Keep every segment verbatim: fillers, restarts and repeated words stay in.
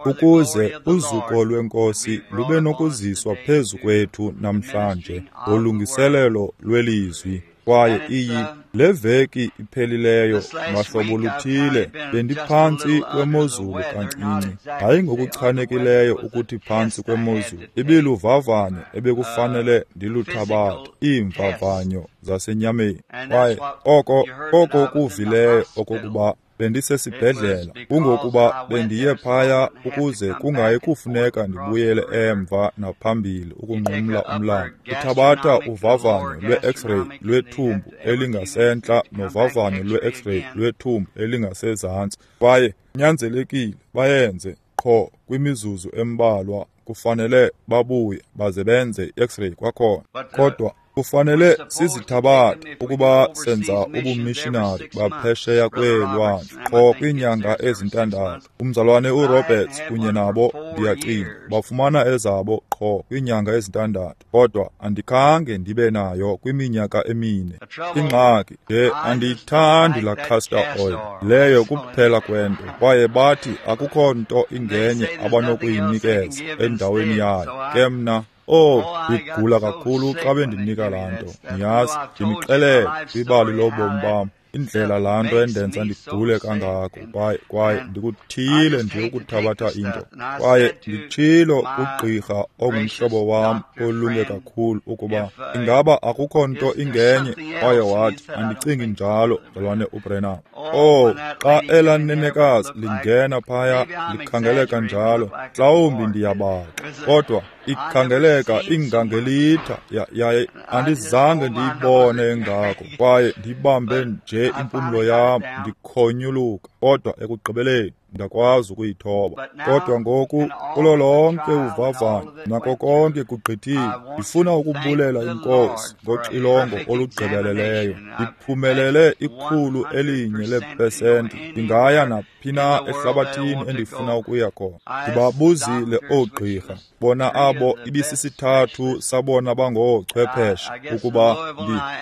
Ukuze uzuko lweNkosi lube nokuziswa phezu kwethu namhlanje ngolungiselelo lwelizwi. Kwaye iyi le veki iphelileyo ngahlobo luthile bendiphantsi kwemozulu kancinci, hayi ngokuchanekileyo ukuthi phantsi kwemozulu, ibiluvavanyo ebekufanele ndiluthabathe, iimvavanyo zasenyameni. Kwaye oko oko kuvileyo okokuba bendisesibhedlela kungokuba bendiye phaya ukuze kungayi kufuneka ndibuyele emva naphambili ukunqumla umlambo. Uthabatha uvavanyo lwe-X-ray lwethumbu elingasentla novavanyo lwe-X-ray lwethumbu elingasezantsi, kwaye kunyanzelekile bayenze qho kwimizuzu embalwa. Kufanele babuye baze benze i-X-ray kwakhona. Kodwa kufanele sizithabathe ukuba senza ubumishinari baphesheya kweelwandle qho kwiinyanga ezintandathu. Umzalwane uRoberts kunye nabo, ndiyacinga, bafumana ezabo qho kwiinyanga ezintandathu, kodwa andikhange ndibe nayo kwiminyaka emine. Ingxaki nje andiyithandi laa castor oil, leyo kuphela kwento. Kwaye bathi akukho nto ingenye abanokuyinikeza endaweni yayo. Ke mna, oh, ndigula kakhulu xa bendinika laa nto. Niyazi, ndinixelele kwibali lobomi bam indlela laa nto endenza ndigule kangako, kwaye kwaye ndikuthiyile nje ukuthabatha into. Kwaye nditshilo kugqirha ongumhlobo wam olunge kakhulu ukuba ingaba akukho nto ingenye, kwaye wathi andicingi njalo, mzalwane uBrenham. Oh, xa elaa nenekazi lingena phaya likhangeleka njalo, mhlawumbi ndiyabaxa, kodwa ikhangeleka ingangelitha, yaye andizange ndiyibone engako, kwaye ndibambe nje impumlo yam ndikhonyuluka, kodwa ekugqibeleni ndakwazi ukuyithoba. Kodwa ngoku kulo lonke uvavanyo nako konke kugqithile, ndifuna ukubulela iNkosi ngoxilongo olugqibeleleyo. Ndiphumelele ikhulu elinye leepesenti. Ndingaya naphi na ehlabathini endifuna ukuya khona. Ndibabuzile oogqirha, bona abo ibisisithathu sabona bangoochwepheshe ukuba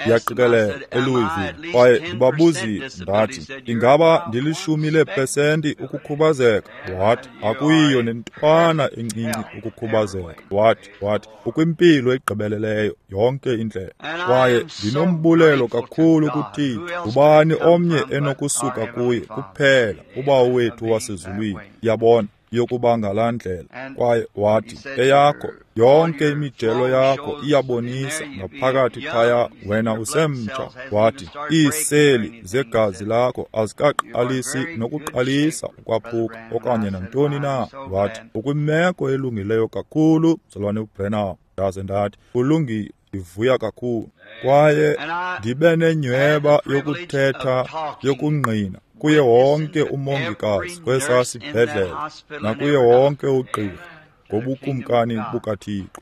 ndiyaqikelela eLouisville. Kwaye ndibabuzile ndathi, ingaba ndilishumi leepesenti ukukhubazeka? Wathi, akuyiyo nentwana encinci ukukhubazeka. Wathi, wathi, ukwimpilo egqibeleleyo yonke indlela. Kwaye ndinombulelo kakhulu kuThixo. Ngubani omnye enokusuka kuye kuphela uBawo wethu wasezulwini, yabona, yokuba ngalaa ndlela. Kwaye wathi, eyakho yonke imijelo yakho iyabonisa ngaphakathi phaya wena usemtsha. Wathi, iiseli zegazi lakho azikaqalisi nokuqalisa ukwaphuka okanye nantoni na. Wathi, ukwimeko elungileyo kakhulu, mzalwane uBrenham. Ndaze ndathi, kulungile, ndivuya kakhulu. Kwaye ndibe nenyhweba yokuthetha yokungqina kuye wonke umongikazi kwesaa sibhedlele nakuye wonke ugqirha ngobukumkani bukaThixo.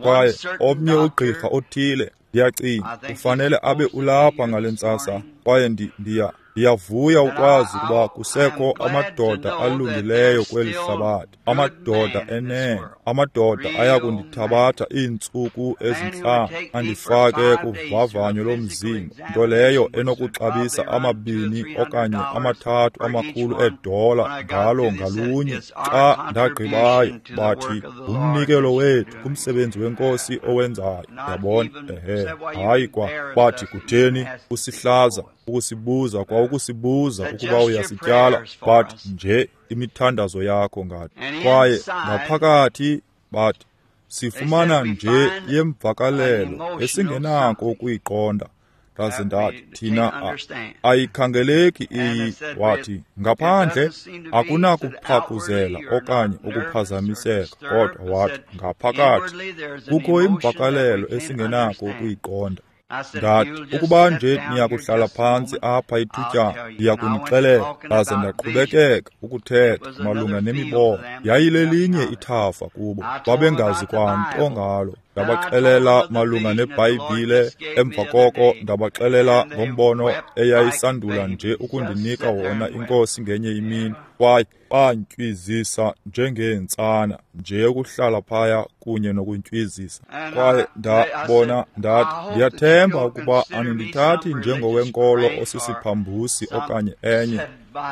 Kwaye omnye ugqirha othile, ndiyacinga, ufanele abe ulapha ngale ntsasa. Kwaye ndiya ndiyavuya ukwazi ukuba kusekho amadoda alungileyo kweli hlabathi, amadoda enene, amadoda aya kundithabatha iintsuku ezintlanu andifake kuvavanyo lomzimba, nto leyo enokuxabisa amabini okanye amathathu amakhulu eedola ngalo ngalunye. Xa ndagqibayo, bathi ngumnikelo wethu kumsebenzi weNkosi owenzayo. Yabona? Ehe, hayi kwa. Bathi kutheni usihlaza ukusibuza kwa ukusibuza ukuba uyasityala, bathi nje imithandazo yakho ngathi. Kwaye ngaphakathi bathi sifumana nje yemvakalelo esingenako ukuyiqonda. Ndaze ndathi, thina ayikhangeleki iyi. Wathi, ngaphandle akunakuphakuzela okanye ukuphazamiseka, kodwa wathi ngaphakathi kukho imvakalelo esingenako ukuyiqonda. Ndathi, ukuba nje niyakuhlala phantsi apha ithutyana, ndiyakunixelela. Ndaze ndaqhubekeka ukuthetha malunga nemibono. Yayilelinye ithafa kubo, babengazi kwanto ngalo. Ndabaxelela malunga neBhayibhile, emva koko ndabaxelela ngombono eyayisandula nje ukundinika wona iNkosi ngenye imini. Kwaye bantywizisa njengeentsana nje ukuhlala phaya kunye nokuntywizisa. Kwaye ndabona, ndathi, ndiyathemba ukuba anindithathi njengowenkolo osisiphambusi okanye enye.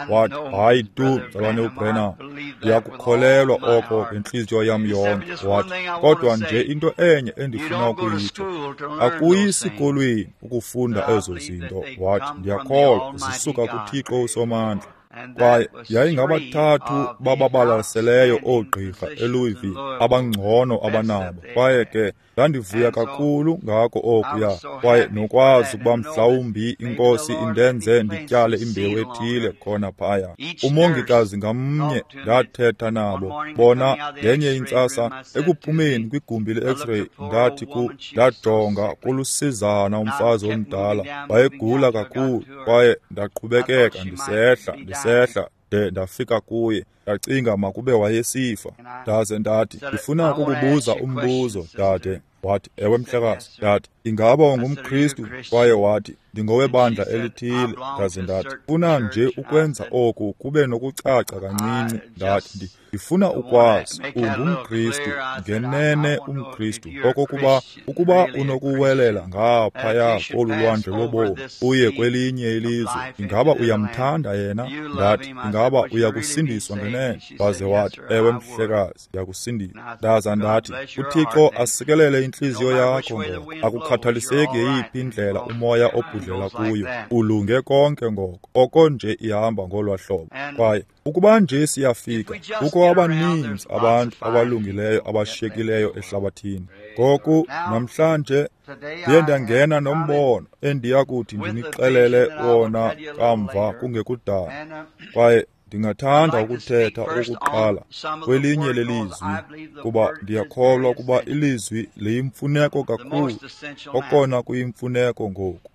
Wathi, hayi tu, mzalwane uBrenham, ndiyakukholelwa oko ngentliziyo yam yonke. Wathi, kodwa nje into enye endifuna ukuyitsho, akuyi sikolweni ukufunda ezo zinto. Wathi, ndiyakholwa zisuka kuThixo uSomandla. Kwaye yayingabathathu bababalaseleyo oogqirha eLouisville abangcono abanabo. Kwaye ke ndandivuya kakhulu ngako okuya, kwaye nokwazi ukuba mhlawumbi iNkosi indenze ndityale imbewu ethile khona phaya. Umongikazi ngamnye ndathetha nabo bona ngenye intsasa ekuphumeni kwigumbi le-X-ray, ndathi ku ndajonga kulusizana umfazi omdala, wayegula kakhulu, kwaye ndaqhubekeka ndisehla ndisehla de ndafika kuye. Ndacinga makube wayesifa. Ndaze ndathi, ndifuna ukukubuza umbuzo, dade. Wathi, ewe mhlekazi. Ndathi, ingaba ungumKristu? Kwaye wathi, ndingowebandla elithile. Ndaze ndathi, funa nje ukwenza oku kube nokucaca kancinci. Ndathi, ndifuna ukwazi ungumKristu, ngenene umKristu, okokuba ukuba unokuwelela ngaphaya kolu lwandle lobomi uye kwelinye ilizwe, ingaba uyamthanda yena? Ndathi, ingaba uyakusindiswa ngenene? Waze wathi, ewe mhlekazi, ndiyakusindiswa. Ndaza ndathi, uThixo asikelele intliziyo yakho ngoko, akukhathaliseki yeyiphi indlela umoya obhudlela kuyo, ulunge konke ngoko, oko nje ihamba ngolwa hlobo. Kwaye ukuba nje siyafika, kukho abaninzi abantu abalungileyo abashiyekileyo ehlabathini. Ngoku namhlanje ndiye ndangena nombono endiya kuthi ndinixelele wona kamva kungekudala. Kwaye ndingathanda ukuthetha okokuqala kwelinye lelizwi, kuba ndiyakholwa ukuba ilizwi liyimfuneko kakhulu, okona kuyimfuneko ngoku.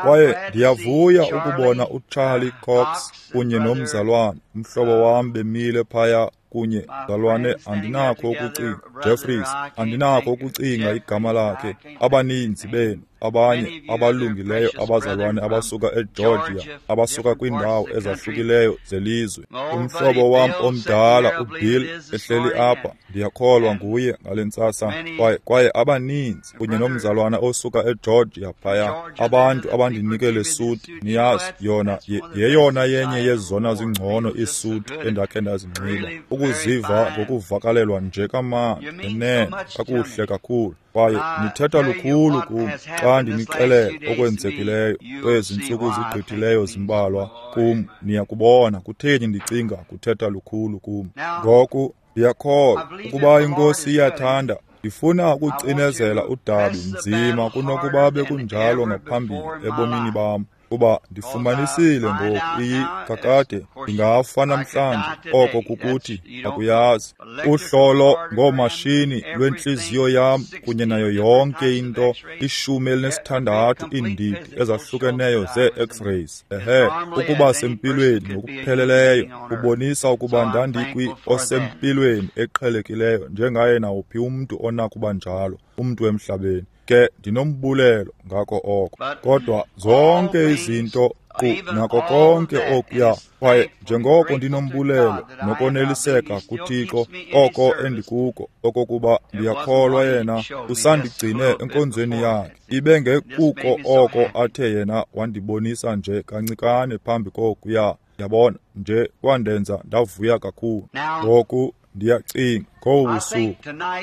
Kwaye ndiyavuya ukubona uCharlie Cox kunye nomzalwane, umhlobo wam, bemile phaya kunye. Mzalwane, andinakho ukucinga, Jeffries, andinakho ukucinga igama lakhe. Abaninzi benu abanye abalungileyo abazalwane abasuka eGeorgia, abasuka kwiindawo ezahlukileyo zelizwe. Umhlobo wam omdala uBill ehleli apha, ndiyakholwa nguye ngale ntsasa. Kwaye kwaye abaninzi kunye nomzalwana osuka eGeorgia phaya, abantu abandinike le suti. Niyazi, yona yeyona yenye yezona zingcono iisuti endakhe ndazinxiba, ukuziva ngokuvakalelwa nje kamandi, ngenene kakuhle kakhulu. Kwaye nithetha lukhulu kum xa ndinixelela okwenzekileyo kwezi ntsuku zigqithileyo zimbalwa kum. Niyakubona kutheni ndicinga kuthetha lukhulu kum. Ngoku ndiyakholwa ukuba iNkosi iyathanda, ndifuna ukucinezela udabi nzima kunokuba bekunjalo ngaphambili ebomini bam, kuba ndifumanisile ngoku iyi kakade ndingafa namhlanje. Oko kukuthi akuyazi. Uhlolo ngoomashini lwentliziyo yam kunye nayo yonke into, ishumi elinesithandathu iindidi ezahlukeneyo zee-X-rays, ehe, ukuba sempilweni ngokupheleleyo kubonisa ukuba ndandikwi osempilweni eqhelekileyo njengaye nawuphi umntu onakuba njalo, umntu emhlabeni. Ke ndinombulelo ngako oko. Kodwa zonke izinto qu nako konke okuya, kwaye njengoko ndinombulelo nokoneliseka kuThixo oko endikuko, okokuba ndiyakholwa yena usandigcine enkonzweni yakhe, ibe ngekuko oko athe yena wandibonisa nje kancikane phambi kokuya. Yabona, nje kwandenza ndavuya kakhulu. Ngoku ndiyacinga ngobu busuku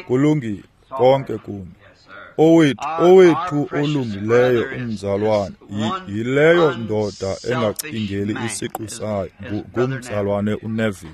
kulungile konke kuni. Owethu owethu olungileyo umzalwane yileyo ndoda engacingeli isiqu sayo, ngumzalwane uNeville.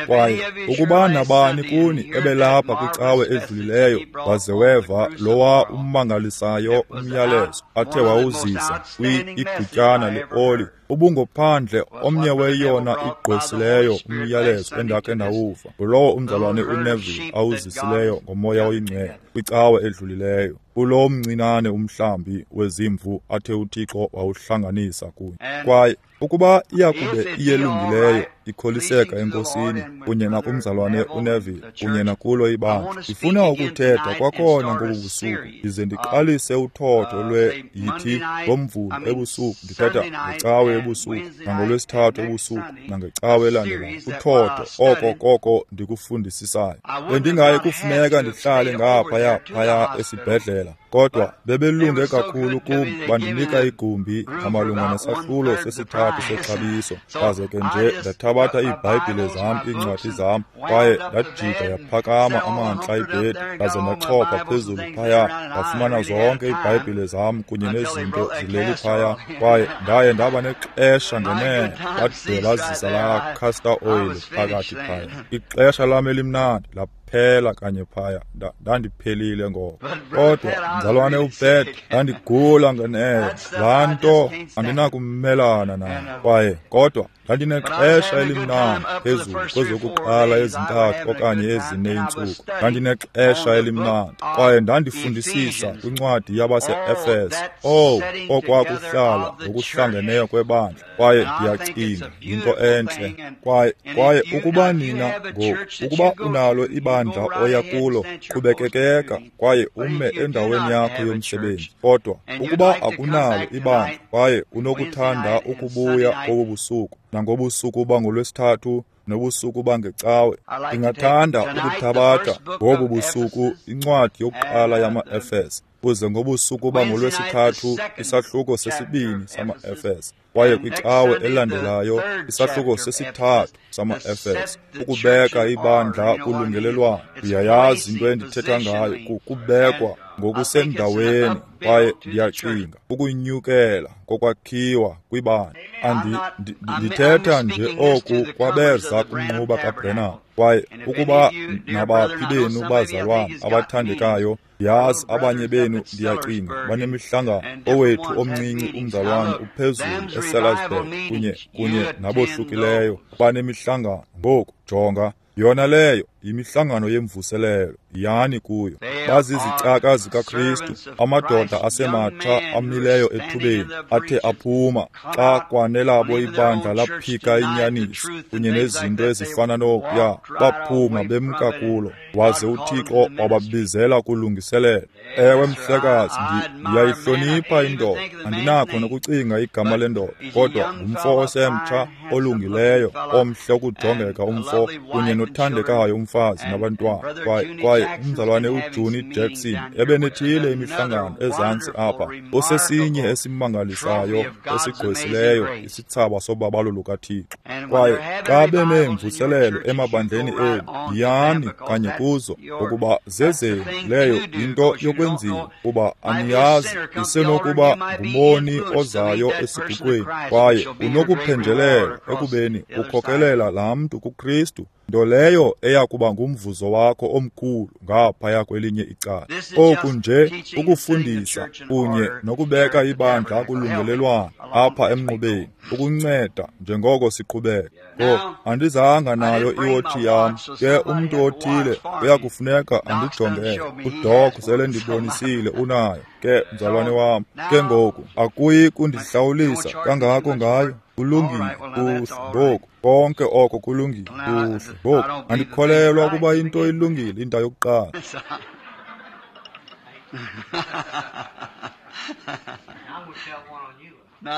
Kwaye ukuba nabani kuni ebelapha kwicawe edlulileyo waze weva lowa ummangalisayo umyalezo athe wawuzisa kwi-igutyana leoli, ubungophandle omnye weyona igqwesileyo umyalezo endakhe ndawuva, ngulowo umzalwane uNeville awuzisileyo ngoMoya oyiNgcwele kwicawe edlulileyo, kulo mncinane umhlambi wezimvu athe uThixo wawuhlanganisa kunye. Kwaye ukuba iyakube iyelungileyo ikholiseka eNkosini kunye nakumzalwane uNeville kunye nakulo ibandla, ndifuna ukuthetha kwakhona ngobu busuku ndize ndiqalise uthotho lwe yithi ngoMvulo ebusuku, ndithetha ngecawe ebusuku, nangolwesithathu ebusuku, nangecawe elandelayo. Uthotho, oko koko ndikufundisisayo. Bendingayi kufuneka ndihlale ngaphaya phaya esibhedlela, kodwa bebelunge kakhulu kum, bandinika igumbi ngamalunga nesahlulo sesithathu sexabiso. Ndaze ke nje ndathabatha iiBhayibhile zam, iincwadi zam, kwaye ndajika yaphakama amantla ibhedi, ndaze ndachopha phezulu phaya, ndafumana zonke iiBhayibhile zam kunye nezinto zileli phaya, kwaye ndaye ndaba nexesha ngenene, bade bazisa laa castor oil phakathi phaya. Ixesha lam elimnandi laphela kanye phaya, ndandiphelile ngoko. Kodwa mzalwane uPet, ndandigula ngenene, laa nto andinakumelana nayo. Kwaye kodwa ndandinexesha elimnandi phezulu kwezokuqala ezintathu okanye ezine iintsuku. Ndandinexesha elimnandi kwaye ndandifundisisa kwincwadi yabase-Efese, owu, okwakuhlala ngokuhlangeneyo kwebandla. Kwaye ndiyacinga yinto entle. Kwaye kwaye ukuba nina ngoku, ukuba unalo ibandla oya kulo, qhubekekeka kwaye ume endaweni yakho yomsebenzi. Kodwa ukuba akunalo ibandla kwaye unokuthanda ukubuya kobu busuku, nangobusuku bangolwesithathu nobusuku bangecawe, ndingathanda ukuthabatha ngobu busuku incwadi yokuqala yama-Efese, kuze ngobusuku bangolwesithathu isahluko sesibini sama-Efese, kwaye kwicawe elandelayo isahluko sesithathu sama-Efese, ukubeka ibandla kulungelelwano. Uyayazi into endithetha ngayo, kubekwa ngokusendaweni, kwaye ndiyacinga ukunyukela kokwakhiwa kwibandla. Ndithetha nje oku kwabeza kumnquba kaBrenham, kwaye ukuba nabaphi benu bazalwana abathandekayo, yazi abanye benu ndiyacinga banemihlangano. Owethu omncinci umzalwane uphezulu eSalisbury kunye kunye nabohlukileyo banemihlangano. Ngoku jonga, yona leyo yimihlangano yemvuselelo, yani kuyo. Bazizicaka zikaKristu, amadoda asematsha amileyo ethubeni, athe aphuma xa kwanelabo ibandla laphika inyaniso kunye nezinto ezifana nokuya, baphuma bemka kulo, waze uThixo wababizela kulungiselelo. Ewe mhlekazi, ndiyayihlonipha indoda, andinakho nokucinga igama lendoda, kodwa ngumfo osemtsha olungileyo, omhle ukujongeka umfo, kunye nothandekayo umfazi nabantwana. Kwaye kwaye umzalwane uJohnny Jackson ebenethile imihlangano ezantsi apha, osesinye esimangalisayo esigqwesileyo isithsaba sobabalo lukaThixo. Kwaye xa beneemvuselelo emabandleni enu, yiyani kanye kuzo, ngokuba zezenu. Leyo yinto yokwenziwa, kuba aniyazi, isenokuba ngumoni ozayo esiguqweni, kwaye unokuphenjelela ekubeni ukhokelela laa mntu kuKristu, nto leyo eya kuba ngumvuzo wakho omkhulu ngaphaya kwelinye icala. Oku nje ukufundisa kunye nokubeka ibandla kulungelelwano apha emnqubeni, ukunceda njengoko siqhubeka. Ngoku andizanga nayo iwotshi yam, ke umntu othile uyakufuneka andijongele. UDoc sele ndibonisile unayo, ke mzalwane wam. Ke ngoku akuyi kundihlawulisa kangako ngayo. Kulungile, kuhle. Ngoku konke oko kulungile, kuhle. Ngoku andikholelwa ukuba into ilungile into yokuqala.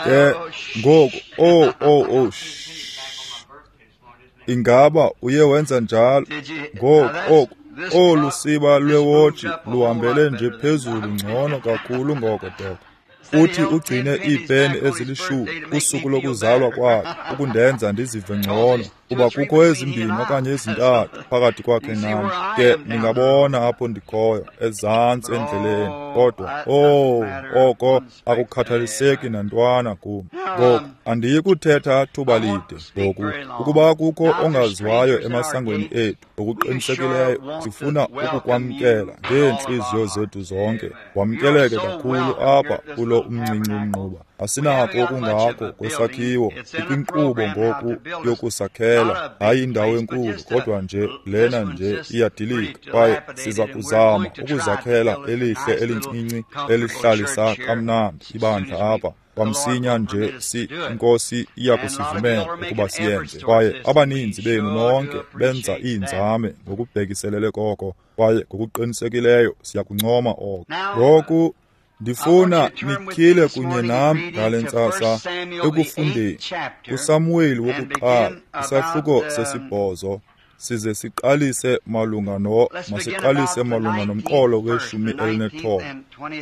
Ke ngoku, oh oh oh, ingaba uye wenza njalo? Ngoku oku olu siba lwewotshi luhambele nje phezulu ngcono kakhulu ngoko, Doc. Uthi ugcine iipeni ezilishumi kusuku lokuzalwa kwakhe ukundenza ndizive ngcono, kuba kukho ezimbini okanye ezintathu phakathi kwakhe nam. Ke ningabona apho ndikhoyo ezantsi endleleni, kodwa oh, oko akukhathaliseki nantwana kum. Ngoku andiyi kuthetha thuba lide ngoku. Ukuba kukho ongaziwayo emasangweni ethu, ngokuqinisekileyo sifuna ukukwamkela ngeentliziyo zethu zonke. Wamkeleke kakhulu apha kulo umncinci umnquba. Asinako okungako kwesakhiwo, ikwinkqubo ngoku yokusakhela, hayi indawo enkulu, kodwa nje lena nje iyadilika, kwaye siza kuzama ukuzakhela elihle elincinci elihlalisa kamnandi ibandla apha. Kwamsinya nje si inkosi iya kusivumela ukuba siyenze. Kwaye abaninzi benu nonke benza iinzame ngokubhekiselele koko, kwaye ngokuqinisekileyo siyakuncoma oko. Ngoku Ndifuna nityhile kunye nam ngale ntsasa ekufundeni kuSamuweli wokuqala isahluko sesibhozo, size siqalise malunga no masiqalise malunga nomqolo weshumi elinethoba,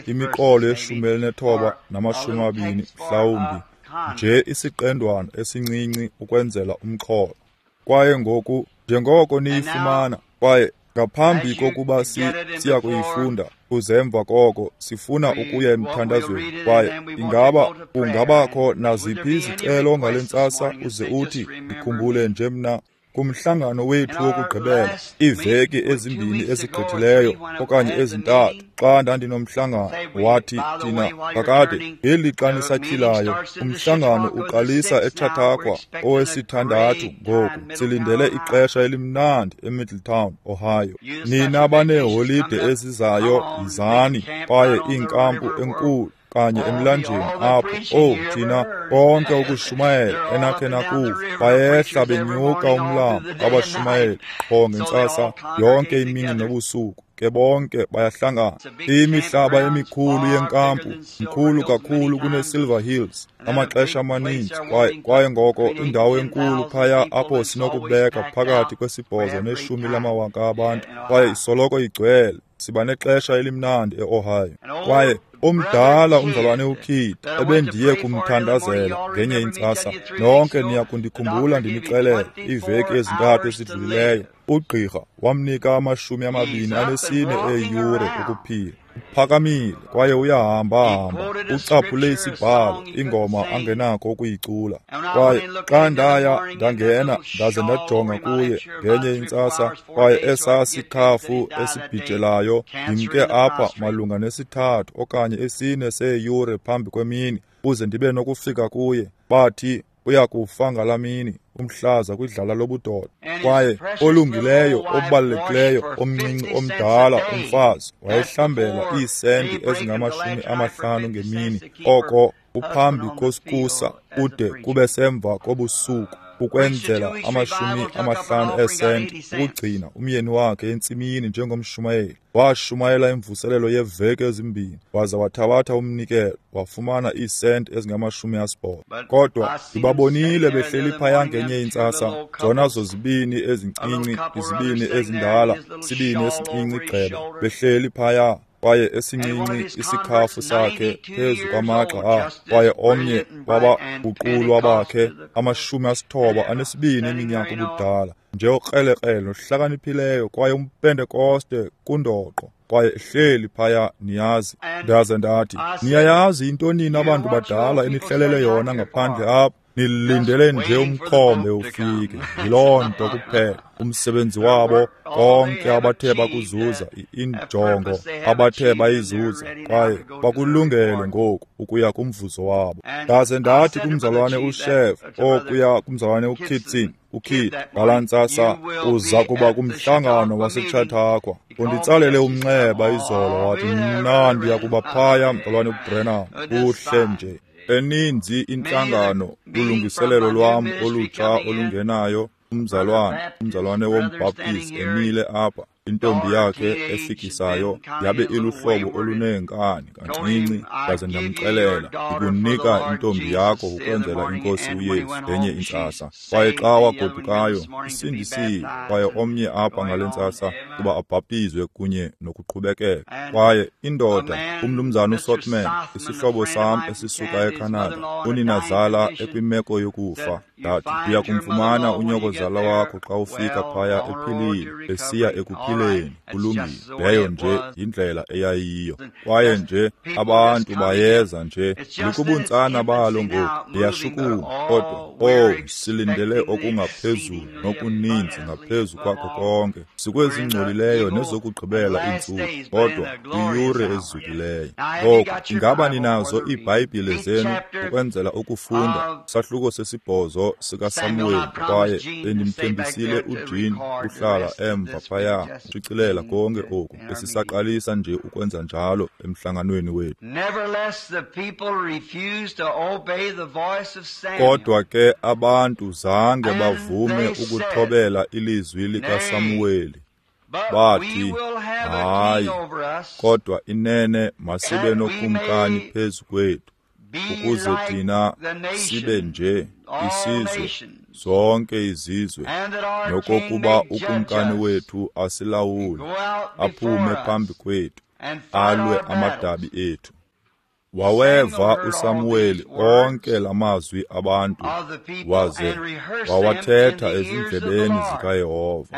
imiqolo yeshumi elinethoba namashumi amabini mhlawumbi, nje isiqendwana esincinci ukwenzela umxholo. Kwaye ngoku njengoko niyifumana, kwaye ngaphambi kokuba si siya kuyifunda, kuze emva koko sifuna ukuya emthandazweni. Kwaye ingaba kungabakho naziphi izicelo ngale ntsasa, uze uthi ndikhumbule nje mna kumhlangano wethu wokugqibela iiveki ezimbini ezigqithileyo okanye ezintathu, xa ndandinomhlangano, wathi thina kakade ngelixa nisatyhilayo umhlangano uqalisa eChautauqua owesithandathu ngoku silindele ixesha elimnandi eMiddletown, Ohio. Nina baneeholide ezizayo yizani, kwaye iinkampu enkulu kanye emlanjeni apho, oh thina konke ukushumayela enakhe nakuva, bayehla benyuka umlambo abashumayeli qho ngentsasa yonke imini nobusuku, ke bonke bayahlangana. Imihlaba emikhulu yenkampu, mkhulu kakhulu kuneSilver Hills amaxesha amaninzi, kwaye kwaye ngoko indawo enkulu phaya apho sinokubeka phakathi kwesibhozo neshumi lamawaka abantu, kwaye isoloko igcwele. Siba nexesha elimnandi eOhio. Kwaye omdala umzalwane uKid ebendiye kumthandazela ngenye intsasa, nonke niya kundikhumbula ndinixelela iiveki ezintathu ezidlulileyo, ugqirha wamnika amashumi amabini anesine eeyure ukuphila. Uphakamile kwaye uyahamba-hamba, ucaphule isibhalo, ingoma angenakho ukuyicula. Kwaye xa ndaya ndangena ndaze ndajonga kuye ngenye intsasa, kwaye esaa sikhafu esibhijelayo, ndimke apha malunga nesithathu okanye esine seeyure phambi kwemini uze ndibe nokufika kuye, bathi uya kufa ngalaa mini, umhlaza kwidlala lobudoda. Kwaye olungileyo, obalulekileyo, omncinci omdala umfazi wayehlambela iisenti ezingamashumi amahlanu ngemini, oko uphambi kosikusa kude kube semva kobusuku, ukwenzela amashumi amahlanu eesenti ukugcina umyeni wakhe entsimini njengomshumayeli. Washumayela imvuselelo yeeveki ezimbini, waza wathabatha umnikelo, wafumana iisenti ezingamashumi asibhozo. Kodwa ndibabonile behleli phaya ngenye intsasa, zona zozibini ezincinci, izibini ezindala, isibini esincinci gqeba, behleli phaya, kwaye esincinci isikhafu sakhe phezu kwamagxa akhe, kwaye omnye wabaguqulwa bakhe amashumi asithoba anesibini eminyaka ubudala, nje okrelekrele nohlakaniphileyo, kwaye umpentekoste kundoqo, kwaye ehleli phaya, niyazi. Ndaze ndathi, niyayazi into nina abantu badala enihlelele yona ngaphandle apha? Nilindele nje umkhombe ufike. Yiloo nto kuphela. Umsebenzi wabo, konke abathe bakuzuza, injongo abathe bayizuza, kwaye bakulungele ngoku ukuya kumvuzo wabo. Ndaze ndathi kumzalwane uShef, okuya kumzalwane uKitson, uKid, ngalaa ntsasa uza kuba kumhlangano waseChautauqua. Unditsalele umnxeba izolo wathi, mna ndiya kuba phaya, mzalwane uBrenham, kuhle nje. Eninzi intlangano kulungiselelo lwam olutsha olungenayo, umzalwane, umzalwane wombhaptizi emile apha, intombi yakhe efikisayo yabe iluhlobo oluneenkani kancinci, ndaze ndamxelela, ndikunika intombi yakho ukwenzela inkosi uYesu ngenye intsasa. Kwaye xa wagodukayo, isindisiwe, kwaye omnye apha ngale ntsasa kuba abhaptizwe kunye nokuqhubekeka. Kwaye indoda, umnumzana uSotman, isihlobo sam esisuka eCanada, uninazala ekwimeko yokufa, ndathi ndiya kumfumana unyokozala wakho xa ufika phaya ephilile, esiya ekuphileni, kulungile. Leyo nje yindlela eyayiyo. Kwaye nje abantu bayeza nje, likubuntsana balo ngoku, liyashukuma, kodwa oh, silindele okungaphezulu nokuninzi ngaphezu kwakho konke. Sikwezingcolileyo nezokugqibela iintsuku, kodwa kwiyure ezukileyo. Ngoku ingaba ninazo iiBhayibhile zenu ukwenzela ukufunda isahluko sesibhozo sikaSamuweli? Kwaye bendimthembisile uJean uhlala emva phaya ushicilela konke oku, besisaqalisa nje ukwenza njalo emhlanganweni wethu. Kodwa ke abantu zange bavume ukuthobela ilizwi likaSamuweli. Bathi, hayi, kodwa inene masibe nokumkani phezu kwethu, ukuze thina sibe nje isizwe, zonke izizwe, nokokuba ukumkani wethu asilawule, aphume phambi kwethu, alwe amadabi ethu. Waweva uSamuweli onke lamazwi abantu, waze wawathetha ezindlebeni zikaYehova.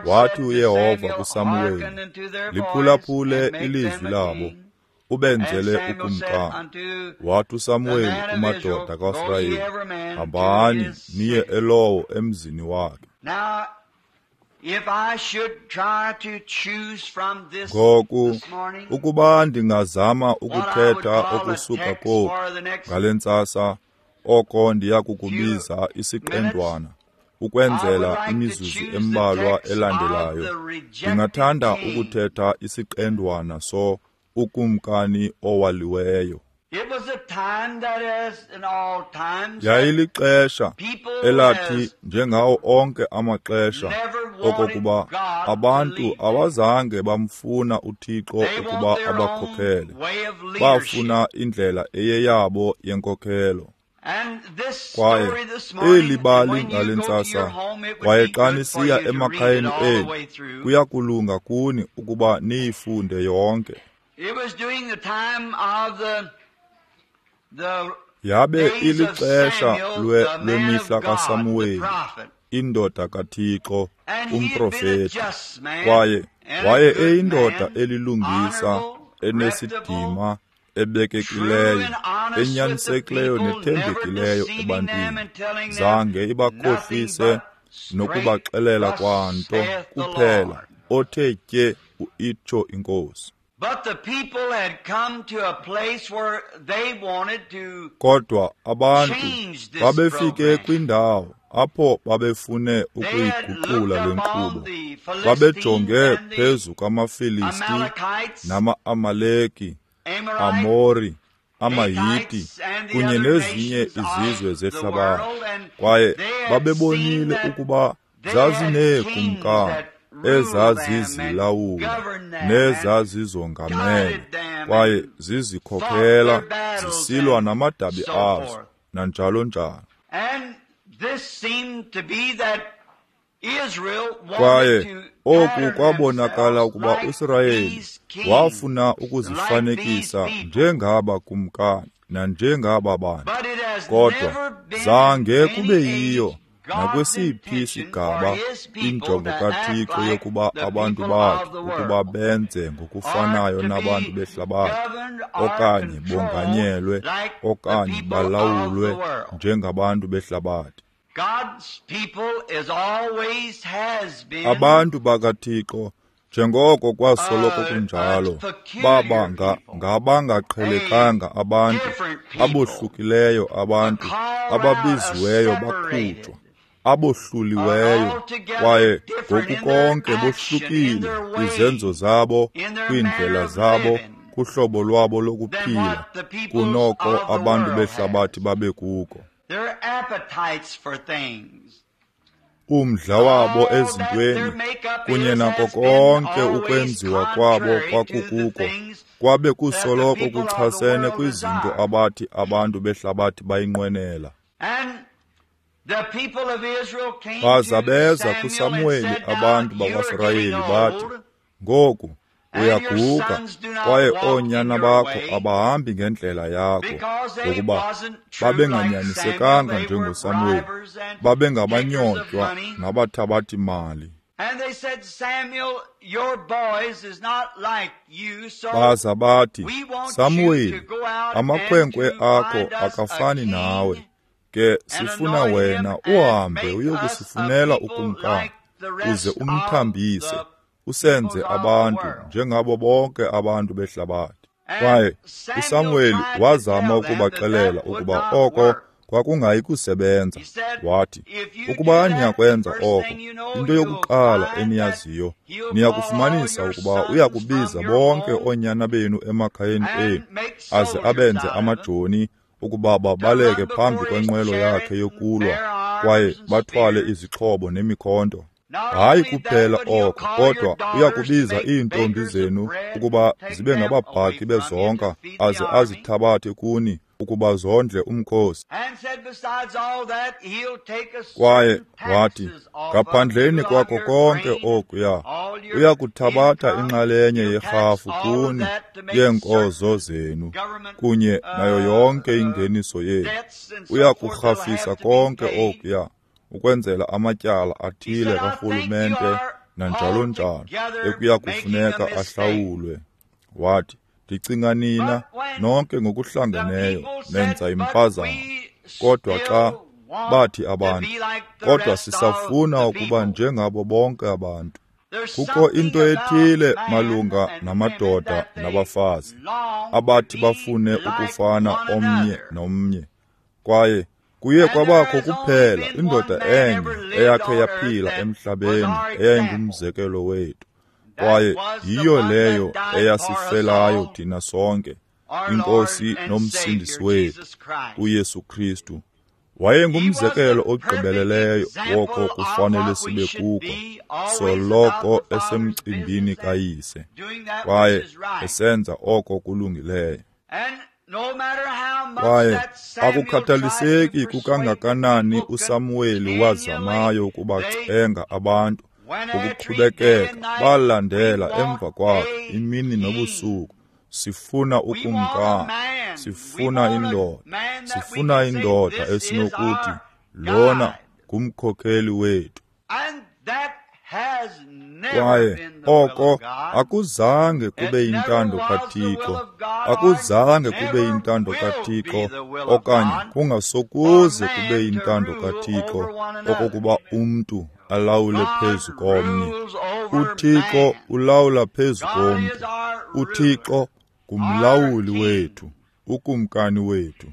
Wathi uYehova kuSamuweli, liphulaphule ilizwi labo, ubenzele ukumkani. Wathi uSamuweli kumadoda kaSirayeli, hambani niye elowo emzini wakhe. Ngoku, ukuba ndingazama ukuthetha okusuka koku ngale ntsasa, oko ndiya kukubiza isiqendwana, ukwenzela imizuzu embalwa elandelayo. Ndingathanda ukuthetha isiqendwana so ukumkani owaliweyo. Yayilixesha elathi njengawo onke amaxesha okokuba abantu abazange bamfuna uThixo ukuba abakhokhele. Bafuna indlela eyeyabo yenkokhelo. Kwaye eli bali ngale ntsasa, kwaye xa nisiya emakhayeni enu, kuya kulunga kuni ukuba niyifunde yonke. Yabe ilixesha lwemihla kaSamuweli, indoda kaThixo, umprofeti. Kwaye waye eyindoda elilungisa, enesidima, ebekekileyo, enyanisekileyo nethembekileyo ebantwini. Zange ibakhohlise nokubaxelela kwanto kuphela othe tye uitsho iNkosi. Kodwa abantu babefike kwindawo apho babefune ukuyiguqula le nkqubo. Babejonge phezu kwamaFilisti nama-Amaleki, Amori, amaHiti kunye nezinye izizwe zehlabathi. Kwaye babebonile ukuba zazineekumkani ezazizilawula nezazizongamele, kwaye zizikhokhela zisilwa namadabi azo nanjalo njalo. Kwaye oku kwabonakala ukuba uSirayeli wafuna ukuzifanekisa njengaba kumkani nanjengaba bantu, kodwa zange kube yiyo nakwesiphi isigaba injongo kaThixo yokuba abantu bakhe ukuba benze ngokufanayo nabantu behlabathi, okanye bonganyelwe okanye balawulwe njengabantu behlabathi. Abantu bakaThixo, njengoko kwasoloko kunjalo, baba ngabangaqhelekanga abantu, abohlukileyo abantu, ababiziweyo bakhutshwa, abohluliweyo, kwaye ngokukonke bohlukile kwizenzo zabo, kwiindlela zabo, kuhlobo lwabo lokuphila, kunoko abantu behlabathi babekuko. Umdla wabo ezintweni kunye nako konke ukwenziwa kwabo kwakukuko kwabe kusoloko kuchasene kwizinto abathi abantu behlabathi bayinqwenela. Baza beza kuSamuweli abantu bakwaSirayeli bathi, ngoku uyaguga kwaye oonyana bakho abahambi ngendlela yakho, ngokuba babenganyanisekanga njengoSamuweli, babengabanyotywa nabathabathi mali. Baza bathi, Samuweli, amakhwenkwe akho akafani nawe, ke sifuna wena uhambe uyokusifunela ukumkani, uze umthambise, usenze abantu njengabo bonke abantu behlabathi. Kwaye uSamuweli wazama ukubaxelela ukuba oko kwakungayi kusebenza. Wathi, ukuba niyakwenza oko, into yokuqala eniyaziyo, niyakufumanisa ukuba uyakubiza bonke oonyana benu emakhayeni enu, aze abenze amajoni ukuba babaleke phambi kwenqwelo yakhe yokulwa, kwaye bathwale izixhobo nemikhonto. Hayi kuphela oko, kodwa uyakubiza iintombi zenu ukuba zibe ngababhaki bezonka aze azithabathe kuni ukuba zondle umkhosi. Kwaye wathi, ngaphandleni kwako konke okuya, uyakuthabatha inxalenye yerhafu kuni yeenkozo zenu kunye nayo yonke ingeniso yenu. Uyakurhafisa konke okuya ukwenzela amatyala athile karhulumente nanjalo njalo ekuya kufuneka ahlawulwe. Wathi, ndicinga nina nonke ngokuhlangeneyo nenza impazamo. Kodwa xa bathi abantu, kodwa sisafuna ukuba njengabo bonke abantu. Kukho into ethile malunga namadoda nabafazi abathi bafune ukufana omnye nomnye. Kwaye kuye kwabakho kuphela indoda enye eyakhe yaphila emhlabeni eyayingumzekelo wethu. Kwaye yiyo leyo eyasifelayo thina sonke, iNkosi nomsindisi wethu, uYesu Kristu. Wayengumzekelo ogqibeleleyo woko kufanele sibe kuko, soloko esemcimbini kaYise, kwaye esenza oko kulungileyo. Kwaye akukhathaliseki kukangakanani uSamuweli wazamayo ukubacenga abantu ngokuqhubekeka, balandela emva kwakhe imini nobusuku. Sifuna ukumkani, sifuna indoda, sifuna indoda esinokuthi lona ngumkhokheli wethu. Kwaye oko akuzange kube yintando kaThixo, akuzange kube yintando kaThixo, okanye kungasokuze kube yintando kaThixo okokuba umntu alawule phezu komnye. UThixo ulawula phezu komntu. UThixo ngumlawuli wethu, ukumkani wethu.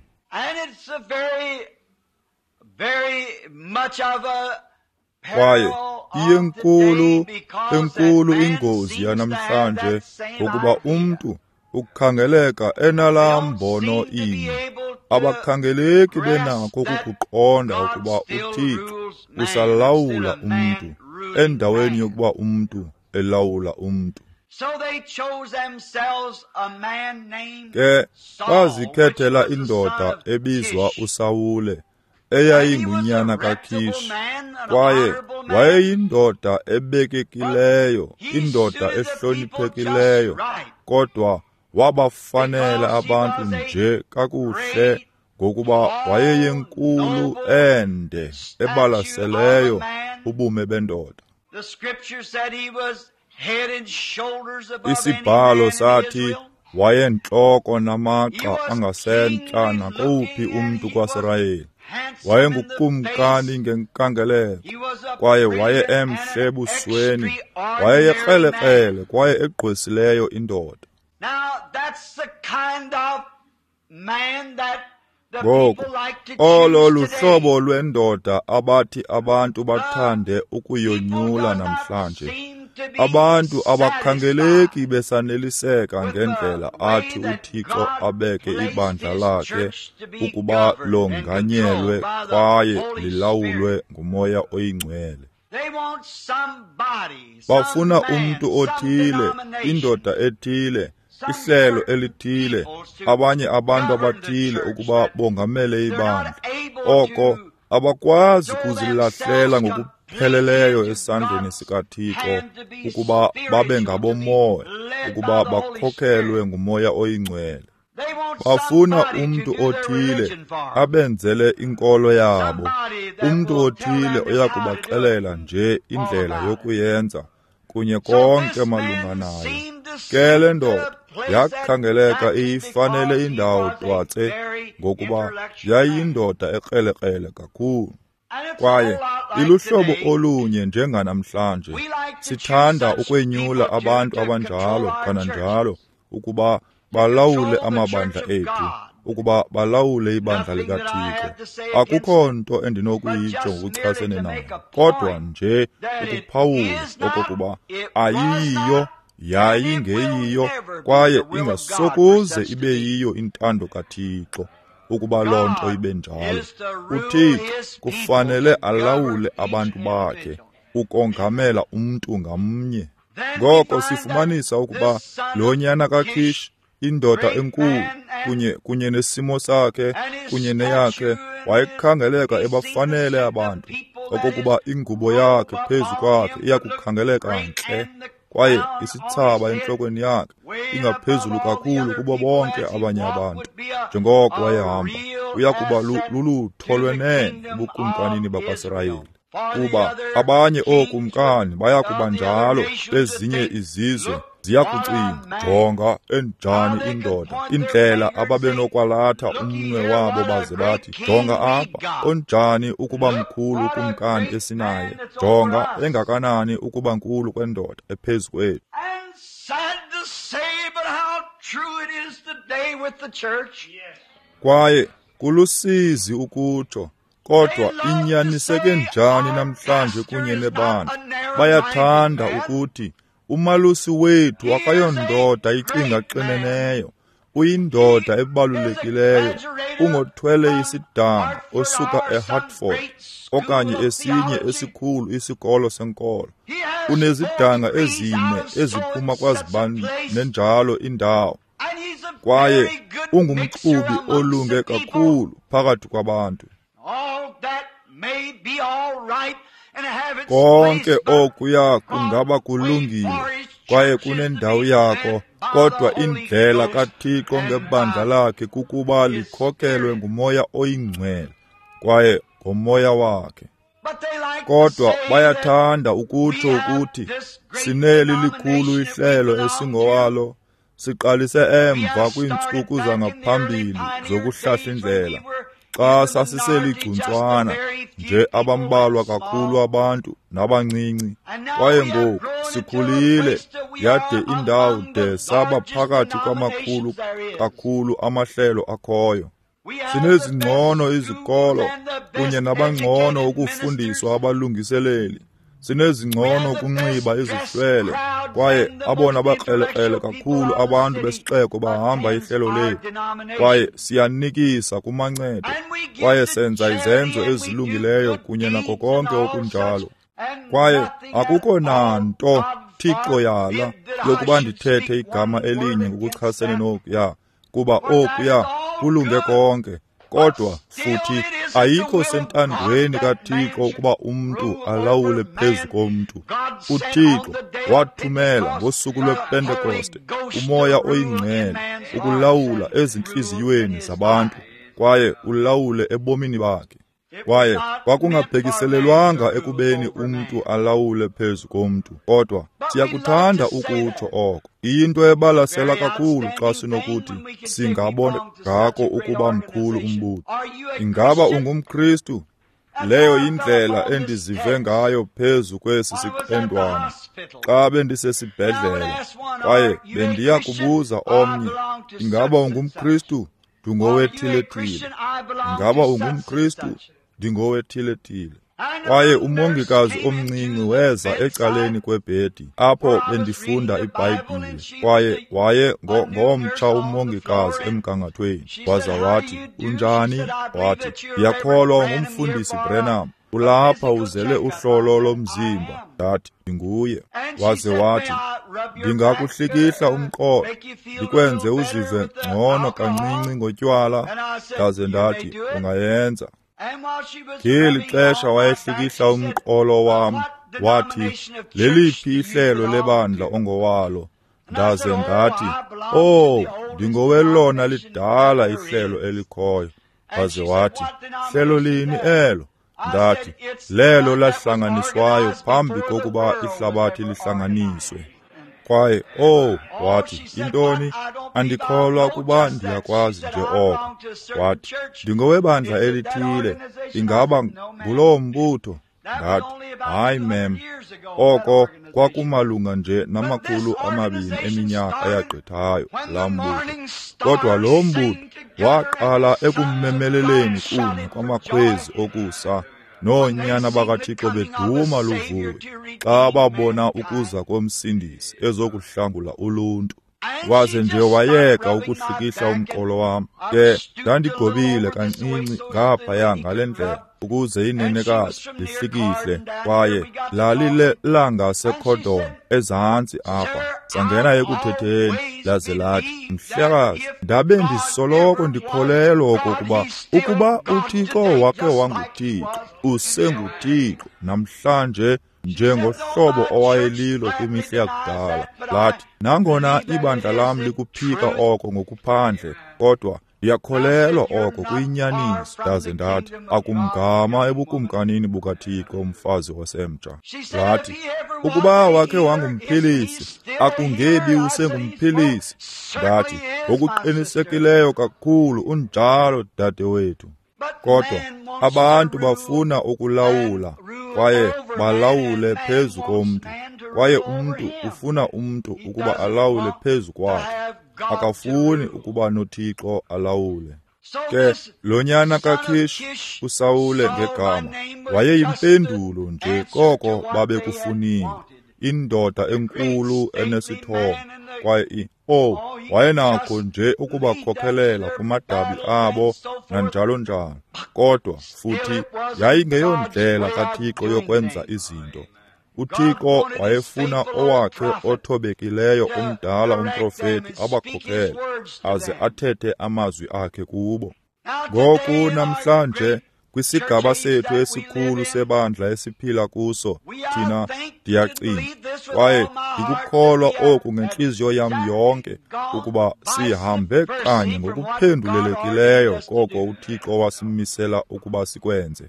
Kwaye iyenkulu enkulu ingozi yanamhlanje ngokuba umntu ukukhangeleka enalaa mbono inye. Abakhangeleki benako ukukuqonda ukuba uThixo usalawula umntu endaweni yokuba umntu elawula umntu. Ke bazikhethela indoda ebizwa uSawule, eyayingunyana kaKish, kwaye wayeyindoda ebekekileyo, indoda ehloniphekileyo, kodwa wabafanela abantu nje kakuhle ngokuba wayeyenkulu ende ebalaseleyo ubume bendoda. Isibhalo sathi wayentloko namagxa angasentla nakowuphi umntu kwaSirayeli. Wayengukumkani ngenkangeleko, kwaye waye emhle ebusweni, wayeyekrelekrele kwaye egqwesileyo indoda. Ngoku, olo luhlobo lwendoda abathi abantu bathande ukuyonyula namhlanje. Abantu abakhangeleki besaneliseka ngendlela athi uThixo abeke ibandla lakhe ukuba longanyelwe kwaye lilawulwe nguMoya oyiNgcwele. Bafuna umntu othile, indoda ethile, ihlelo elithile, abanye abantu abathile ukuba bongamele ibandla. Oko abakwazi kuzilahlela ngokupheleleyo esandleni sikaThixo ukuba babe ngabomoya, ukuba bakhokhelwe nguMoya oyiNgcwele. Bafuna umntu othile abenzele inkolo yabo, umntu othile oyakubaxelela nje indlela yokuyenza kunye konke malunga nayo. Ke le ndoda yakhangeleka iyifanele indawo twatse ngokuba yayindoda ekrelekrele kakhulu. Kwaye iluhlobo olunye njenganamhlanje. Sithanda ukwenyula abantu abanjalo kananjalo ukuba balawule amabandla ethu, ukuba balawule ibandla likaThixo. Akukho nto endinokuyitsho ngokuchasene nayo, kodwa nje ukuphawula okokuba ayiyiyo, yayingeyiyo, kwaye ingasokuze ibe yiyo intando kaThixo ukuba loo nto ibe njalo. UThixo kufanele alawule abantu bakhe, ukongamela umntu ngamnye. Ngoko sifumanisa ukuba lo nyana kaKish, indoda enkulu, kunye kunye nesimo sakhe kunye neyakhe, wayekhangeleka ebafanele abantu, okokuba ingubo yakhe phezu kwakhe iyakukhangeleka ntle, kwaye isithsaba entlokweni yakhe ingaphezulu kakhulu kubo bonke abanye abantu. Njengoko wayehamba, uyakuba lulutho lwenene ebukumkanini bakwaSirayeli, kuba abanye ookumkani bayakuba njalo bezinye izizwe ziyakucinga, jonga enjani indoda, indlela ababenokwalatha umnwe wabo baze bathi, jonga apha, onjani ukuba mkhulu ukumkani esinaye, jonga engakanani ukuba nkulu kwendoda ephezu kwethu. Kwaye kulusizi ukutsho, kodwa inyaniseke njani namhlanje kunye nebandla. Bayathanda ukuthi umalusi wethu akayondoda icinga qineneyo, uyindoda ebalulekileyo, ungothwele isidanga osuka eHartford okanye esinye esikhulu isikolo senkolo. Unezidanga ezine eziphuma kwazibani nenjalo indawo, kwaye ungumxubi olunge kakhulu phakathi kwabantu. Konke okuya kungaba kulungile kwaye kunendawo yako, kodwa indlela kaThixo ngebandla lakhe kukuba likhokelwe nguMoya oyiNgcwele kwaye ngoMoya wakhe. Kodwa bayathanda ukutsho ukuthi sineli likhulu ihlelo esingowalo, siqalise emva kwiintsuku zangaphambili zokuhlahla indlela, xa sasiseligcuntswana nje abambalwa kakhulu abantu nabancinci, kwaye ngoku sikhulile yade indawo de saba phakathi kwamakhulu kakhulu amahlelo akhoyo. Sinezingcono izikolo kunye nabangcono ukufundiswa abalungiseleli, sinezingcono ukunxiba izihlwele, kwaye abona bakrelekrele kakhulu abantu besixeko bahamba ihlelo lethu, kwaye siyanikisa kumancedo, kwaye senza izenzo ezilungileyo kunye nako konke okunjalo. Kwaye akukho nanto, Thixo yala, yokuba ndithethe igama elinye ngokuchasene nokuya, kuba okuya kulunge konke. Kodwa futhi ayikho sentandweni kaThixo ukuba umntu alawule phezu komntu. UThixo wathumela ngosuku lwePentekoste uMoya oyiNgcwele ukulawula ezintliziyweni zabantu kwaye ulawule ebomini bakhe. Kwaye kwakungabhekiselelwanga ekubeni umntu alawule phezu komntu, kodwa siyakuthanda ukutsho oko. Iyinto ebalasela kakhulu xa sinokuthi singabona ngako ukuba mkhulu umbutho. Ingaba ungumKristu? Leyo yindlela endizive ngayo phezu kwesi siqendwana xa bendisesibhedlele, kwaye bendiya kubuza omnye, ingaba ungumKristu? Ndingowethile-thile. Ingaba ungumKristu? Ndingowethile-thile. Kwaye umongikazi omncinci weza ecaleni kwebhedi apho bendifunda iBhayibhile, kwaye waye ngomtsha umongikazi emgangathweni. Waza wathi, unjani? Wathi, ndiyakholwa ungumfundisi Branham, ulapha uzele uhlolo lomzimba. Ndathi, ndinguye. Waze wathi, ndingakuhlikihla umqolo, ndikwenze uzive ngcono kancinci ngotywala. Ndaze ndathi, ungayenza. Ngeli xesha wayehlikihla umqolo wam, wathi, leliphi ihlelo lebandla ongowalo? Ndaze ndathi, oh, ndingowelona lidala ihlelo elikhoyo. Waze wathi, hlelo lini elo? Ndathi, lelo lahlanganiswayo phambi kokuba ihlabathi lihlanganiswe. Kwaye, oh, wathi, intoni? Andikholwa kuba ndiyakwazi nje oko. Wathi, ndingowebandla elithile, ingaba ngulowo mbutho? Ndathi, hayi mem, oko kwakumalunga nje namakhulu amabini eminyaka eyagqithayo laa mbutho. Kodwa lo mbutho waqala ekummemeleleni kunye kwamakhwezi okusa noonyana bakaThixo beduma luvuyo xa babona ukuza komsindisi ezokuhlangula uluntu. Waze nje wayeka ukuhlikihla umqolo wam. Ke ndandigobile kancinci ngaphaya ngale ndlela, ukuze inenekazi lihlikihle, kwaye lalilangaseCordon ezantsi apha. Sangena ekuthetheni, laze lathi, mhlekazi, ndabe ndisoloko ndikholelwa okokuba ukuba uThixo wakhe wanguThixo, usenguThixo namhlanje njengohlobo owayelilo kwimihla yakudala. Lathi, nangona ibandla lam likuphika oko ngokuphandle, kodwa ndiyakholelwa oko kuyinyaniso. Ndaze ndathi, akumgama ebukumkanini bukaThixo umfazi osemtsha. Lathi, ukuba wakhe wangumphilisi, akungebi usengumphilisi. Ndathi, ngokuqinisekileyo kakhulu unjalo, dadewethu. Kodwa abantu bafuna ukulawula, kwaye balawule phezu komntu, kwaye umntu ufuna umntu ukuba alawule phezu kwakhe. Akafuni ukuba noThixo alawule. Ke lo nyana kaKish, uSawule ngegama, wayeyimpendulo nje koko babekufunile, indoda enkulu enesithomo, kwaye oh, wayenakho nje ukubakhokhelela kumadabi abo nanjalo njalo. Kodwa futhi yayingeyondlela kaThixo yokwenza izinto. uThixo wayefuna owakhe othobekileyo umdala umprofeti abakhokhele aze athethe amazwi akhe kubo. Ngoku namhlanje kwisigaba sethu esikhulu sebandla esiphila kuso, thina ndiyacinga kwaye ndikukholwa oku ngentliziyo yam yonke ukuba sihambe kanye ngokuphendulelekileyo koko uThixo wasimisela ukuba sikwenze.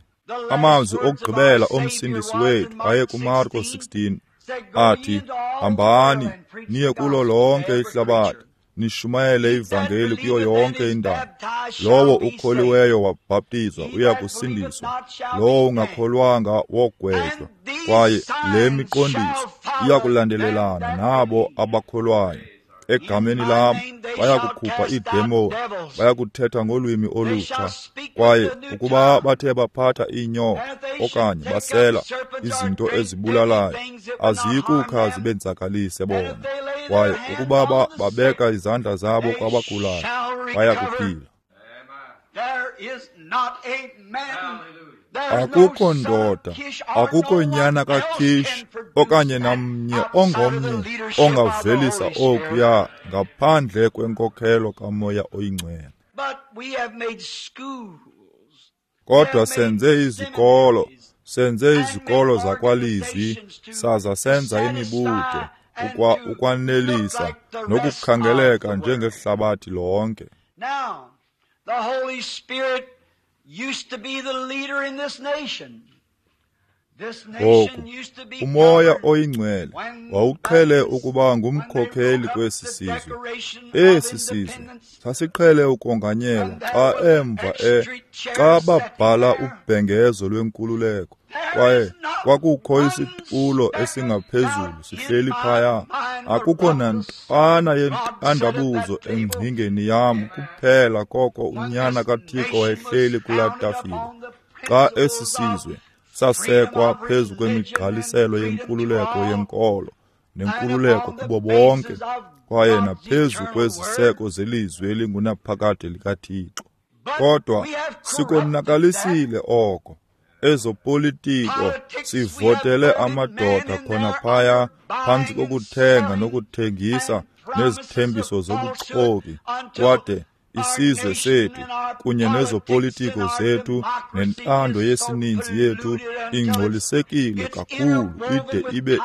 Amazwi okugqibela omsindisi wethu aye kuMarko sixteen athi, hambani niye kulo lonke ihlabathi, nishumayele ivangeli kuyo yonke indawo. Lowo ukholiweyo wabhaptizwa uya kusindiswa, lowo ungakholwanga wogwetywa. Kwaye le miqondiso iya kulandelelana nabo abakholwayo. Egameni lam bayakukhupha iidemoni, bayakuthetha ngolwimi olutsha. Kwaye ukuba bathe baphatha iinyoka okanye basela izinto ezibulalayo, aziyikukha zibenzakalise bona. Kwaye ukuba babeka izandla zabo kwabagulayo, bayakuphila. Akukho ndoda, akukho nyana kaKish okanye namnye ongomnye ongavelisa okuya ngaphandle kwenkokhelo kaMoya oyiNgcwele. Kodwa senze izikolo, senze izikolo zakwalizwi, saza senza imibutho ukwa ukwanelisa nokukhangeleka njengehlabathi lonke. The Holy Spirit used to be the leader in this nation. This nation used to be uMoya oyiNgcwele wawuqhele ukuba ngumkhokheli kwesi sizwe. Esi sizwe sasiqhele ukonganyelwa xa emva e xa babhala ubhengezo lwenkululeko, kwaye kwakukho isitulo esingaphezulu sihleli phaya. Akukho nantwana yentandabuzo engcingeni yam kuphela koko unyana kaThixo wayehleli kulaa tafile. Xa esi sizwe sasekwa phezu kwemigqaliselo yenkululeko yenkolo nenkululeko kubo bonke, kwaye naphezu kweziseko zelizwi elingunaphakade likaThixo. Kodwa sikonakalisile oko. Ezopolitiko sivotele amadoda khona phaya phantsi kokuthenga nokuthengisa nezithembiso zobuxoki, kwade isizwe sethu kunye nezopolitiko zethu nentando yesininzi yethu ingcolisekile kakhulu ide ibe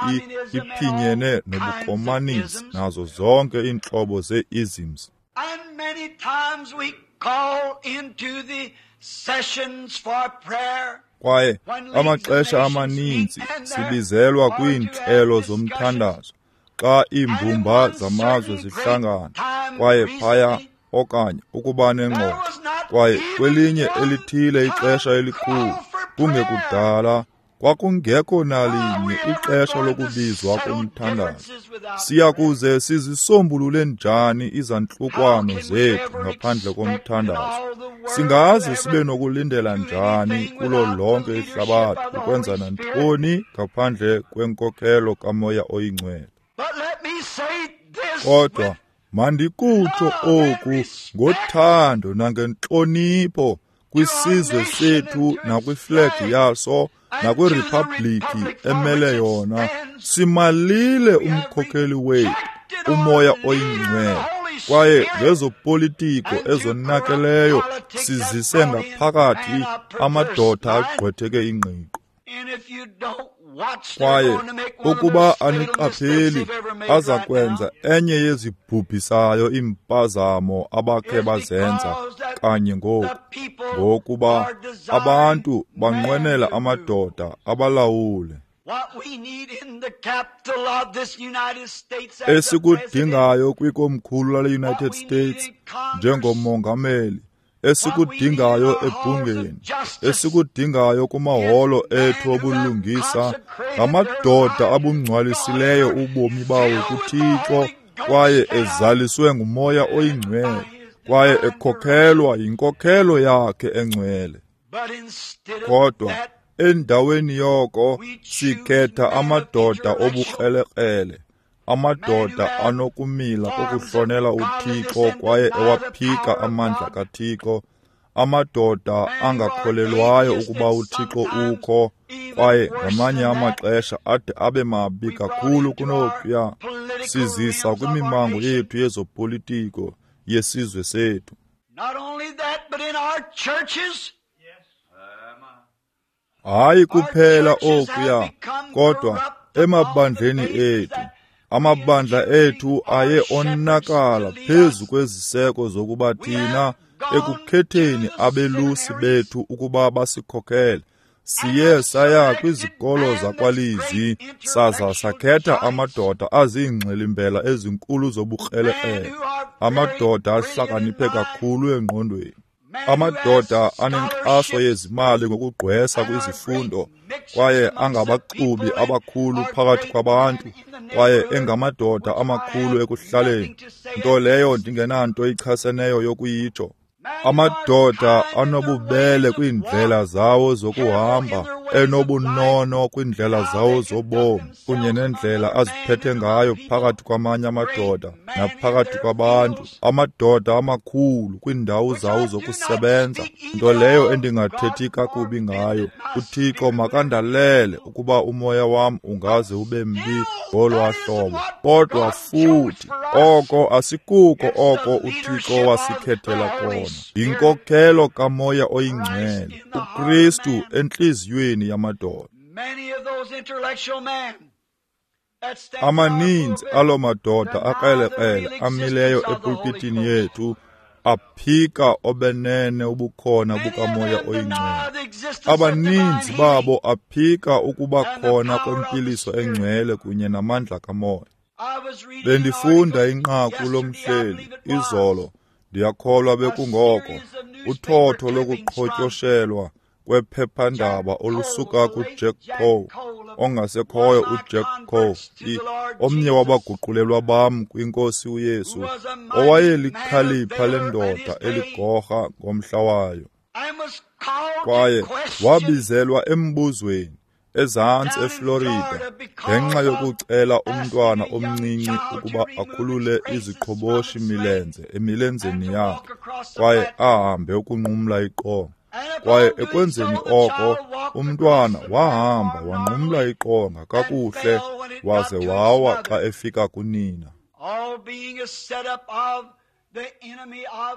iphinyene nobukomanisi nazo zonke iintlobo zee-isms. And many times we call into the sessions for prayer. Kwaye amaxesha amaninzi sibizelwa kwiintlelo zomthandazo xa iimbumba zamazwe zihlangana, kwaye phaya okanye ukuba nengxoxo, kwaye kwelinye elithile ixesha elikhulu kungekudala kwakungekho nalinye ixesha lokubizwa komthandazo. Siya kuze sizisombulule njani izantlukwano zethu ngaphandle komthandazo? Singaze sibe nokulindela njani kulo lonke ihlabathi ukwenza nantoni ngaphandle kwenkokhelo kaMoya oyiNgcwele? Kodwa mandikutsho oku ngothando nangentlonipho kwisizwe sethu nakwiflegi yaso nakwiriphabliki emele yona, simalile umkhokheli wethu, uMoya oyiNgcwele, kwaye ngezopolitiko ezonakeleyo sizise ngaphakathi amadoda agqwetheke ingqiqo. Kwaye ukuba aniqapheli, aza kwenza enye yezibhubhisayo iimpazamo abakhe bazenza kanye ngoku, ngokuba abantu banqwenela amadoda abalawule. Esikudingayo kwikomkhulu lale-United States njengomongameli, esikudingayo ebhungeni, esikudingayo kumaholo ethu obulungisa, ngamadoda abungcwalisileyo ubomi bawo kuThixo kwaye ezaliswe nguMoya oyiNgcwele kwaye ekhokhelwa yinkokhelo yakhe engcwele. Kodwa endaweni yoko sikhetha amadoda obukrelekrele, amadoda anokumila kokuhlonela uThixo kwaye ewaphika amandla kaThixo, amadoda angakholelwayo ukuba uThixo ukho kwaye ngamanye amaxesha ade abe mabi kakhulu kunokuya. Sizisa kwimimango yethu yezopolitiko yesizwe sethu. Hayi kuphela okuya, kodwa emabandleni ethu. Amabandla ethu aye onakala phezu kweziseko zokuba thina ekukhetheni abelusi bethu ukuba basikhokhele. Siye saya kwizikolo zakwalizwi saza sakhetha amadoda aziingxilimbela ezinkulu zobukrelekrele, amadoda ahlakaniphe kakhulu engqondweni, amadoda anenkxaso yezimali ngokugqwesa kwizifundo kwaye angabaxubi abakhulu phakathi kwabantu kwaye engamadoda amakhulu ekuhlaleni, nto leyo ndingenanto ichaseneyo yokuyitsho. Amadoda anobubele kwiindlela zawo zokuhamba, enobunono kwiindlela zawo zobomi, kunye nendlela aziphethe ngayo phakathi kwamanye amadoda naphakathi kwabantu, amadoda amakhulu kwiindawo zawo zokusebenza, nto leyo endingathethi kakubi ngayo. UThixo makandalele ukuba umoya wam ungaze ube mbi ngolwaa hlobo. Kodwa futhi oko asikuko oko uThixo wasikhethela kona. Yinkokhelo kaMoya oyiNgcwele, uKristu entliziyweni yamadoda. Amaninzi aloo madoda akrelekrele amileyo epulpitini yethu aphika obenene ubukhona bukaMoya oyiNgcwele. Abaninzi babo aphika ukuba khona kwempiliso engcwele kunye namandla kaMoya. Bendifunda inqaku lomhleli izolo, ndiyakholwa bekungoko, uthotho lokuqhotyoshelwa kwephephandaba olusuka kuJack Coe, ongasekhoyo uJack Coe, omnye wabaguqulelwa bam kwinkosi uYesu, owayelikhalipha lendoda eligorha ngomhla wayo. Kwaye wabizelwa embuzweni ezantsi eFlorida ngenxa yokucela umntwana omncinci ukuba akhulule iziqhoboshi milenze emilenzeni yakhe kwaye ahambe ukunqumla iqonga. Kwaye ekwenzeni oko, umntwana wahamba wanqumla iqonga kakuhle waze wawa xa efika kunina.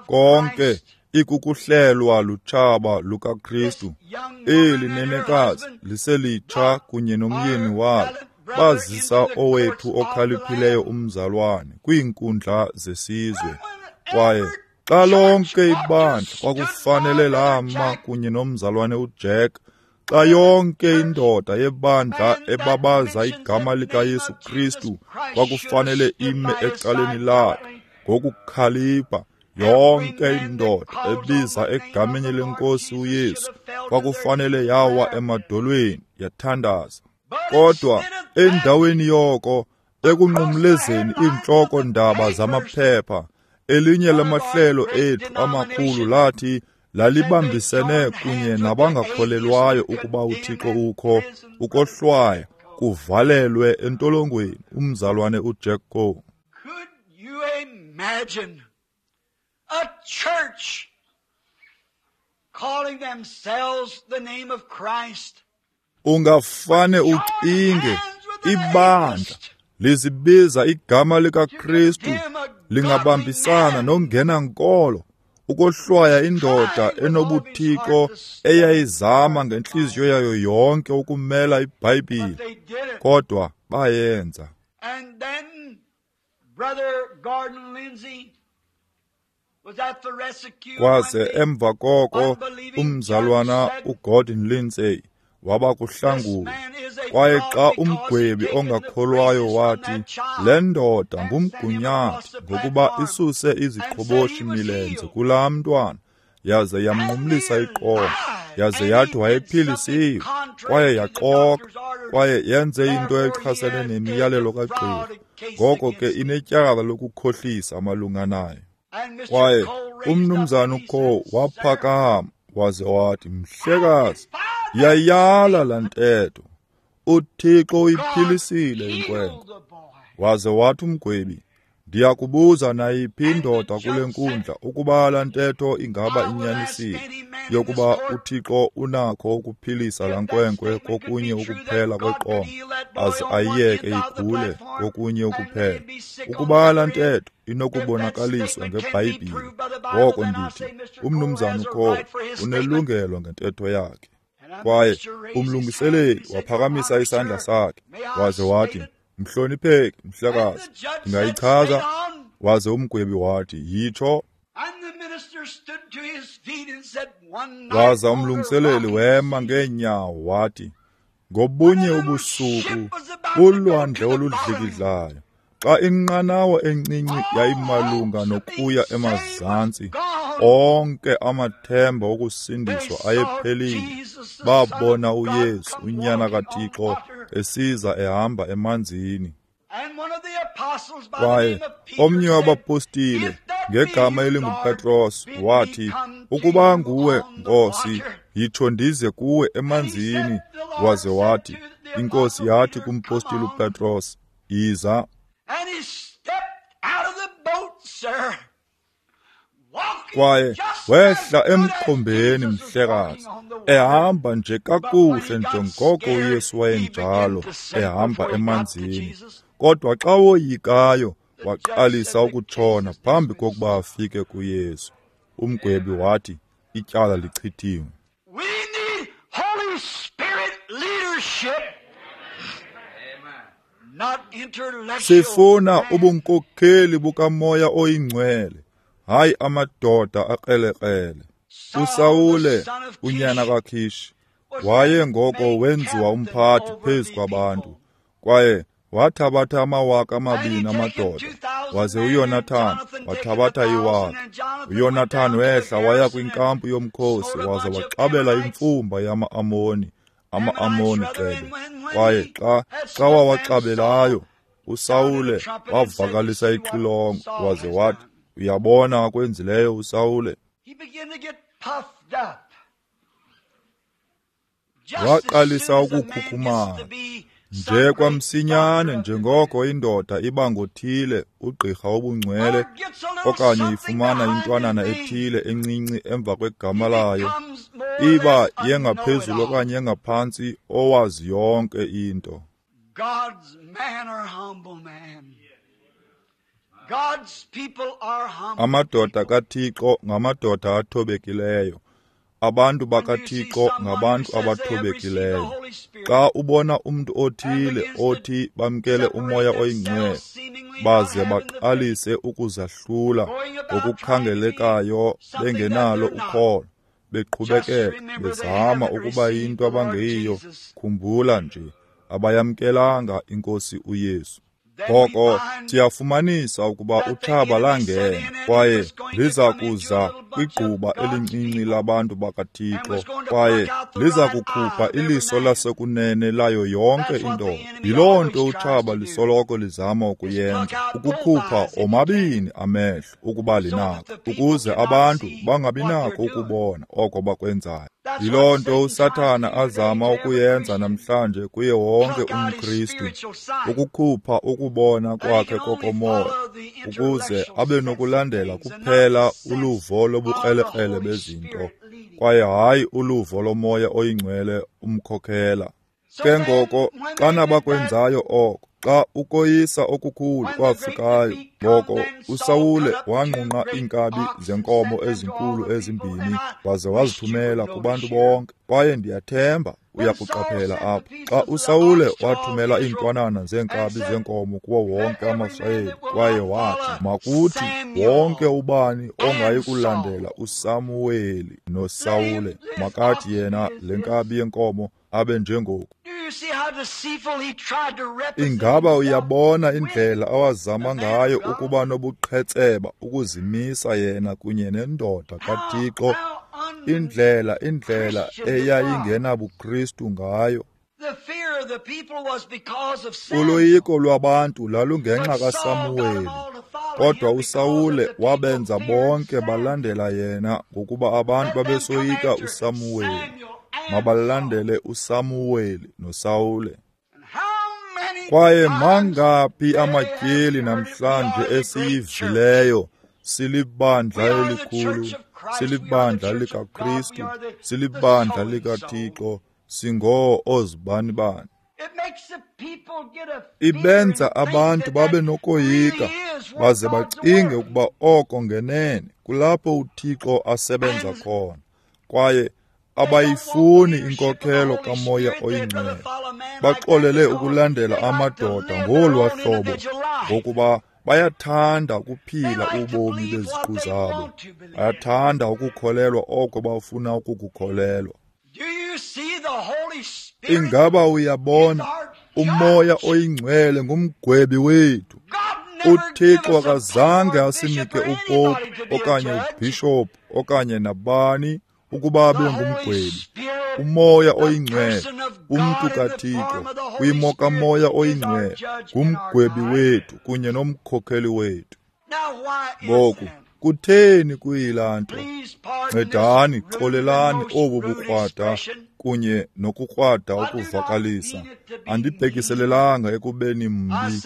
Konke ikukuhlelwa lutshaba lukaKristu. Eli nenekazi liselitsha kunye nomyeni walo bazisa owethu okhaliphileyo umzalwane kwiinkundla zesizwe. Kwaye xa lonke ibandla kwakufanele lama kunye nomzalwane uJack, xa yonke indoda yebandla ebabaza igama likaYesu Kristu kwakufanele ime ecaleni lakhe ngokukhalipha, yonke indoda ebiza egameni lenkosi uYesu kwakufanele yawa emadolweni yathandaza. Kodwa endaweni yoko, ekunqumlezeni iintloko ndaba zamaphepha, elinye lamahlelo ethu amakhulu lathi lalibambisene kunye nabangakholelwayo ukuba uThixo ukho, ukohlwaya kuvalelwe entolongweni umzalwane uJack Coe. Imagine a church Ungafane ucinge ibandla lizibiza igama likaKristu lingabambisana nongenankolo ukohlwaya indoda enobuthixo eyayizama ngentliziyo yayo yonke ukumela iBhayibhile, kodwa bayenza. Kwaze emva koko umzalwana uGordon Lindsay waba kuhlangula, kwaye xa umgwebi ongakholwayo wathi le ndoda ngumgunyathi ngokuba isuse iziqhoboshi milenze kulaa mntwana, yaze yamnqumlisa iqolo, yaze yathi wayephilisiwe, kwaye yaxoka, kwaye yenze into echasene nemiyalelo kagqirha, ngoko ke inetyala lokukhohlisa malunga nayo. Kwaye umnumzana uCole waphakama waze wathi, mhlekazi, yayala laa ntetho, uThixo uyiphilisile inkwenkwe. Waze wathi umgwebi, ndiyakubuza nayiphi indoda kule nkundla ukuba laa ntetho ingaba inyanisile, yokuba uThixo unakho ukuphilisa laa nkwenkwe kokunye ukuphela kweqonga, aze ayiyeke igule kokunye ukuphela. Ukuba laa ntetho inokubonakaliswa ngeBhayibhile, ngoko ndithi umnumzana uCole unelungelo ngentetho yakhe. Kwaye umlungiseleli waphakamisa isandla sakhe waze wathi, mhlonipheki mhlekazi, ndingayichaza? Waze umgwebi wathi, yitsho. Waza umlungiseleli wema ngeenyawo wathi, ngobunye ubusuku kulwandle oludlikidlayo, xa inqanawa encinci yayimalunga nokuya emazantsi, onke amathemba okusindiswa ayephelile, babona uYesu unyana kaThixo esiza ehamba emanzini. Kwaye omnye wabapostile ngegama elinguPetros wathi, ukuba nguwe Nkosi, yitsho ndize kuwe emanzini. Waze wathi, iNkosi yathi kumpostile uPetros, yiza. Kwaye wehla emkhombeni mhlekazi, ehamba nje kakuhle njengoko uYesu wayenjalo ehamba emanzini. Kodwa xa woyikayo waqalisa ukutshona phambi kokuba afike kuYesu. Umgwebi wathi ityala lichithiwe. We need Holy Spirit leadership. Sifuna ubunkokheli bukaMoya oyiNgcwele, hayi amadoda akrelekrele. uSawule unyana kaKish waye ngoko wenziwa umphathi phezu kwabantu, kwaye wathabatha amawaka amabini amadoda, waze uYonathan wathabatha iwaka. uYonathan wehla waya kwinkampu yomkhosi waze waxabela imfumba yama-Amoni, ama-Amoni cebe. Kwaye xa xa wawaxabelayo, uSawule wavakalisa ixilongo waze wathi, uyabona akwenzileyo uSawule. Waqalisa ukukhukhumala nje kwamsinyane njengoko indoda iba ngothile ugqirha obungcwele okanye ifumana intwanana ethile encinci emva kwegama layo, iba yengaphezulu okanye engaphantsi owazi yonke into. Amadoda kaThixo ngamadoda athobekileyo. Abantu bakaThixo ngabantu abathobekileyo. Xa ubona umntu othile othi bamkele uMoya oyiNgcwele, baze baqalise ukuzahlula ngokukhangelekayo bengenalo ukholo, beqhubekeka bezama ukuba yinto abangeyiyo, khumbula nje, abayamkelanga iNkosi uYesu. Ngoko siyafumanisa ukuba utshaba langena kwaye liza kuza kwigquba elincinci labantu bakaThixo, kwaye liza kukhupha iliso lasekunene layo yonke indoda. Yiloo nto utshaba lisoloko lizama ukuyenza, ukukhupha omabini amehlo ukuba linako, ukuze abantu bangabinako ukubona oko bakwenzayo. Yiloo nto uSathana azama ukuyenza namhlanje kuye wonke umKristu, ukukhupha ukubona kwakhe kokomoya, ukuze abe nokulandela kuphela uluvo lobukrelekrele bezinto, kwaye hayi uluvo loMoya oyiNgcwele umkhokhela. Ke ngoko xana bakwenzayo oko, xa ukoyisa okukhulu kwafikayo, ngoko uSawule wanqunqa iinkabi zenkomo ezinkulu ezimbini waze wazithumela kubantu bonke. Kwaye ndiyathemba uyakuqaphela apha, xa uSawule wathumela iintwanana zeenkabi zenkomo kuwo wonke amaSirayeli, kwaye wathi, makuthi wonke ubani ongayi kulandela uSamuweli noSawule, makathi yena le nkabi yenkomo abe njengoku. Ingaba uyabona indlela awazama ngayo ukuba nobuqhetseba ukuzimisa yena kunye nendoda kaThixo, indlela indlela eyayingenabuKristu ngayo? Uloyiko lwabantu lalungenxa kaSamuweli, kodwa uSawule wabenza bonke balandela yena ngokuba abantu babesoyika uSamuweli. Mabalandele uSamuweli noSawule. Kwaye mangaphi amatyeli namhlanje esiyivileyo, silibandla elikhulu, silibandla likaKristu, silibandla likaThixo, singoo ozibanibani. Ibenza abantu babe nokoyika, baze bacinge ukuba oko ngenene kulapho uThixo asebenza khona. Kwaye abayifuni inkokhelo kaMoya oyiNgcwele. Baxolele ukulandela amadoda ngolwa hlobo, ngokuba bayathanda ukuphila ubomi beziqu zabo. Bayathanda ukukholelwa oko bafuna ukukukholelwa. Ingaba uyabona, uMoya oyiNgcwele ngumgwebi wethu. UThixo akazange asinike upopu okanye ubhishophu okanye nabani ukuba abe ngumgwebi. UMoya oyiNgcwele, umntu kaThixo, kwimo kaMoya oyiNgcwele, ngumgwebi wethu kunye nomkhokheli wethu. Ngoku, kutheni kuyilaa nto? Ncedani, xolelani obu bukrwada kunye nokukrwada ukuvakalisa. Andibhekiselelanga ekubeni mbi,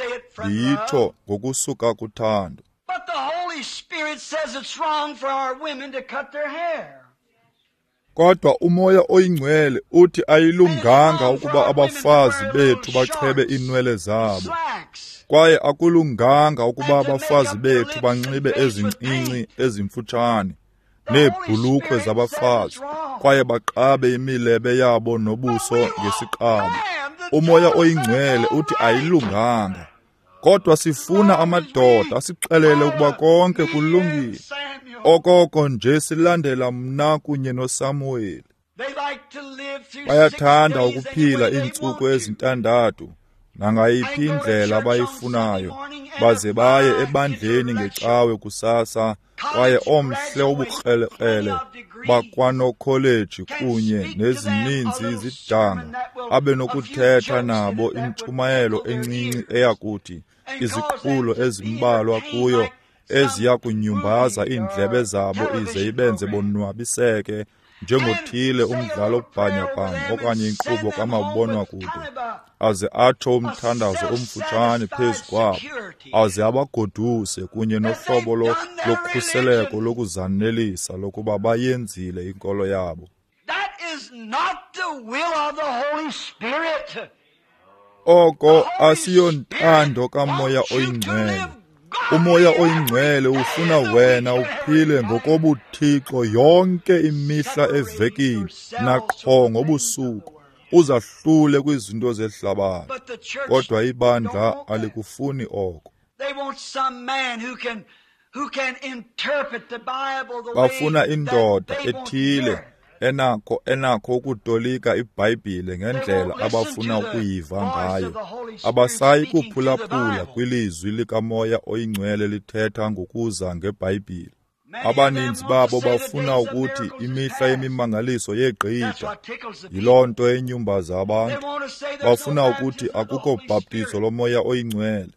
ndiyitsho ngokusuka kuthando. But the Holy Spirit says it's wrong for our women to cut their hair. Kodwa uMoya oyiNgcwele uthi ayilunganga ukuba abafazi bethu bachebe iinwele zabo. Kwaye akulunganga ukuba abafazi bethu banxibe ezincinci ezimfutshane neebhulukhwe zabafazi, kwaye baqabe imilebe yabo nobuso ngesiqabo. UMoya oyiNgcwele uthi ayilunganga. Kodwa sifuna amadoda asixelele ukuba konke kulungile. Okoko nje silandela mna kunye noSamuweli. Bayathanda ukuphila iintsuku ezintandathu nangayiphi indlela abayifunayo, baze baye ebandleni ngecawe kusasa, kwaye omhle ubukrelekrele bakwanokholeji kunye nezininzi izidanga abe nokuthetha nabo intshumayelo encinci eyakuthi iziqhulo ezimbalwa kuyo eziya kunyumbaza iindlebe zabo ize ibenze bonwabiseke njengothile umdlalo bhanyabhanya okanye inkqubo kamabonwakude, aze atsho umthandazo omfutshane phezu kwabo, aze abagoduse kunye nohlobo lokhuseleko lokuzanelisa lokuba bayenzile inkolo yabo. That is not the will of the Holy Spirit. Oko asiyontando kaMoya oyiNgcwele. UMoya oyiNgcwele ufuna wena uphile ngokobuthixo yonke imihla evekini naqho ngobusuku, uzahlule kwizinto zehlabathi. Kodwa ibandla alikufuni oko. Bafuna indoda ethile enakho enakho ukutolika iBhayibhile ngendlela abafuna ukuyiva ngayo. Abasayi kuphulaphula kwilizwi likaMoya oyiNgcwele lithetha ngokuza ngeBhayibhile. Abaninzi babo bafuna ukuthi imihla yemimangaliso yegqitha. Yiloo nto enyumbaza abantu. Bafuna ukuthi akukho bhaptizo loMoya oyiNgcwele.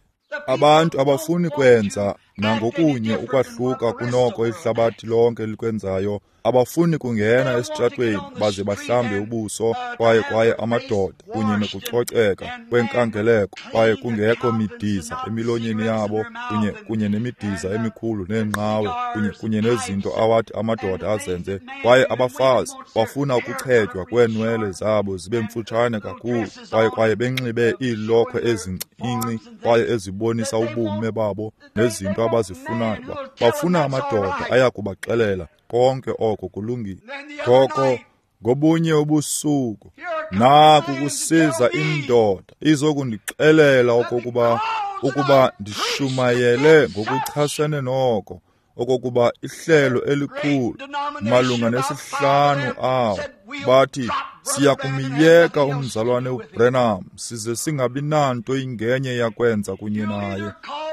Abantu abafuni kwenza nangokunye ukwahluka kunoko ihlabathi lonke likwenzayo. Abafuni kungena esitratweni baze bahlambe ubuso, kwaye kwaye amadoda kunye nokucoceka kwenkangeleko, kwaye kungekho midiza emilonyeni yabo, kunye kunye nemidiza emikhulu neenqawe, kunye kunye nezinto awathi amadoda azenze. Kwaye abafazi bafuna ukuchetywa kweenwele zabo zibe mfutshane kakhulu, kwaye kwaye benxibe iilokhwe ezincinci kwaye ezibonisa ubume babo nezinto abazifunayo. Bafuna amadoda aya kubaxelela konke oko kulungile. Ngoko ngobunye ubusuku naku kusiza indoda izokundixelela okokuba ukuba ndishumayele ngokuchasene noko, okokuba ihlelo elikhulu malunga nesihlanu awo bathi siya kumyeka umzalwane uBranham size singabi nanto ingenye yakwenza kunye naye.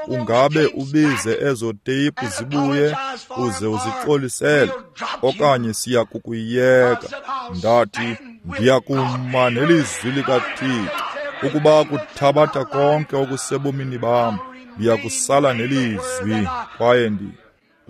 Ungabe ubize ezo teyipu zibuye uze uzixolisele, okanye siya kukuyeka. Ndathi ndiya kuma nelizwi likaThixo. Ukuba kuthabatha konke okusebomini bam, ndiya kusala nelizwi. Kwaye ndi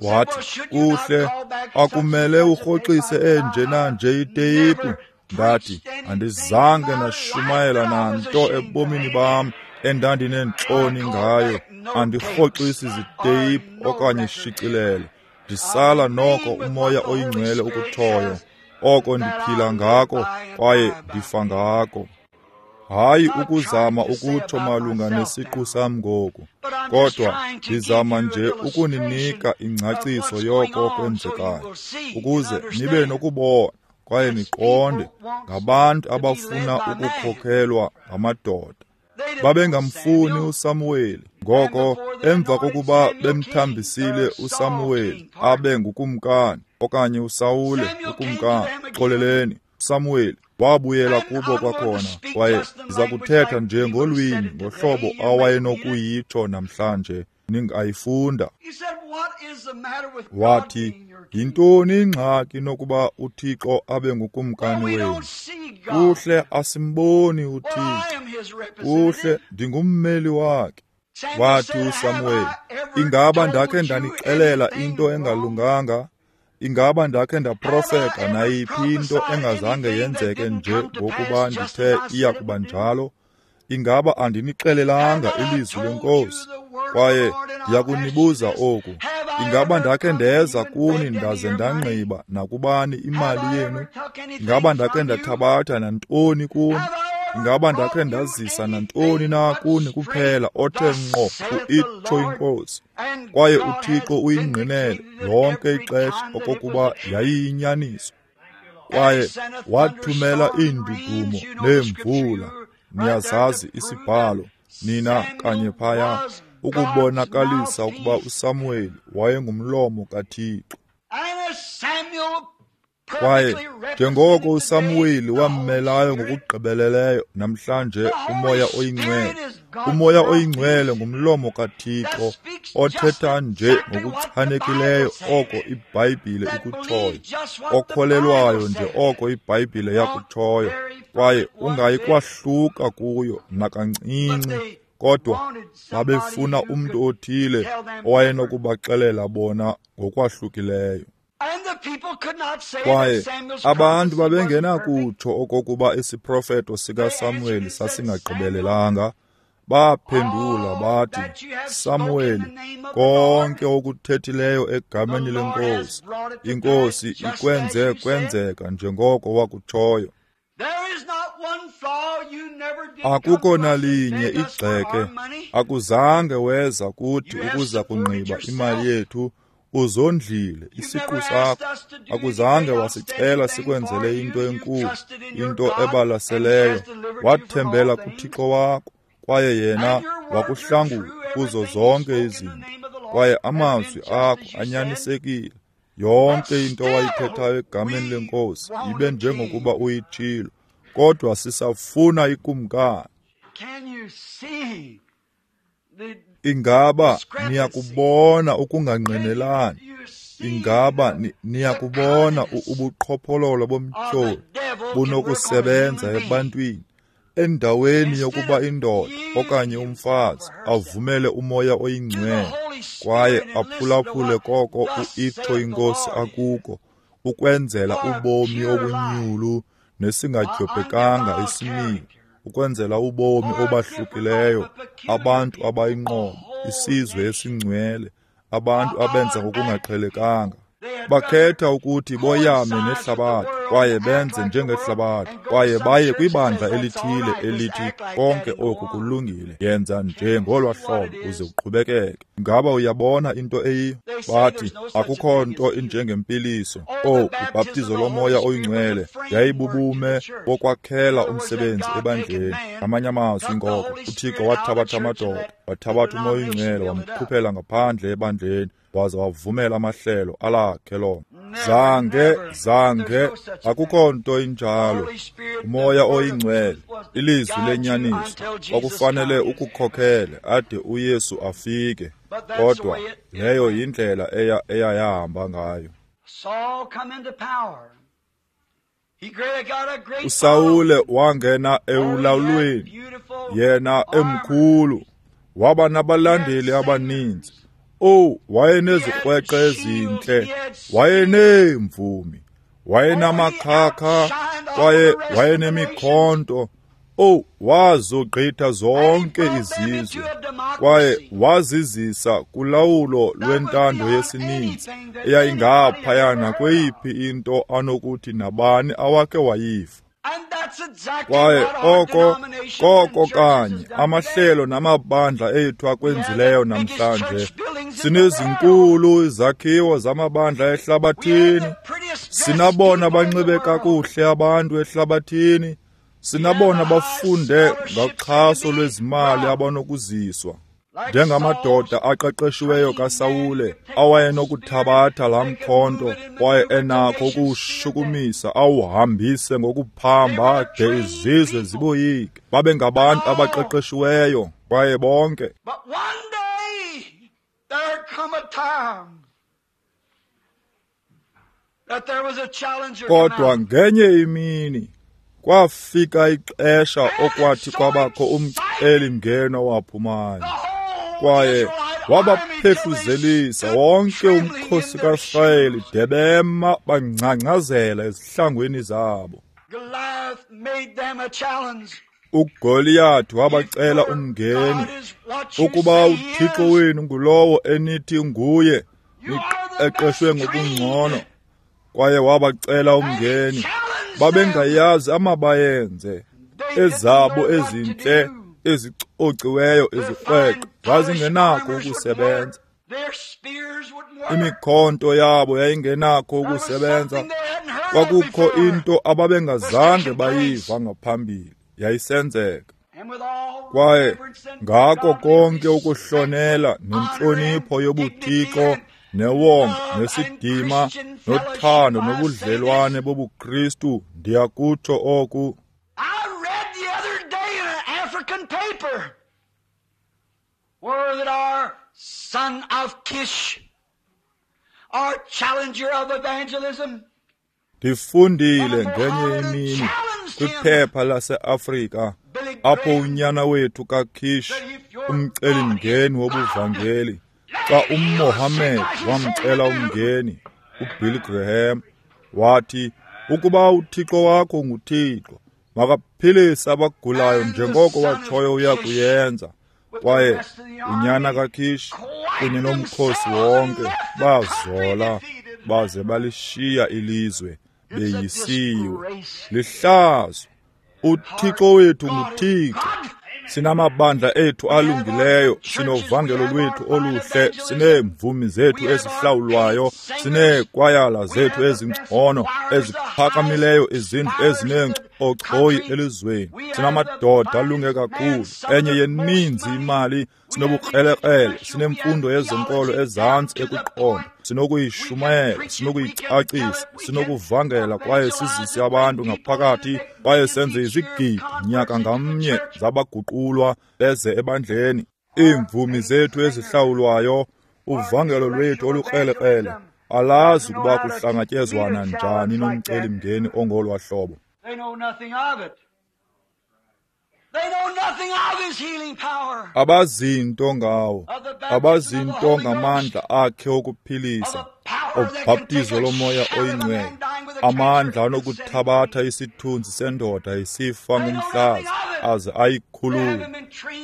wathi, kuhle, akumele urhoxise enje nanje iteyipu. Ndathi andizange nashumayela nanto ebomini bam endandineentloni ngayo. Andirhoxisi ziteyipu okanye shicilelo. Ndisala noko uMoya oyiNgcwele ukuthoyo, oko ndiphila ngako kwaye ndifa ngako. Hayi ukuzama ukutsho malunga nesiqu sam ngoku, kodwa ndizama nje ukuninika ingcaciso yoko kwenzekayo, ukuze nibe nokubona kwaye niqonde. Ngabantu abafuna ukukhokhelwa ngamadoda. Babengamfuni uSamuweli. Ngoko emva kokuba bemthambisile uSamuweli abe ngukumkani, okanye uSawule ukumkani, xoleleni, uSamuweli wabuyela kubo kwakhona, kwaye ndiza kuthetha nje ngolwimi ngohlobo awayenokuyitsho namhlanje, ningayifunda. Wathi, yintoni ingxaki nokuba uThixo abe ngukumkani wenu? Kuhle, asimboni uThixo. Kuhle, ndingummeli wakhe. Wathi uSamuweli, ingaba ndakhe ndanixelela into engalunganga? Ingaba ndakhe ndaprofeta nayiphi into engazange yenzeke nje ngokuba ndithe iya kuba njalo? Ingaba andinixelelanga ilizwi leNkosi? Kwaye ndiyakunibuza oku, ingaba ndakhe ndeza kuni ndaze ndangqiba nakubani imali yenu? Ingaba ndakhe ndathabatha nantoni kuni? Ingaba ndakhe ndazisa nantoni na kuni kuphela othe ngqo ku-itsho iNkosi? Kwaye uThixo uyingqinele lonke ixesha okokuba yayiyinyaniso. Kwaye wathumela iindudumo neemvula, niyazazi isibhalo, nina kanye phaya, ukubonakalisa ukuba uSamuweli wayengumlomo kaThixo. Kwaye njengoko uSamuweli wammelayo ngokugqibeleleyo namhlanje uMoya oyiNgcwele, uMoya oyiNgcwele ngumlomo kaThixo othetha nje ngokuchanekileyo oko iBhayibhile ikutshoyo, okholelwayo nje oko iBhayibhile yakutshoyo, kwaye ungayi kwahluka kuyo nakancinci. Kodwa babefuna umntu othile owayenokubaxelela bona ngokwahlukileyo. Kwaye abantu babengenakutsho okokuba isiprofeto sikaSamuweli sasingagqibelelanga. Baphendula bathi, Samuweli, konke okuthethileyo egameni leNkosi, iNkosi ikwenze kwenzeka njengoko wakutshoyo. Akukho nalinye igxeke, akuzange weza kuthi ukuza kungqiba imali yethu, uzondlile isiqu sakho. Akuzange wasicela sikwenzele into enkulu, into ebalaseleyo. Wathembela kuThixo wakho, kwaye yena wakuhlangula kuzo zonke izinto. Kwaye amazwi akho anyanisekile. Yonke into owayithethayo egameni leNkosi ibe njengokuba uyitshilo. Kodwa sisafuna ikumkani. Ingaba niyakubona ukungangqinelani? Ingaba niyakubona ubuqhophololo bomtyholi bunokusebenza ebantwini? Endaweni yokuba indoda okanye umfazi avumele uMoya oyiNgcwele kwaye aphulaphule koko uitsho iNkosi akuko, ukwenzela ubomi obunyulu nesingadyobhekanga isimilo, ukwenzela ubomi obahlukileyo, abantu abayinqobo, isizwe esingcwele, abantu abenza ngokungaqhelekanga. Bakhetha ukuthi boyame nehlabathi kwaye benze njengehlabathi kwaye baye kwibandla elithile elithi konke oku kulungile, yenza nje ngolwa hlobo uze uqhubekeke. Ngaba uyabona into eyiyo? Bathi akukho nto injengempiliso. Oh, ubhaptizo lomoya oyingcwele yayibubume bokwakhela umsebenzi ebandleni. Ngamanye amazwi ngoko uThixo wathabatha amadoda, wathabatha umoya oyingcwele wamkhuphela ngaphandle ebandleni, waza wavumela amahlelo alakhe lona. Zange, zange, akukho nto injalo. Umoya oyingcwele, ilizwi lenyaniso, kwakufanele ukukhokhele ade uYesu afike. Kodwa leyo yindlela eya eyayahamba ngayo. uSawule wangena ewulawulweni, yena emkhulu, waba nabalandeli abaninzi. Oh, wayenezikrweqe ezintle, wayeneemvumi, wayenamakhakha kwaye wayenemikhonto. Oh, wazogqitha zonke izizwe kwaye wazizisa kulawulo lwentando yesininzi eyayingaphaya nakweyiphi into anokuthi nabani awakhe wayiva. Kwaye oko koko kanye amahlelo namabandla ethu akwenzileyo namhlanje. Sinezinkulu izakhiwo zamabandla ehlabathini, sinabona banxibe kakuhle abantu ehlabathini, sinabona bafunde ngaxhaso lwezimali abanokuziswa, njengamadoda aqeqeshiweyo kaSawule awayenokuthabatha laa mkhonto kwaye enakho ukuwushukumisa awuhambise ngokuphamba de izizwe ziboyike. Babengabantu abaqeqeshiweyo kwaye bonke. Kodwa ngenye imini kwafika ixesha okwathi kwabakho umcelimngeni owaphumayo, kwaye wabaphefuzelisa wonke umkhosi kaIsrayeli de bema bangcangcazela ezihlangwini zabo. uGoliyathi wabacela umngeni, ukuba uThixo wenu ngulowo enithi nguye, niqeqeshwe ngokungcono. Kwaye wabacela umngeni, babengayazi amabayenze, ezabo ezintle ezicociweyo izikrweqe zazingenakho ukusebenza, imikhonto yabo yayingenakho ukusebenza. Kwakukho into ababengazange bayiva ngaphambili yayisenzeka. Kwaye ngako konke ukuhlonela nentlonipho yobuthixo newonga nesidima nothando nobudlelwane bobuKristu, ndiyakutsho oku. Paper were that our son of Kish, our challenger of evangelism, Ndifundile ngenye imini kwiphepha lase-Afrika apho unyana wethu kaKish, umcelimngeni wobuvangeli, xa uMohammed wamcela umngeni, uBilly Graham, wathi ukuba uThixo wakho nguThixo, makaphilise abagulayo njengoko watshoyo uya kuyenza. Kwaye unyana kaKish kunye nomkhosi wonke bazola baze balishiya ilizwe beyisiwe. Lihlazo. uThixo wethu nguThixo. Sinamabandla ethu alungileyo, sinovangelo lwethu oluhle, sineemvumi zethu ezihlawulwayo, sineekwayala zethu ezingcono, eziphakamileyo, izindlu ezineencochoyi elizweni. Sinamadoda alunge kakhulu, enye yeninzi imali, sinobukrelekrele, sinemfundo yezenkolo ezantsi ekuqonda, sinokuyishumayela, sinokuyicacisa, sinokuvangela kwaye sizise abantu ngaphakathi kwaye senze izigidi nyaka ngamnye zabaguqulwa beze ebandleni. Iimvumi zethu ezihlawulwayo, uvangelo lwethu olukrelekrele, alazi ukuba kuhlangatyezwana njani nomcelimngeni ongolwa hlobo. Abazinto ngawo, abazinto ngamandla akhe okuphilisa, obhaptizo lomoya oyingcwele, amandla anokuthabatha isithunzi sendoda isifa ngumhlaza aze ayikhulule.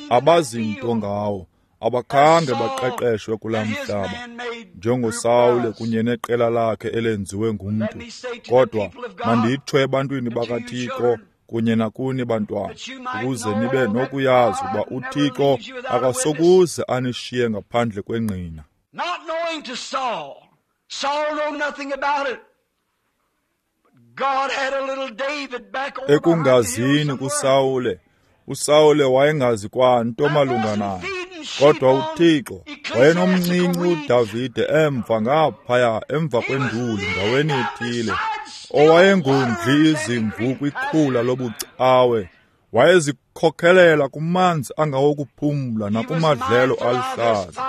Abazinto ngawo, abakhange baqeqeshwe kulaa mhlaba njengoSawule kunye neqela lakhe elenziwe ngumntu. Kodwa manditsho ebantwini bakaThixo kunye nakuni bantwana, ukuze nibe nokuyazi ukuba uThixo akasokuze anishiye ngaphandle kwengqina. Not knowing to Saul, Saul knew nothing about it. God had a little David back over Ekungazini kuSawule, uSawule wayengazi kwanto malunga naye. Kodwa uThixo wayenomncinci uDavide emva ngaphaya emva kwenduli ndaweni ethile, owayengondli izimvu kwikhula lobucawe. Wayezikhokhelela kumanzi angawokuphumla nakumadlelo aluhlaza.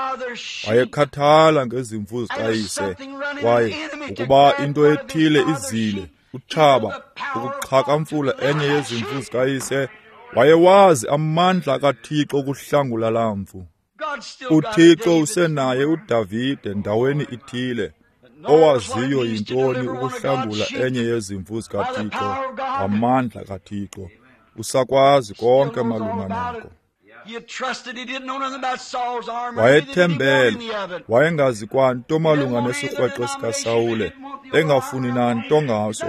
Wayekhathala ngezimvu zikayise, kwaye ukuba into ethile izile, utshaba ukuxhakamfula enye yezimvu zikayise, wayewazi amandla kaThixo ukuhlangula laa mvu. UThixo usenaye uDavide ndaweni ithile, owaziyo yintoni ukuhlangula enye yezimvu zikaThixo ngamandla kaThixo. Usakwazi konke malunga nako. Wayethembele, wayengazi kwanto malunga nesikrweqe sikaSawule, engafuni nanto ngaso.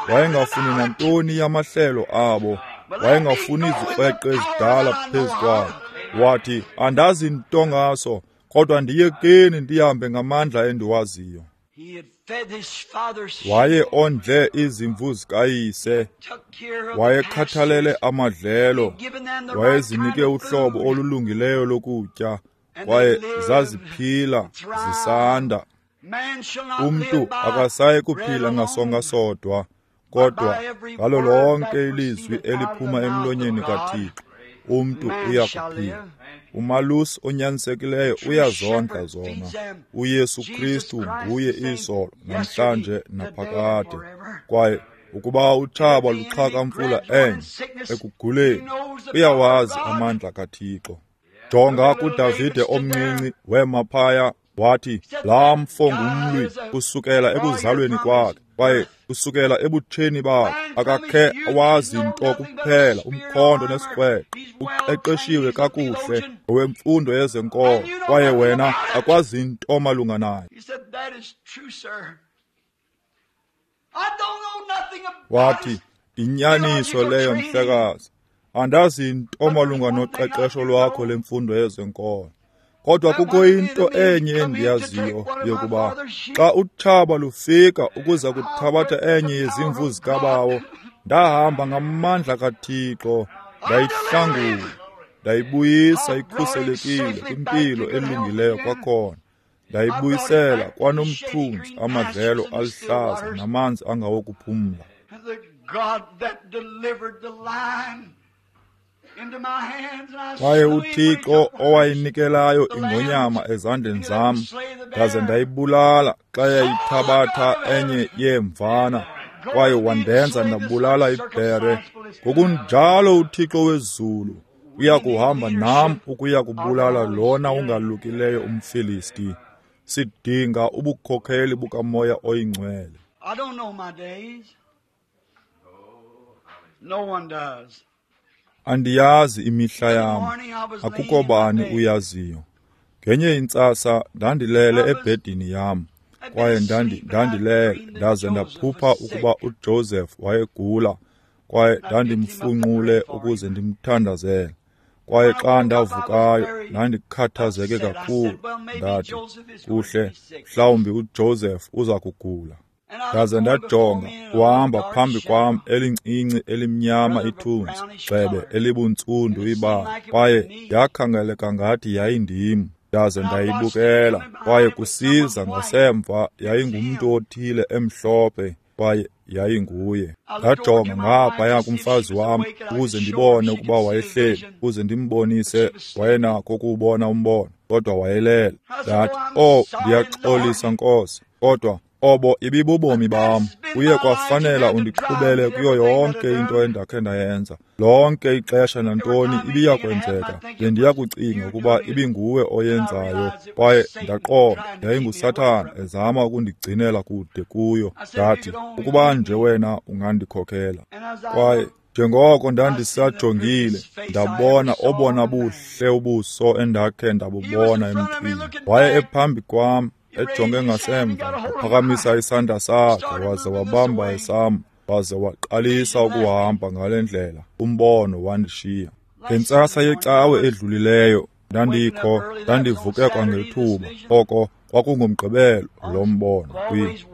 Wayengafuni nantoni yamahlelo abo, wayengafuni izikrweqe ezidala phezu kwabo. Wathi, andazi nto ngaso, kodwa ndiyekeni ndihambe ngamandla endiwaziyo. Waye ondle izimvu zikayise, wayekhathalele amadlelo, wayezinike uhlobo olulungileyo lokutya, kwaye zaziphila zisanda. Umntu akasayi kuphila ngasonka sodwa, kodwa ngalo lonke ilizwi eliphuma emlonyeni kaThixo umntu uya kuphila. Umalusi onyanisekileyo uyazondla zona. UYesu Kristu nguye izolo, namhlanje naphakade. Kwaye ukuba utshaba luxhakamfula enye ekuguleni, uyawazi amandla kaThixo. Jonga kuDavide omncinci, wema phaya wathi, laa mfo ngumlwi kusukela ekuzalweni kwakhe, kwaye kusukela ebutsheni bakhe akakhe wazi nto kuphela umkhonto nesikrweqe. Uqeqeshiwe kakuhle ngowemfundo yezenkolo, kwaye wena akwazi nto malunga naye. Wathi, inyaniso leyo mhlekazi, andazi nto malunga noqeqesho lwakho lemfundo yezenkolo. Kodwa kukho into enye endiyaziyo yokuba xa utshaba lufika ukuza kuthabatha enye yezimvu zikabawo, ndahamba ngamandla kaThixo, ndayihlangula, ndayibuyisa ikhuselekile kwimpilo elungileyo kwakhona, ndayibuyisela kwanomthunzi, amadlelo aluhlaza namanzi angawokuphumla. Kwaye uThixo owayinikelayo ingonyama ezandleni zam, ndaze ndayibulala xa yayithabatha enye yeemvana, kwaye wandenza ndabulala ibhere. Ngokunjalo uThixo wezulu uya kuhamba nam ukuya kubulala lona ungalukileyo umFilisti. Sidinga ubukhokheli bukaMoya oyiNgcwele. I don't know my days. No one does. Andiyazi imihla yam, akukho bani uyaziyo. Ngenye intsasa ndandilele ebhedini yam, kwaye ndandi ndandilele ndaze ndaphupha ukuba uJoseph wayegula, kwaye ndandimfunqule ukuze ndimthandazele. Kwaye xa ndavukayo ndandikhathazeke kakhulu, ndathi, kuhle, mhlawumbi uJoseph uza kugula. Ndaze ndajonga, wahamba phambi kwam elincinci elimnyama ithunzi, gxebe elibuntsundu ibala, kwaye yakhangeleka ngathi yayindim. Ndaze ndayibukela, kwaye kusiza ngasemva yayingumntu othile emhlophe, kwaye yayinguye. Ndajonga ngaphaya kumfazi wam ukuze ndibone ukuba wayehleli, ukuze ndimbonise wayenakho ukuwubona umbono, kodwa wayelele. Ndathi, oh, ndiyaxolisa Nkosi, kodwa Obo ibibubomi bam. Uye kwafanela undiqhubele kuyo yonke into endakhe ndayenza. Lonke ixesha nantoni ibiyakwenzeka, bendiyakucinga ukuba ibinguwe oyenzayo, kwaye ndaqonda yayinguSathana ezama ukundigcinela kude kuyo. Ndathi, ukuba nje wena ungandikhokela. Kwaye njengoko ndandisajongile, ndabona obona buhle ubuso endakhe ndabubona emntwini. Waye ephambi kwam, ejonge ngasemva, waphakamisa isandla sakhe waze wabamba esam, waze waqalisa ukuhamba ngale ndlela. Umbono wandishiya. Ngentsasa yecawe edlulileyo ndandikho, ndandivuke kwangethuba. Oko kwakungumgqibelo lo mbono.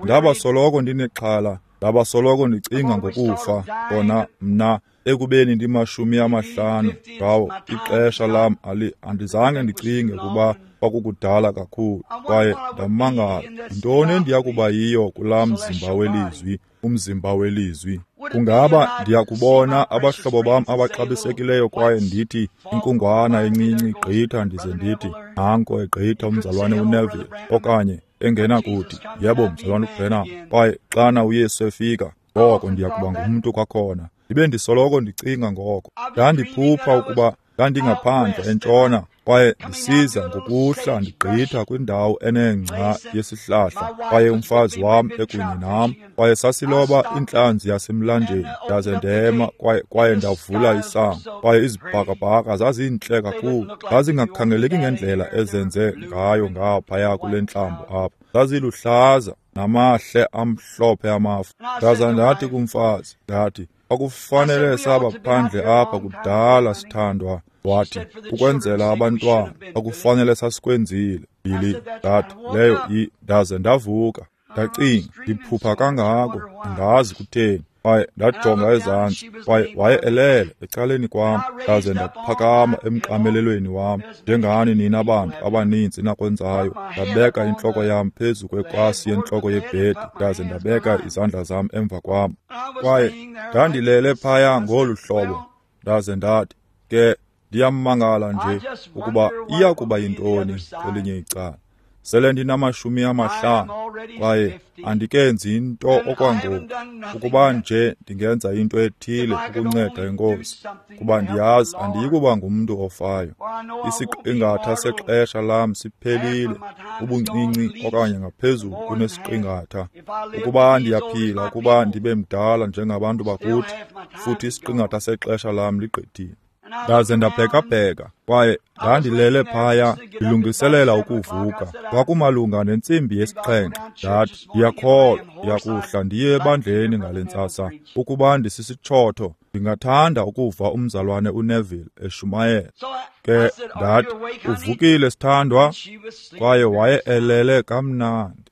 Ndaba soloko ndinexhala, ndaba soloko ndicinga ngokufa. Kona mna ekubeni ndimashumi amahlanu ngawo ixesha lam ali andizange ndicinge kuba kwakukudala kakhulu. Kwaye ndamangala, yintoni endiyakuba yiyo kulaa mzimba welizwi, umzimba welizwi? Kungaba ndiyakubona abahlobo bam abaxabisekileyo kwaye ndithi inkungwana encinci igqitha, ndize ndithi nanko egqitha umzalwane uNeville, okanye engenakuthi yebo mzalwane uBrenham. Kwaye xana uYesu efika, ngoko ndiyakuba ngumntu kwakhona. Ndibe ndisoloko ndicinga ngoko. Ndandiphupha ukuba ndandingaphandle entshona kwaye ndisiza ngokuhla ndigqitha kwindawo enengca yesihlahla, kwaye umfazi wam ekunye nam, kwaye sasiloba intlanzi yasemlanjeni. Ndaze ndema kwaye, kwaye ndavula isango, kwaye izibhakabhaka zazintle kakhulu, zazingakhangeleki ngendlela ezenze ngayo ngaphaya kule ntlambo apha. Zaziluhlaza namahle amhlophe amafu. Ndaza ndathi kumfazi, ndathi, akufanele saba phandle apha kudala sithandwa. Wathi, ukwenzela abantwana, akufanele sasikwenzile. Billy, ndathi, leyo i. Ndaze ndavuka, ndacinga, ndiphupha kangako, ndingazi kutheni. Kwaye ndajonga ezantsi, kwaye waye elele ecaleni kwam. Ndaze ndaphakama emqamelelweni wam, njengani nina bantu abaninzi nakwenzayo. Ndabeka intloko yam phezu kwekwasi yentloko yebhedi, ndaze ndabeka izandla zam emva kwam. Kwaye ndandilele phaya ngolu hlobo. Ndaze ndathi, ke ndiyamangala nje ukuba iyakuba yintoni kwelinye icala. Sele ndinamashumi amahlanu kwaye andikenzi into okwangoku. Ukuba nje ndingenza into ethile ukunceda iNkosi, kuba ndiyazi andiyikuba ngumntu ofayo. Isiqingatha sexesha lam siphelile, ubuncinci okanye ngaphezulu kunesiqingatha. Ukuba ndiyaphila ukuba ndibe mdala njengabantu bakuthi, futhi isiqingatha sexesha lam ligqithile. Ndaze ndabhekabheka, kwaye ndandilele phaya ndilungiselela ukuvuka. Kwakumalunga nentsimbi yesixhenxe. Ndathi, ndiyakholwa ndiyakuhla ndiye ebandleni ngale ntsasa. Ukuba ndisisitshotho, ndingathanda ukuva umzalwane uNeville eshumayela. Ke ndathi, uvukile sithandwa? Kwaye waye elele kamnandi.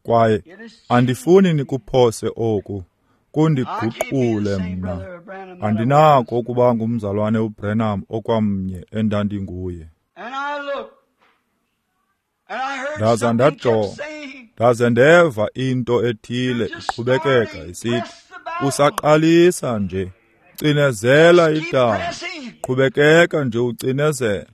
Kwaye andifuni nikuphose oku, kundiguqule mna. Andinako ukuba ngumzalwane uBrenham okwamnye endandinguye. Ndaza ndajonga, ndaze ndeva into ethile iqhubekeka isithi, usaqalisa nje, cinezela idabi, qhubekeka nje ucinezela.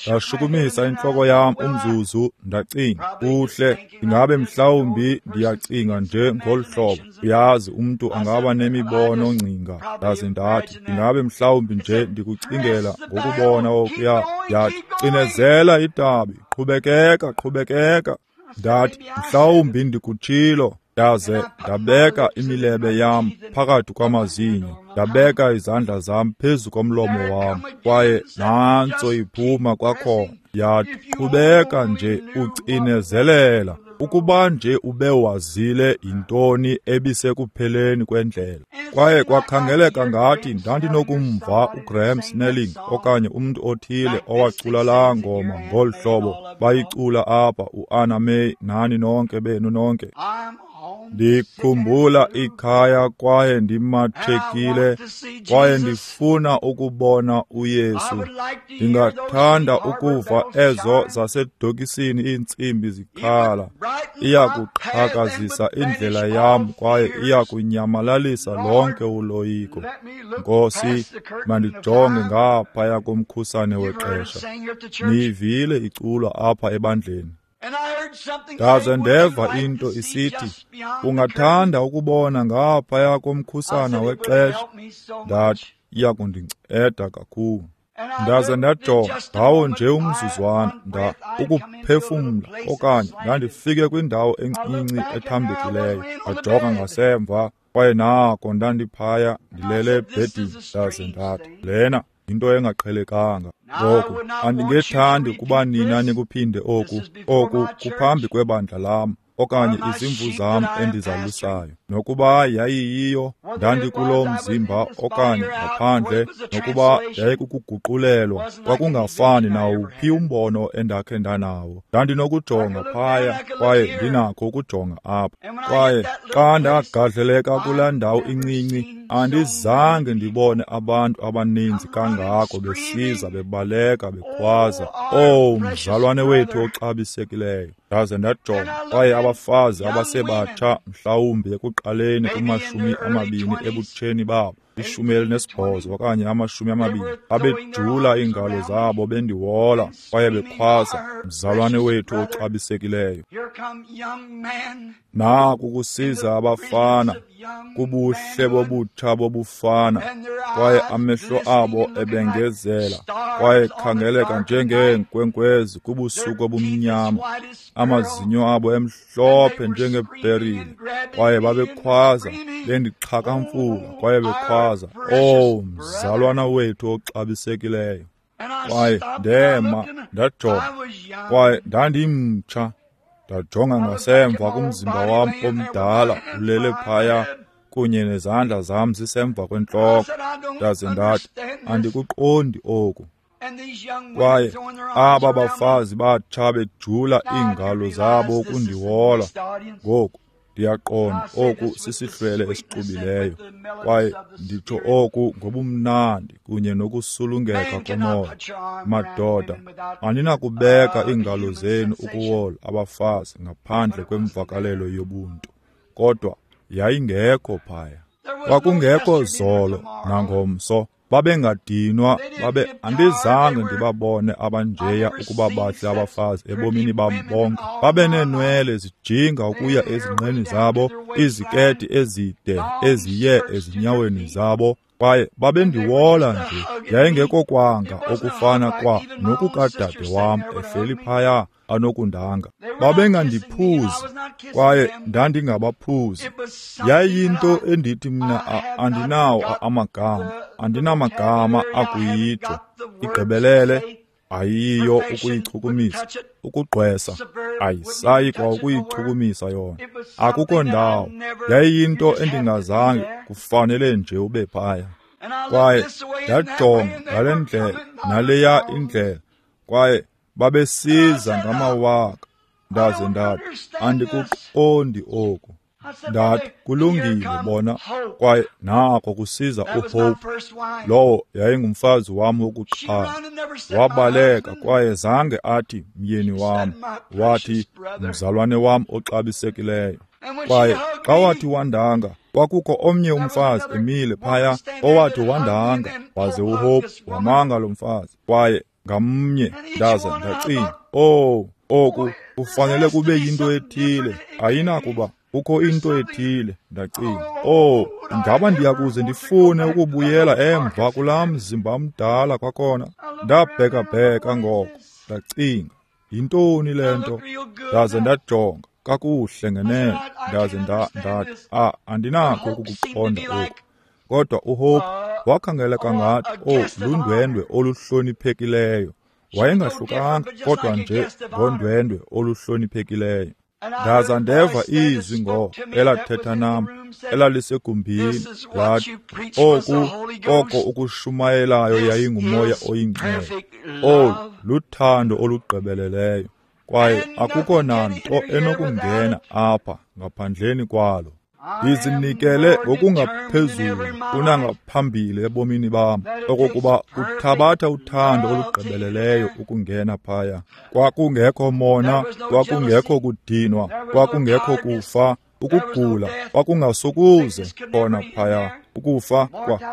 Ndashukumisa intloko yam umzuzu, ndacinga, kuhle, ingabe mhlawumbi ndiyacinga nje ngolu hlobo. Uyazi, umntu angaba nemibono ngcinga. Ndaze ndathi, ingabe mhlawumbi nje ndikucingela ngokubona okuya. Yathi, cinezela idabi, qhubekeka, qhubekeka. Ndathi, mhlawumbi ndikutshilo. Ndaze ndabeka imilebe yam phakathi kwamazinyo, ndabeka izandla zam phezu komlomo wam, kwaye nantso iphuma kwakhona. Yathi, qhubeka nje ucinezelela, ukuba nje ube wazile yintoni ebisekupheleni kwendlela. Kwaye kwakhangeleka ngathi ndandinokumva uGraham Snelling okanye umntu othile owacula laa ngoma ngolu hlobo bayicula apha, uAnna May nani nonke benu nonke. Ndikhumbula ikhaya kwaye ndimathekile kwaye ndifuna ukubona uYesu. Ndingathanda ukuva ezo zasedokisini iintsimbi zikhala. Iyakuqhakazisa indlela yam kwaye iyakunyamalalisa lonke uloyiko. Nkosi, mandijonge ngaphaya komkhusane wexesha. Niyivile iculwa apha ebandleni. Ndaze ndeva into isithi, ungathanda ukubona ngaphaya komkhusana wexesha. Ndathi, iyakundinceda kakhulu. Ndaze ndajonga ngawo nje umzuzwana, nda ukuphefumla okanye ndandifike kwindawo encinci ethambekileyo. Ndajonga ngasemva kwaye nako ndandiphaya ndilele ebhedini. Ndaze ndathi, lena yinto engaqhelekanga. Ngoku andingethandi ukuba nina nikuphinde oku oku kuphambi kwebandla lam okanye izimvu zam endizalusayo. Nokuba yayiyiyo ndandikulo mzimba okanye ngaphandle, nokuba yayikukuguqulelwa, kwakungafani nawuphi umbono endakhe ndanawo. Ndandinokujonga phaya kwaye ndinakho ukujonga apha. Kwaye xa ndagadleleka kulaa ndawo incinci, andizange ndibone abantu abaninzi kangako besiza bebaleka bekhwaza, "Oh, mzalwane wethu oxabisekileyo." Ndaze ndajonga kwaye abafazi abasebatsha, mhlawumbi ekuqaleni kumashumi amabini ebutsheni babo, ishumi elinesibhozo okanye amashumi amabini, babejula iingalo zabo bendiwola kwaye bekhwaza, "Mzalwane wethu oxabisekileyo." Naku kusiza abafana kubuhle bobutsha bobufana, kwaye amehlo abo ebengezela kwaye khangeleka njengeenkwenkwezi kubusuku obumnyama, amazinyo abo emhlophe njengeperile, kwaye babekhwaza bendixhakamfula kwaye bekhwaza, "Oh, mzalwana wethu oxabisekileyo." Kwaye ndema ndajonga, kwaye ndandimtsha. Ndajonga ngasemva kumzimba wam omdala ulele phaya kunye nezandla zam zisemva kwentloko. Ndaze ndathi, andikuqondi oku. Kwaye aba bafazi batsha bejula iingalo zabo ukundiwola. Ngoku ndiyaqonda oku sisihlwele esixubileyo, kwaye nditsho oku ngobumnandi kunye nokusulungeka komoya. Madoda, aninakubeka iingalo zenu ukuwola abafazi ngaphandle kwemvakalelo yobuntu. Kodwa yayingekho phaya. Kwakungekho zolo nangomso. Babengadinwa, babe andizange ndibabone abanjeya ukuba bahle abafazi ebomini bam bonke. Babeneenwele zijinga ukuya ezinqeni zabo, iziketi ezide eziye ezinyaweni zabo, kwaye babendiwola nje. Yayingekokwanga okufana kwa nokukadade wam ehleli phaya anokundanga. Babengandiphuzi kwaye ndandingabaphuzi. Yayiyinto endithi mna andinawo amagama, andinamagama akuyitsho. Igqibelele ayiyo ukuyichukumisa, ukugqwesa ayisayi kwa ukuyichukumisa yona. Akukho ndawo. Yayiyinto endingazange, kufanele nje ube phaya. Kwaye ndajonga ngale ndlela naleya indlela, kwaye babesiza ngamawaka. Ndaze ndathi, andikuqondi oku. Ndathi, kulungile bona. Kwaye nako kusiza uHope. Lowo yayingumfazi wam wokuqala. Wabaleka kwaye zange athi myeni wam, wathi mzalwane wam oxabisekileyo. Kwaye xa wathi wandanga, kwakukho omnye umfazi emile phaya owathi wandanga, waze uHope wamanga lo mfazi. Kwaye ngamnye ndaze ndacinga, oh, oku kufanele kube yinto ethile, ayinakuba kukho into ethile. Ndacinga, oh, ingaba ndiyakuze ndifune ukubuyela emva kulaa mzimba mdala kwakhona? Ndabhekabheka ngoko, ndacinga, yintoni le nto? Ndaze ndajonga kakuhle ngenene, ndaze ndathi, ah, andinakho ukukuqonda oku. Kodwa uHope wakhangeleka ngathi, oh, lundwendwe oluhloniphekileyo. Wayengahlukanga kodwa nje ngondwendwe oluhloniphekileyo. Ndaza ndeva izwi ngo elathetha nam, elalisegumbini, lathi, oku oko ukushumayelayo yayingumoya oyingcwele. Olu luthando olugqibeleleyo. Kwaye akukho nanto enokungena apha ngaphandleni kwalo. Ndizinikele ngokungaphezulu kunangaphambili ebomini bam, okokuba uthabatha uthando olugqibeleleyo ukungena phaya. Kwakungekho mona, kwakungekho kudinwa, kwakungekho kufa, ukugula kwakungasokuze khona phaya. Ukufa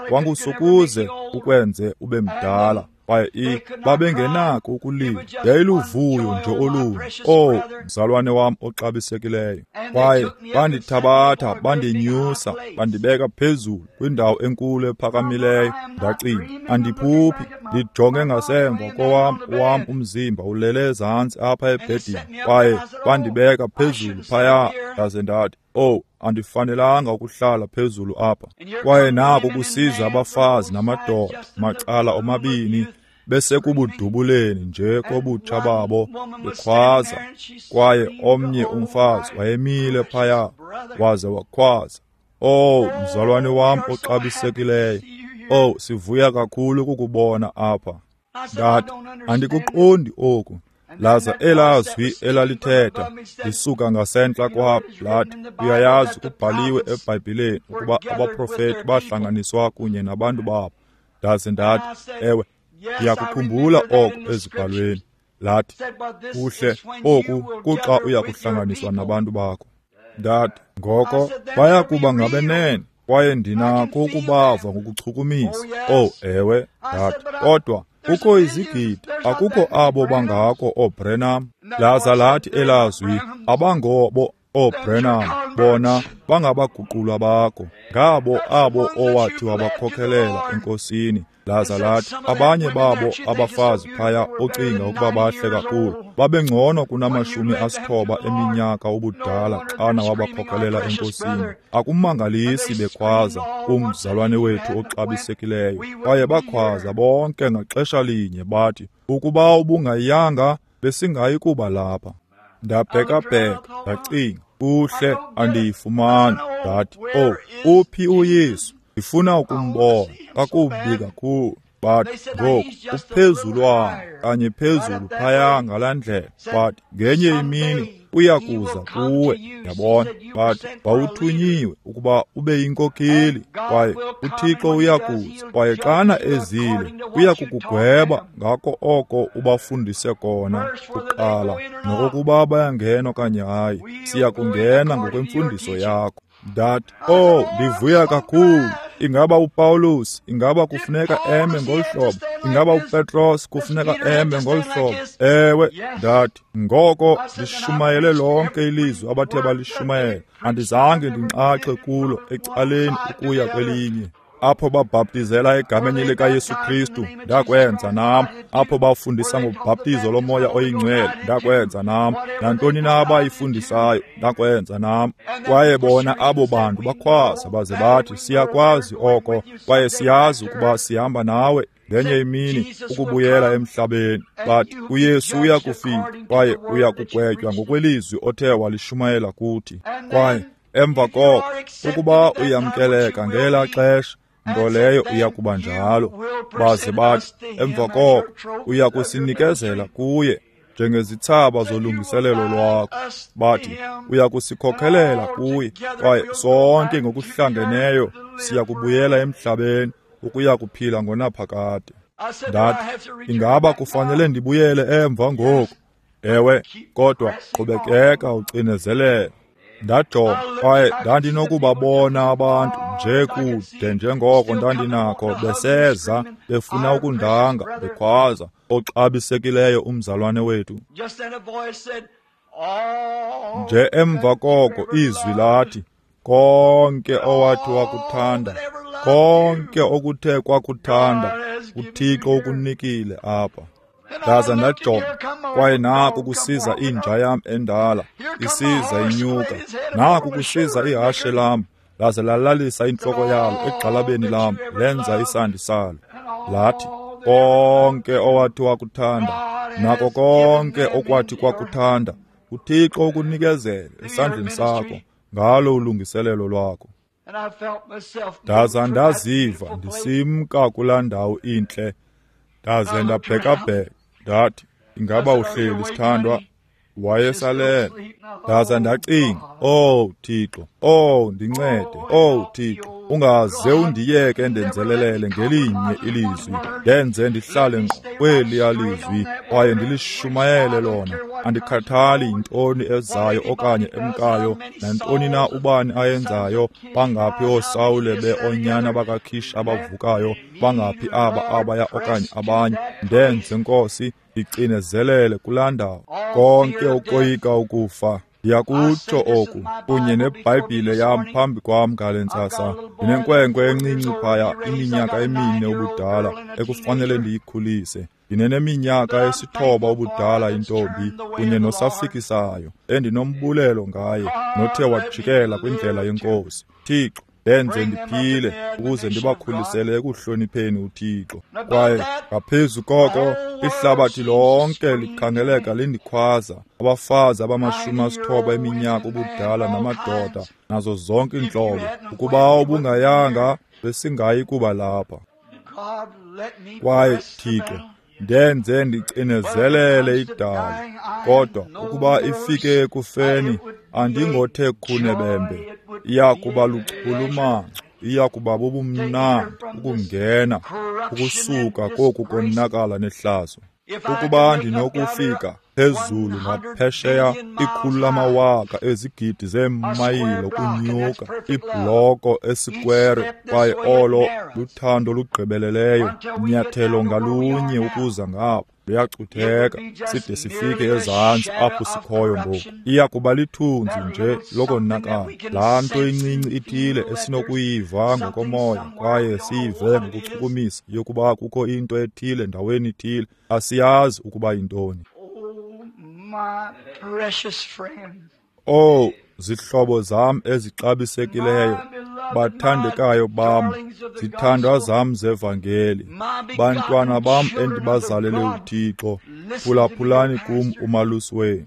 kwangusokuze ukwenze ube mdala. Kwaye i babengenako ukulila, yayiluvuyo nje olunye. Oh, mzalwane wam oxabisekileyo. Kwaye bandithabatha, bandinyusa, bandibeka phezulu kwindawo enkulu ephakamileyo. Ndacinga, andiphuphi, ndijonge ngasemva kowam wam umzimba ulele ezantsi apha ebhedini. Kwaye bandibeka phezulu phaya, ndaze ndathi, oh, andifanelanga ukuhlala phezulu apha. Kwaye nako kusiza abafazi namadoda macala omabini, besekubudubuleni nje kobutsha babo, bekhwaza. Kwaye omnye umfazi wayemile phaya, waze wakhwaza, oh, mzalwane wam oxabisekileyo, oh, sivuya kakhulu ukukubona apha. Ndathi, andikuqondi oku. Laza elazwi elalithetha lisuka ngasentla kwam lathi, uyayazi kubhaliwe eBhayibhileni ukuba abaprofeti bahlanganiswa kunye nabantu babo. Ndaze ndathi, ewe, ndiyakukhumbula oko ezibhalweni. Lathi, kuhle, oku kuxa uya kuhlanganiswa nabantu bakho. Ndathi, ngoko bayakuba ngabenene, kwaye ndinakho ukubava ngokuchukumisa. Oh, ewe, ndathi, kodwa kukho izigidi, akukho abo bangako ooBrenham. Laza lathi elazwi, abangobo ooBrenham, bona bangabaguqulwa bakho, ngabo abo owathi wabakhokelela enkosini. Laza lathi, abanye babo abafazi phaya ocinga ukuba bahle kakhulu, babengcono kunamashumi asithoba eminyaka ubudala xana wabakhokelela enkosini. Akumangalisi bekhwaza, umzalwane wethu oxabisekileyo. Kwaye bakhwaza bonke ngaxesha linye bathi, ukuba ubungayanga besingayi kuba lapha. Ndabhekabheka, ndacinga, kuhle, andiyifumani. Ndathi, oh, uphi uYesu? Ndifuna ukumbona kakubi kakhulu. Bathi, ngoku uphezulwana kanye phezulu phaya ngalaa ndlela. Bathi, ngenye imini uya kuza kuwe. Yabona? Bathi, wawuthunyiwe ukuba ube yinkokheli, kwaye uThixo uya kuza, kwaye xana ezile uya kukugweba ngako oko ubafundise kona kuqala, nokokuba bayangena okanye hayi. Siya kungena ngokwemfundiso yakho. Ndathi, oh, ndivuya kakhulu. Ingaba uPaulus, ingaba kufuneka eme ngolu hlobo? Ingaba uPetros kufuneka eme ngolu hlobo? Ewe, ndathi, ngoko ndishumayele lonke ilizwi abathe balishumayela. Andizange ndinxaxe kulo ecaleni ukuya kwelinye. Apho babhaptizela egameni likaYesu Kristu, ndakwenza nam. Apho bafundisa ngobhaptizo lomoya oyingcwele, ndakwenza nam. Nantoni na abayifundisayo, ndakwenza nam. Kwaye bona abo bantu bakhwaza baze bathi, siyakwazi oko, kwaye siyazi ukuba sihamba nawe ngenye imini ukubuyela emhlabeni. Bathi, uYesu uya kufika, kwaye uya kugwetywa ngokwelizwi othe walishumayela kuthi. Kwaye emva koko, ukuba uyamkeleka ngela xesha, nto leyo iya kuba njalo. Baze bathi, emva koko uya kusinikezela kuye njengezithsaba zolungiselelo lwakho. Bathi, uya kusikhokhelela kuye, kwaye sonke ngokuhlangeneyo siya kubuyela emhlabeni ukuya kuphila ngonaphakade. Ndathi, ingaba kufanele ndibuyele emva ngoku? Ewe, kodwa qhubekeka ucinezelele. Ndajonga, kwaye ndandinokubabona abantu nje kude njengoko ndandinakho beseza befuna ukundanga, bekhwaza, oxabisekileyo umzalwane wethu. Nje emva koko izwi lathi, konke owathi wakuthanda, konke okuthe kwakuthanda, uThixo ukunikile apha. Ndaza ndajonga, kwaye naku kusiza inja yam endala, isiza inyuka. Naku kusiza ihashe lam, laze lalalisa intloko yalo egxalabeni lam, lenza isandi salo. Lathi, konke owathi wakuthanda, nako konke okwathi kwakuthanda, uThixo ukunikezele esandleni sakho ngalo ulungiselelo lwakho. Ndaza ndaziva ndisimka kulaa ndawo intle, ndaze ndabhekabheka. Ndathi, ingaba uhleli sithandwa? Wayesalele. Ndaza ndacinga, "Owu Thixo, owu ndincede, owu Thixo, ungaze undiyeke ndenzelelele ngelinye ilizwi, ndenze ndihlale ngqo kweliya lizwi kwaye ndilishumayele lona. Andikhathali yintoni ezayo okanye emkayo, nantoni na ubani ayenzayo, bangaphi ooSawule beonyana bakaKish abavukayo, bangaphi aba abaya okanye abanye. Ndenze, Nkosi, ndicinezelele kulaa ndawo." Konke ukoyika ukufa. Ndiyakutsho oku kunye neBhayibhile yam phambi kwam ngale ntsasa. Ndinenkwenkwe encinci phaya, iminyaka emine ubudala, ekufanele ndiyikhulise. Ndineneminyaka esithoba ubudala intombi kunye nosafikisayo endinombulelo ngaye, nothe wajikela kwindlela yeNkosi. Thixo, ndenze ndiphile ukuze ndibakhulisele ekuhlonipheni uThixo. Kwaye ngaphezu koko, ihlabathi lonke likhangeleka lindikhwaza, abafazi abamashumi asithoba eminyaka ubudala namadoda nazo zonke iintlobo. Ukuba ubungayanga, besingayi kuba lapha. Kwaye Thixo, ndenze ndicinezelele idabi, kodwa ukuba ifike ekufeni, andingothe khunebembe. Iya kuba luchulumanco, iya kuba bubumnandi ukungena ukusuka koku konakala nehlazo. Ukuba ndinokufika phezulu ngaphesheya ikhulu lamawaka ezigidi zeemayile ukunyuka ibhloko esikwere, kwaye olo luthando olugqibeleleyo, nyathelo ngalunye ukuza ngapha luyacutheka side sifike ezantsi apho sikhoyo ngoku. Iya kuba lithunzi nje lokonakala, laa nto incinci ithile esinokuyiva ngokomoya kwaye siyive ngokuchukumisa yokuba kukho into ethile ndaweni ithile, asiyazi ukuba yintoni. Owu, zihlobo zam ezixabisekileyo, bathandekayo bam, zithandwa zam zevangeli, bantwana bam endibazalele uThixo, phulaphulani kum umalusi wenu.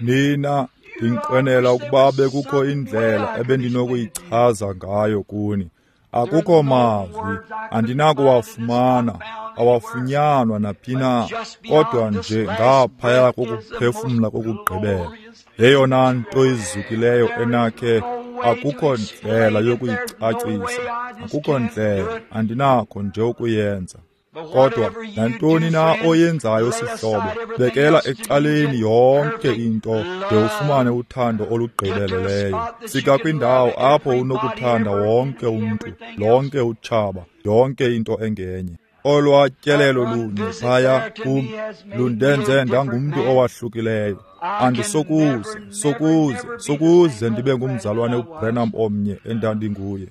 Nina, ndinqwenela ukuba bekukho indlela ebendinokuyichaza ngayo kuni. Akukho mazwi, andinakuwafumana, awafunyanwa naphi na, kodwa nje ngaphaya kokuphefumla kokugqibela. Yeyona nto izukileyo enakhe, akukho ndlela yokuyicacisa, akukho ndlela, andinakho nje ukuyenza. Kodwa nantoni na oyenzayo sihlobo, bekela ecaleni yonke into de ufumane uthando olugqibeleleyo. Fika kwindawo apho unokuthanda wonke umntu, lonke utshaba, yonke into engenye. Olwa tyelelo lunye phaya kum lundenze ndangumntu owahlukileyo. Andisokuze, sokuze, sokuze ndibe ngumzalwane uBranham omnye endandinguye.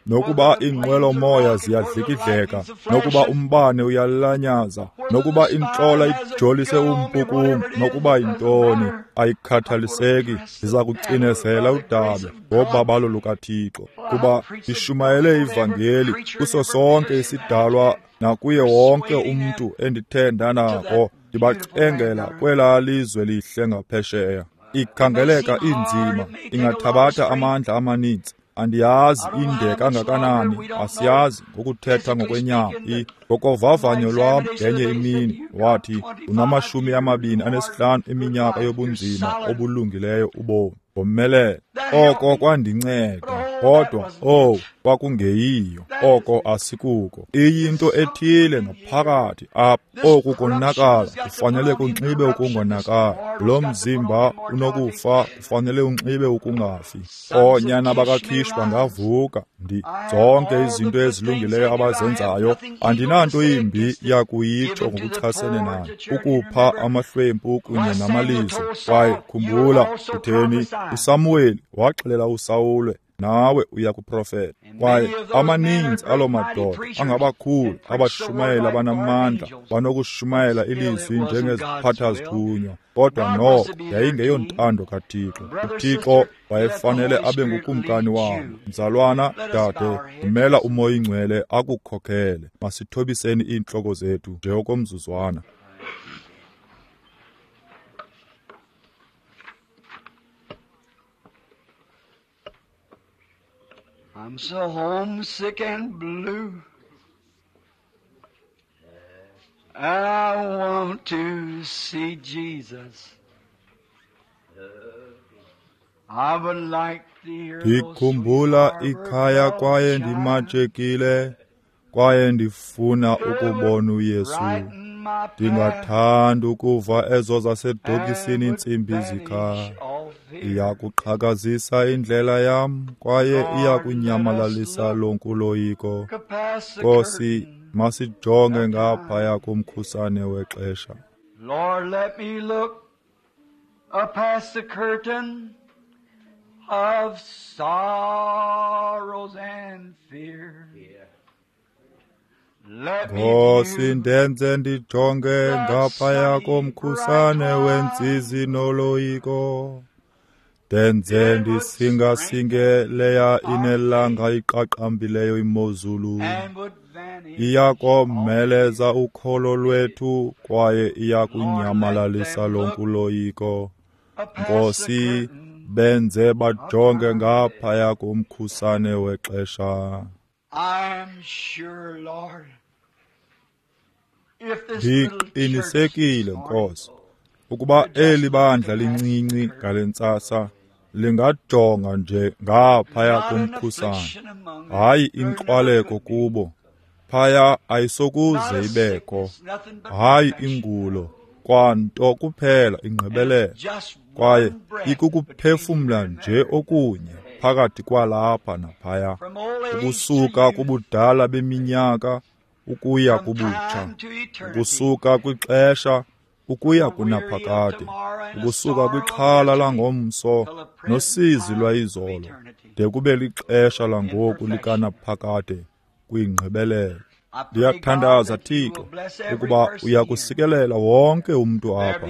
Nokuba iinqwelomoya ziyadlikidleka, nokuba umbane uyalanyaza, nokuba intlola ijolise umpu kum, nokuba yintoni, ayikhathaliseki, ndiza kucinezela udabi ngobabalo lukaThixo, kuba ndishumayele ivangeli kuso sonke isidalwa nakuye wonke umntu endithe ndanako, ndibacengela kwelaa lizwe lihle ngaphesheya. Ikhangeleka inzima, ingathabatha amandla amaninzi. Andiyazi inde kangakanani, asiyazi ngokuthetha ngokwenyama. Ngokovavanyo lwam ngenye imini wathi, unamashumi amabini anesihlanu eminyaka yobunzima obulungileyo ubomi, ngomelele. Oko kwandinceda, kodwa owu, kwakungeyiyo. Oko asikuko. Iyinto ethile ngaphakathi apha. Oku konakala kufanele kunxibe ukungonakala. Lo mzimba unokufa kufanele unxibe ukungafi. Oonyana bakaKish bangavuka, ndi zonke izinto ezilungileyo abazenzayo, andinanto imbi yakuyitsho ngokuchasene nayo, ukupha amahlwempu kunye namalizo. Kwaye khumbula, utheni uSamuweli waxelela uSawule, nawe uya kuprofeta. Kwaye amaninzi aloo madoda angabakhulu abashumayeli abanamandla, banokushumayela ilizwi njengeziphatha-zithunywa, kodwa noko yayingeyontando kaThixo. UThixo wayefanele abe ngukumkani wabo. Mzalwana, dade, vumela uMoya oyiNgcwele akukhokhele. Masithobiseni iintloko zethu nje okomzuzwana. I'm so homesick and blue, I want to see Jesus. Ndikhumbula ikhaya kwaye ndimatshekile kwaye ndifuna ukubona uYesu. Ndingathanda ukuva ezo zasedokisini iintsimbi zikhala. Iyakuqhakazisa indlela yam kwaye iyakunyamalalisa lonke uloyiko. Nkosi, masijonge ngaphaya kumkhusane wexesha. Lord, let me look past the curtain of sorrows and fear. Nkosi, ndenze ndijonge ngaphaya komkhusane wentsizi noloyiko. Ndenze ndisingasinge leya inelanga iqaqambileyo imozulu. Iyakomeleza ukholo lwethu kwaye iyakunyamalalisa lonke uloyiko. Nkosi, benze bajonge ngaphaya komkhusane wexesha. Ndiqinisekile, Nkosi, ukuba eli bandla lincinci ngale ntsasa lingajonga nje ngaphaya komkhusane, hayi inxwaleko kubo, phaya ayisokuze ibekho, hayi ingulo, kwanto kuphela ingqibelelo, kwaye ikukuphefumla nje okunye phakathi kwalapha naphaya, ukusuka kubudala beminyaka ukuya kubutsha, ukusuka kwixesha ukuya kunaphakade, ukusuka kwixhala langomso nosizi lwayizolo, de kube lixesha langoku likanaphakade kwingqibelelo. Ndiyathandaza, Thixo, ukuba uyakusikelela wonke umntu apha,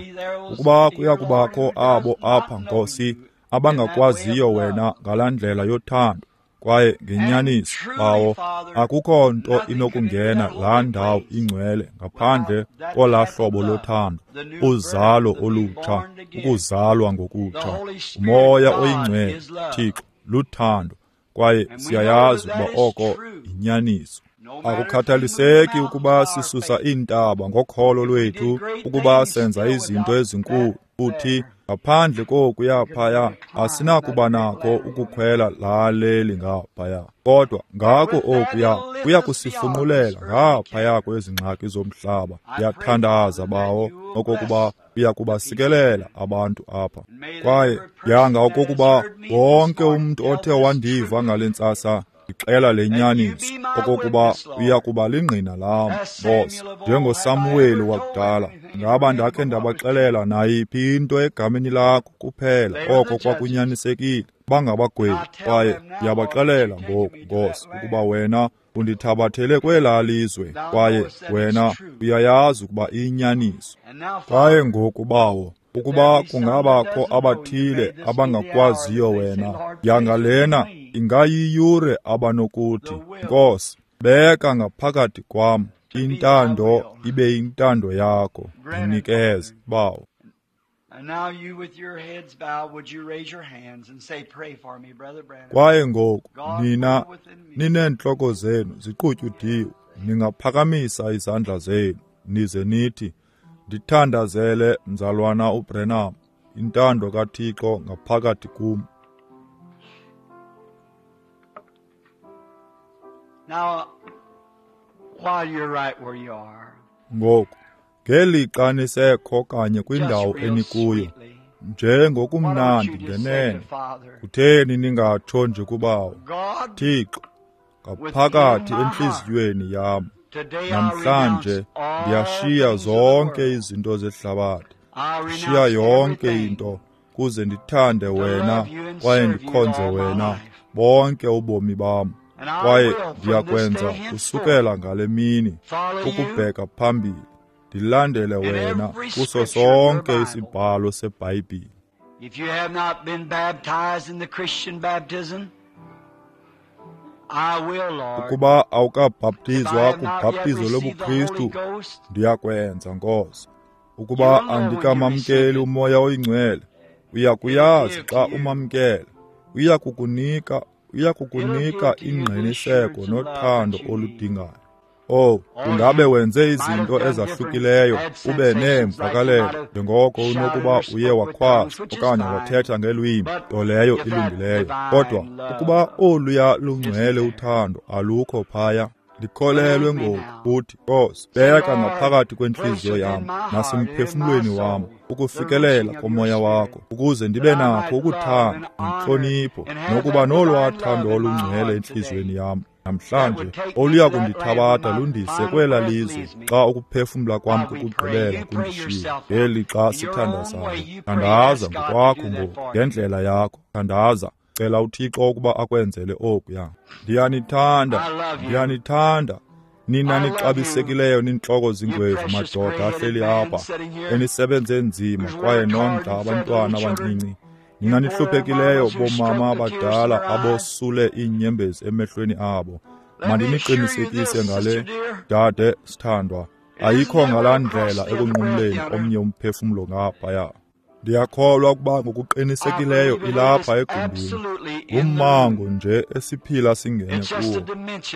ukuba kuyakubakho abo apha, Nkosi, abangakwaziyo wena ngalaa ndlela yothando kwaye ngenyaniso, Bawo, akukho nto inokungena laa ndawo ingcwele ngaphandle kolaa hlobo lothando, uzalo olutsha, ukuzalwa ngokutsha. Umoya oyingcwele, Thixo, luthando, kwaye siyayazi ukuba oko yinyaniso. Akukhathaliseki ukuba sisusa iintaba ngokholo lwethu, ukuba senza izinto ezinkulu, futhi ngaphandle kokuya phaya asinakuba nako ukukhwela laa leli ngaphaya. Kodwa ngako okuya kuya kusifunqulela ngaphaya kwezi ngxaki zomhlaba. Ndiyathandaza, Bawo, okokuba uya kubasikelela abantu apha. Kwaye yanga okokuba wonke umntu othe wandiva ngale ntsasa ndixela le nyaniso, okokuba uya kuba lingqina lam, Nkosi, njengoSamuweli wakudala. Ngaba ndakhe ndabaxelela nayiphi into egameni lakho kuphela oko kwakunyanisekile, bangabagwebi. Kwaye ndiyabaxelela ngoku, Nkosi, ukuba wena undithabathele kwelaa lizwe, kwaye wena uyayazi ukuba iyinyaniso. Kwaye ngoku, Bawo, ukuba kungabakho abathile abangakwaziyo wena, yanga lena ingayiyure abanokuthi, Nkosi, beka ngaphakathi kwam intando ibe yintando yakho, ndinikeze, Bawo. Kwaye ngoku nina nineentloko zenu ziqutyudiwe, ningaphakamisa izandla zenu nize nithi, ndithandazele, mzalwana uBrenham, intando kaThixo ngaphakathi kum. Now, while you're right where you are, ngoku ngelixa nisekho kanye kwindawo enikuyo, njengokumnandi ngenene, kutheni ningatsho nje kubawo, Thixo, ngaphakathi entliziyweni yam namhlanje ndiyashiya zonke izinto zehlabathi, ndishiya yonke into kuze ndithande wena kwaye ndikhonze wena bonke ubomi bam. Kwaye ndiyakwenza kusukela ngale mini ukubheka phambili, ndilandele wena kuso sonke isibhalo seBhayibhile. If you have not been baptized in the Christian baptism, I will, Lord. Ukuba awukabhaptizwa kubhaptizo lobuKristu, ndiyakwenza, Nkosi. Ukuba andikamamkeli uMoya oyiNgcwele, uyakuyazi xa umamkele, uyakukunika uyakukunika ingqiniseko nothando oludingayo. Oh, ungabe wenze izinto ezahlukileyo, ube neemvakalelo njengoko unokuba uye wakhwaza okanye wathetha ngelwimi, nto leyo ilungileyo. Kodwa ukuba oluya lungcwele uthando alukho phaya, ndikholelwe ngoku, uthi, Nkosi, beka ngaphakathi kwentliziyo yam nasemphefumlweni wam ukufikelela komoya wakho, ukuze ndibe nakho ukuthanda nentlonipho nokuba nolwaa thando olungcwele entliziyweni yam namhlanje oluya kundithabatha lundise kwela lizwe xa ukuphefumla kwam kokugqibela kundishiya. Ngeli xa sithandazayo, thandaza ngokwakho ngoku ngendlela yakho. Thandaza, cela uThixo ukuba akwenzele okuya. Ndiyanithanda, ndiyanithanda nina nixabisekileyo nintloko zingwevu, madoda ahleli apha enisebenze nzima kwaye nondla abantwana abancinci. Nina nihluphekileyo bomama abadala abosule iinyembezi emehlweni abo. Mandiniqinisekise ngale, dade sithandwa, ayikho ngalaa ndlela ekunqumleni omnye umphefumlo ngaphaya. Ndiyakholwa ukuba ngokuqinisekileyo ilapha egumbini, ngummango nje esiphila singene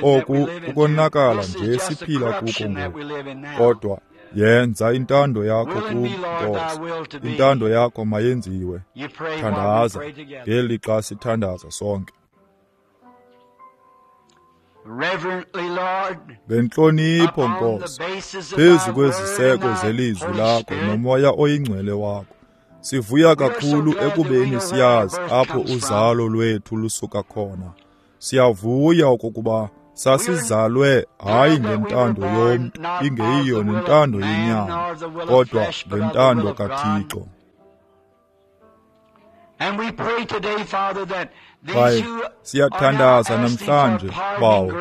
kuwo. Oku kukonakala nje esiphila kuko ngoku. Kodwa yenza intando yakho kum, Nkosi. Intando yakho mayenziwe. Thandaza ngeli xa sithandaza sonke. Ngentlonipho, Nkosi, phezu kweziseko zelizwi lakho nomoya oyingcwele wakho, sivuya kakhulu ekubeni siyazi apho uzalo lwethu lusuka khona. Siyavuya okokuba sasizalwe hayi ngentando yomntu, ingeyiyo nentando yenyama, kodwa ngentando kaThixo. Kwaye siyathandaza namhlanje, Bawo,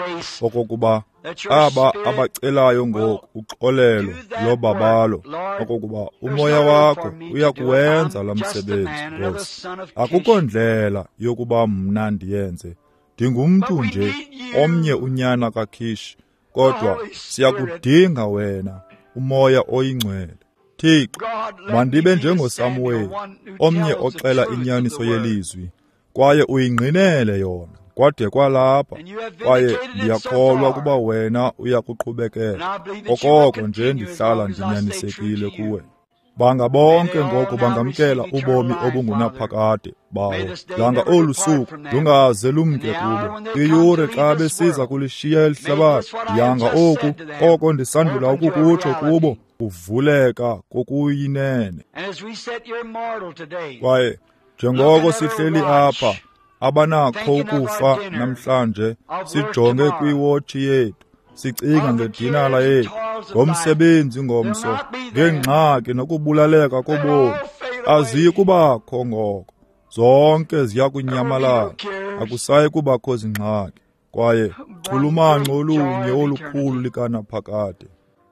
okokuba aba abacelayo ngoku uxolelo lobabalo, okokuba umoya wakho uyakuwenza la msebenzi, Nkosi. Akukho ndlela yokuba mna ndiyenze. Ndingumntu nje, omnye unyana kaKish, kodwa siyakudinga wena, umoya oyingcwele. Thixo, mandibe njengoSamuweli, omnye oxela inyaniso yelizwi, kwaye uyingqinele yona kwade kwalapha, kwaye ndiyakholwa ukuba wena uyakuqhubekela okoko nje ndihlala ndinyanisekile kuwe. Banga bonke ngoku bangamkela ubomi obungunaphakade, Bawo. Langa olu suku lungaze lumke kubo. Iyure xa besiza kulishiya eli hlabathi, yanga oku oko ndisandula ukukutsho kubo kuvuleka kokuyinene. Kwaye njengoko sihleli apha, abanakho ukufa namhlanje, sijonge kwiwotshi yethu, sicinga ngedinala yethu, ngomsebenzi ngomso, ngengxaki nokubulaleka kobomi, aziyi kubakho ngoko. Zonke ziya kunyamalala, akusayi kubakho zingxaki, kwaye chulumanco olunye olukhulu likanaphakade.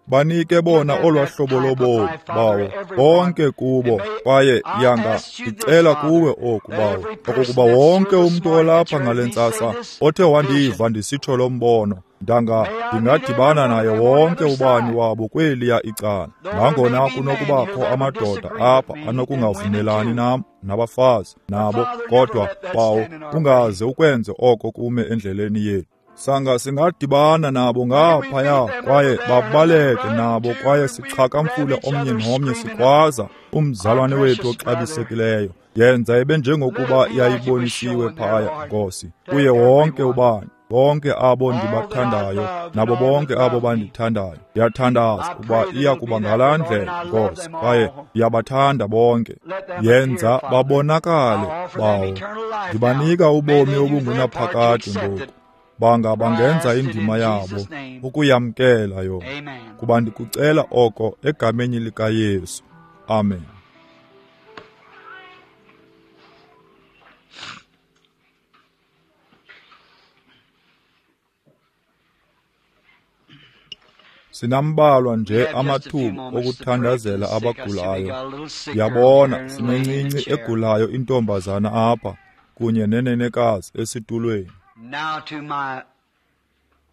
Banike bona olwaa hlobo lobomi, Bawo, bonke kubo, kwaye yanga ndicela kuwe oku, Bawo, okokuba wonke umntu olapha ngale ntsasa othe wandiva ndisitsho lo mbono, ndanga ndingadibana naye wonke ubani wabo kweliya icala. Nangona kunokubakho amadoda apha anokungavumelani nam nabafazi nabo, kodwa Bawo, ungaze ukwenze oko kume endleleni yethu. Sanga singadibana nabo ngaphaya, kwaye babaleke nabo, kwaye sixhakamfule omnye nomnye sikhwaza umzalwane wethu oxabisekileyo. Yenza ibe njengokuba yayibonisiwe phaya, Nkosi, kuye wonke ubani, bonke abo ndibathandayo nabo bonke abo bandithandayo. Ndiyathandaza ukuba iya kuba ngalaa ndlela, Nkosi, kwaye ndiyabathanda bonke. Yenza babonakale, Bawo. Ndibanika ubomi obungunaphakade ngoku. Banga bangenza indima yabo ukuyamkela yona, kuba ndikucela oko egameni likaYesu. Amen. Sinambalwa nje amathuba okuthandazela abagulayo. Ndiyabona sinencinci egulayo intombazana apha kunye nenenekazi esitulweni. Now to my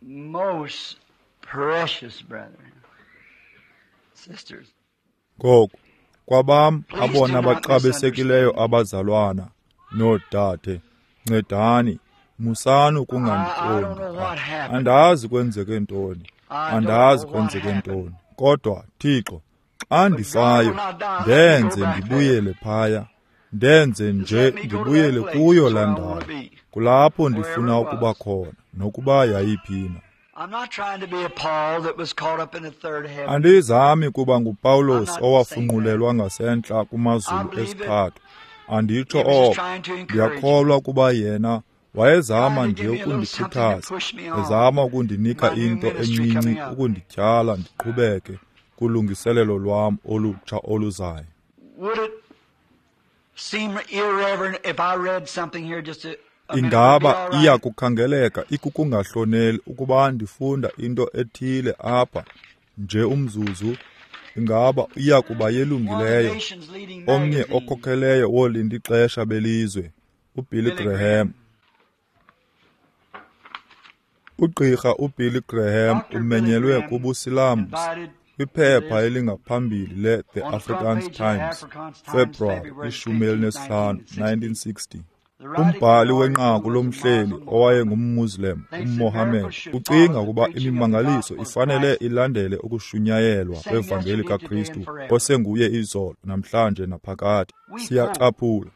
most precious brethren, sisters. Ngoku kwabam abona baxabisekileyo abazalwana noodade, ncedani, musani ukungandiqondi. Andazi kwenzeke ntoni. Andazi kwenzeke ntoni, kodwa Thixo, xa ndifayo, ndenze ndibuyele phaya, ndenze nje ndibuyele kuyo laa ndawo. Kulapho ndifuna ukuba khona, nokuba yayiphina. Andizami kuba nguPawulos owafunqulelwa ngasentla kumazulu esithathu. Anditsho oko. Ndiyakholwa ukuba yena wayezama nje ukundikhuthaza, ezama ukundinika into encinci ukundityhala ndiqhubeke kulungiselelo lwam olutsha oluzayo. Ingaba iya kukhangeleka ikukungahloneli ukuba ndifunda into ethile apha nje umzuzu? Ingaba iya kuba yelungileyo? Omnye okhokheleyo wolindixesha belizwe, uBilly Graham. Ugqirha uBilly Graham umenyelwe kubuSilamsi kwiphepha elingaphambili le-The Afrikaans Times, February ishumi elinesihlanu, nineteen sixty. Umbhali wenqaku lomhleli owayengumMuslim, uMohammed, ucinga ukuba imimangaliso ifanele ilandele ukushunyayelwa kwevangeli kaKristu osenguye izolo, namhlanje naphakade. Siyacaphula.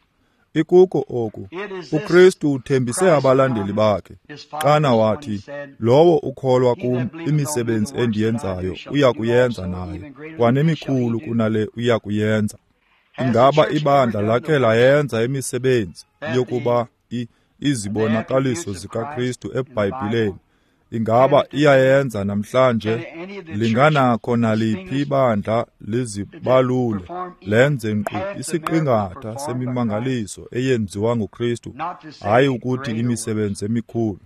Ikuko oku, uKristu uthembise abalandeli bakhe xana wathi, lowo ukholwa kum, imisebenzi endiyenzayo uya kuyenza naye, kwanemikhulu kunale uya kuyenza. Ingaba ibandla lakhe layenza imisebenzi yokuba izibonakaliso zikaKristu eBhayibhileni? Ingaba iyayenza namhlanje? Linganakho naliphi ibandla lizibalule lenze nkqu isiqingatha semimangaliso eyenziwa nguKristu, hayi ukuthi imisebenzi emikhulu?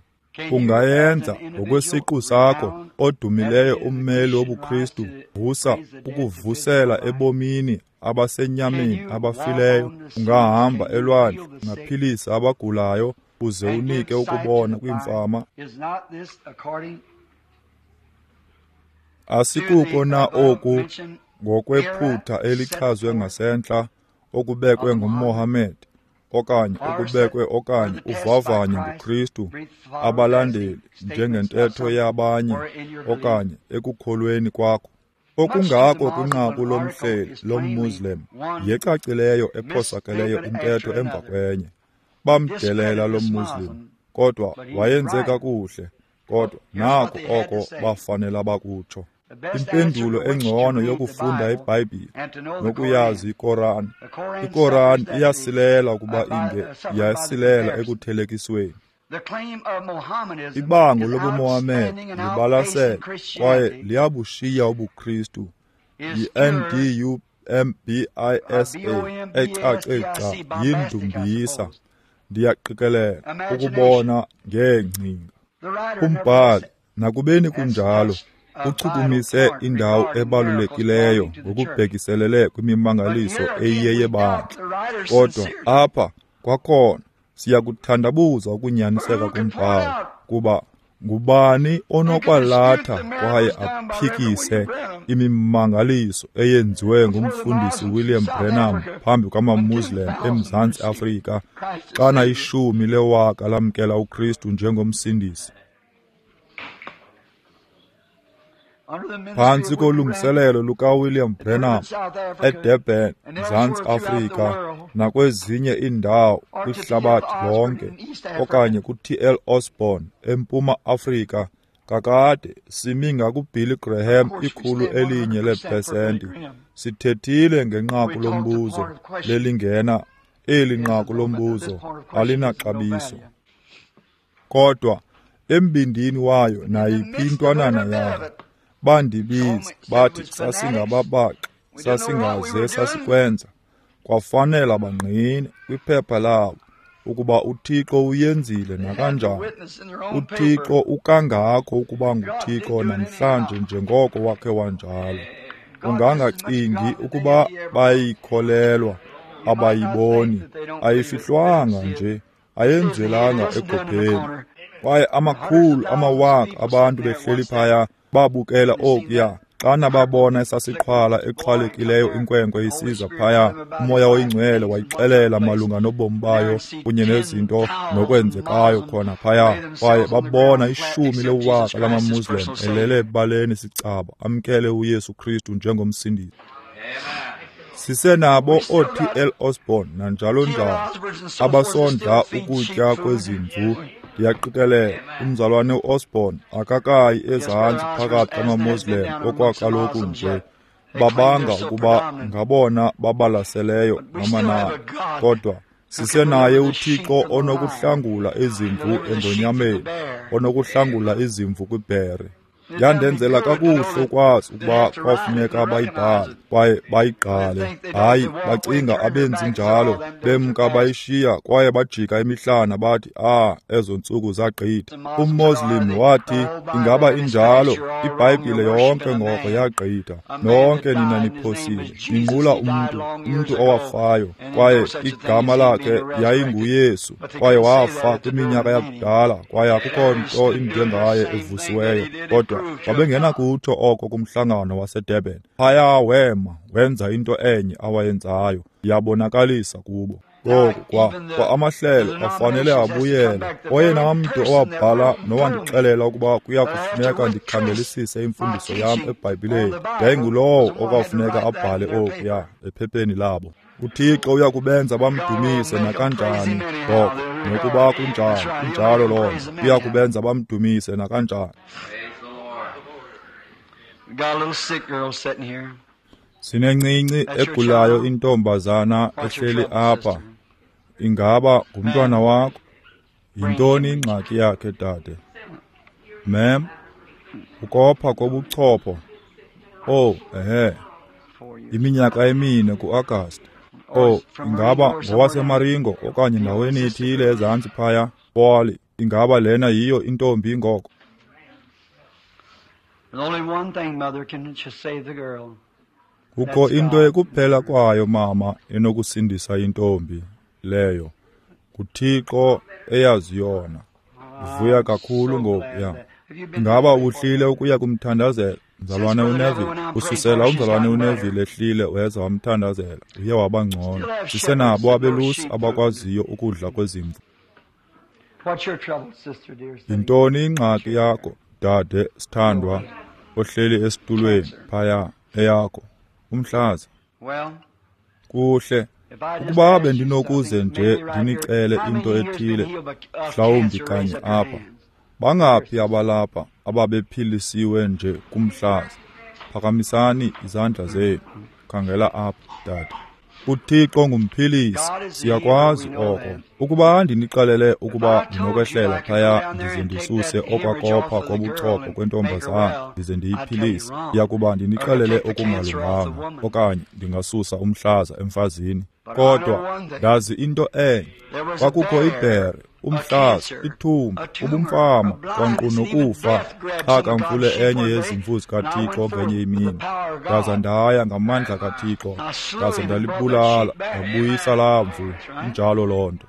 Ungayenza ngokwesiqu sakho, odumileyo ummeli wobuKristu, vusa ukuvusela ebomini abasenyameni abafileyo. Ungahamba elwandle, ungaphilisa abagulayo, uze unike ukubona kwiimfama. Asikuko na oku ngokwephutha elichazwe ngasentla okubekwe nguMohammed, okanye okubekwe okanye uvavanywe nguKristu abalandeli njengentetho yabanye okanye ekukholweni kwakho? Okungako kwinqaku lomhleli lomMuslim yecacileyo ephosakeleyo intetho emva kwenye. Bamdelela lo Muslim, kodwa wayenze kakuhle, kodwa nako oko bafanele bakutsho. Impendulo engcono yokufunda iBhayibhile nokuyazi iKoran. IKoran iyasilela ukuba inge yasilela ekuthelekisweni. Ibango lobuMohammed libalasele kwaye liyabushiya ubuKristu. Yi-N D U M B I S A ecace gca yindumbisa. Ndiyaqikelela ukubona ngeengcinga. Umbhali, nakubeni kunjalo, uchukumise indawo ebalulekileyo ngokubhekiselele kwimimangaliso eyiyeyebandla. Kodwa apha kwakhona siyakuthandabuza ukunyaniseka kombhali, kuba ngubani onokwalatha kwaye aphikise imimangaliso eyenziwe ngumfundisi William Branham phambi kwamaMuslim eMzantsi Afrika xana ishumi lewaka lamkela uKristu njengomsindisi? Phantsi kolungiselelo lukaWilliam Branham eDurban, Mzantsi Afrika, nakwezinye iindawo kwihlabathi lonke, okanye ku-T L Osborn eMpuma Afrika, kakade simi ngakuBilly Graham ikhulu elinye leepesenti. Sithethile ngenqaku lombuzo lelingena, eli nqaku lombuzo alinaxabiso. Kodwa embindini wayo nayiphi intwanana yayo, bandibiza bathi sasingababaxi, sasingaze sasikwenza. Kwafanela bangqine kwiphepha labo ukuba uThixo uyenzile nakanjani. UThixo ukangako ukuba nguThixo namhlanje njengoko wakhe wanjalo. Ungangacingi ukuba bayikholelwa, abayiboni, ayifihlwanga nje, ayenzelanga egopheni. Kwaye amakhulu amawaka abantu behleli phaya babukela okuya, Xana babona esasiqhwala exhwalekileyo inkwenkwe isiza phaya, uMoya oyiNgcwele wayixelela malunga nobomi bayo kunye nezinto nokwenzekayo khona phaya. Kwaye babona ishumi lewaka lamaMuslim elele ebaleni sicaba amkele uYesu Kristu njengomsindisi. Sisenabo oo-T L Osborne nanjalo njalo abasondla ukutya kwezimvu. Ndiyaqikelela umzalwane uOsborne akakayi ezantsi phakathi kwamaMoslem okwakaloku nje. Babanga ukuba ngabona babalaseleyo ngamanani, kodwa sisenaye uThixo onokuhlangula izimvu engonyameni, onokuhlangula izimvu kwibhere. Yandenzela kakuhle ukwazi ukuba kwafuneka bayibhale kwaye bayigqale. Hayi, bacinga abenzi njalo, bemka bayishiya kwaye bajika imihlana bathi, ah, ezo ntsuku zagqitha. UMmuslim wathi, ingaba injalo, iBhayibhile yonke ngoko yagqitha. Nonke nina niphosile, ninqula umntu, umntu owafayo, kwaye igama lakhe yayinguYesu, kwaye wafa kwiminyaka yakudala, kwaye akukho nto injengaye evusiweyo. Kodwa babengenakutsho oko kumhlangano waseDurban. Phaya wema, wenza into enye awayenzayo, yabonakalisa kubo. Ngoku kwa, kwa amahlelo afanele abuyele. Oyena mntu owabhala nowandixelela ukuba kuya kufuneka ndikhangelisise imfundiso yam eBhayibhileni yayingulowo okwafuneka abhale okuya ephepheni labo. UThixo uya kubenza bamdumise nakanjani ngoko, nokuba kunjani, kunjalo loo nto. Uya kubenza bamdumise nakanjani. Sinencinci egulayo intombazana ehleli apha. Ingaba ngumntwana wakho? Yintoni ingxaki yakhe, dade? Ma'am, ukopha kobuchopho. Oh, ehe. Iminyaka emine ku-Agasti. Oh, ingaba ngowaseMaringo okanye ndaweni ethile ezantsi phaya? Poli, ingaba lena yiyo intombi ngoko? Kukho into ekuphela kwayo, mama, enokusindisa intombi leyo. NguThixo eyazi yona. Ndivuya kakhulu ngokuya. Ingaba uhlile ukuya kumthandazela mzalwane uNeville? Ususela umzalwane uNeville ehlile weza wamthandazela, uye waba ngcono. Sisenabo abelusi abakwaziyo ukudla kwezimvu. Yintoni ingxaki yakho, dade sithandwa, ohleli esitulweni phaya eyakho? Umhlaza. Kuhle. Ukuba bendinokuze nje ndinicele into ethile, mhlawumbi kanye apha. Bangaphi abalapha ababephilisiwe nje kumhlaza? Phakamisani izandla zenu. Khangela apha, dade. UThixo ngumphilisi, siyakwazi oko. Ukuba ndinixelele ukuba ndinokwehlela phaya ndize ndisuse okwakopha kobuchopho kwentombazana ndize ndiyiphilise, ndiyakuba ndinixelele okungalunganga, okanye ndingasusa umhlaza emfazini. Kodwa ndazi into enye, kwakukho ibhere, umhlaza, ithumba, ubumfama, kwankqu nokufa xa kamfule enye yezimvu zikaThixo ngenye imini. Ndaza ndaya ngamandla kaThixo, ndaza ndalibulala, ndabuyisa laa mvu. Injalo loo nto.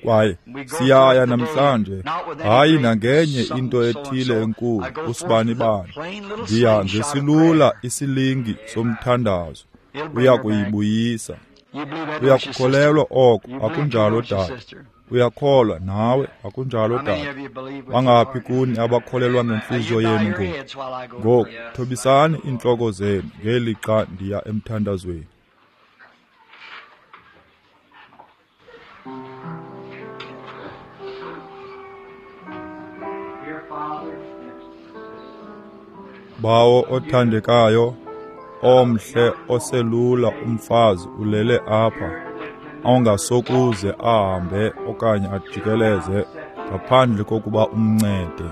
Kwaye siyaya namhlanje, hayi nangenye into ethile enkulu, usibanibani. Ndiya ngesilula isilingi somthandazo, uya kuyibuyisa. Uyakukholelwa oko, akunjalo dade? Uyakholwa nawe, akunjalo dade? Bangaphi kuni abakholelwa ngentliziyo yenu ngoku? Ngoku thobisani iintloko zenu ngelixa ndiya emthandazweni. Bawo othandekayo, omhle oselula umfazi ulele apha, ongasokuze ahambe okanye ajikeleze ngaphandle kokuba umncede.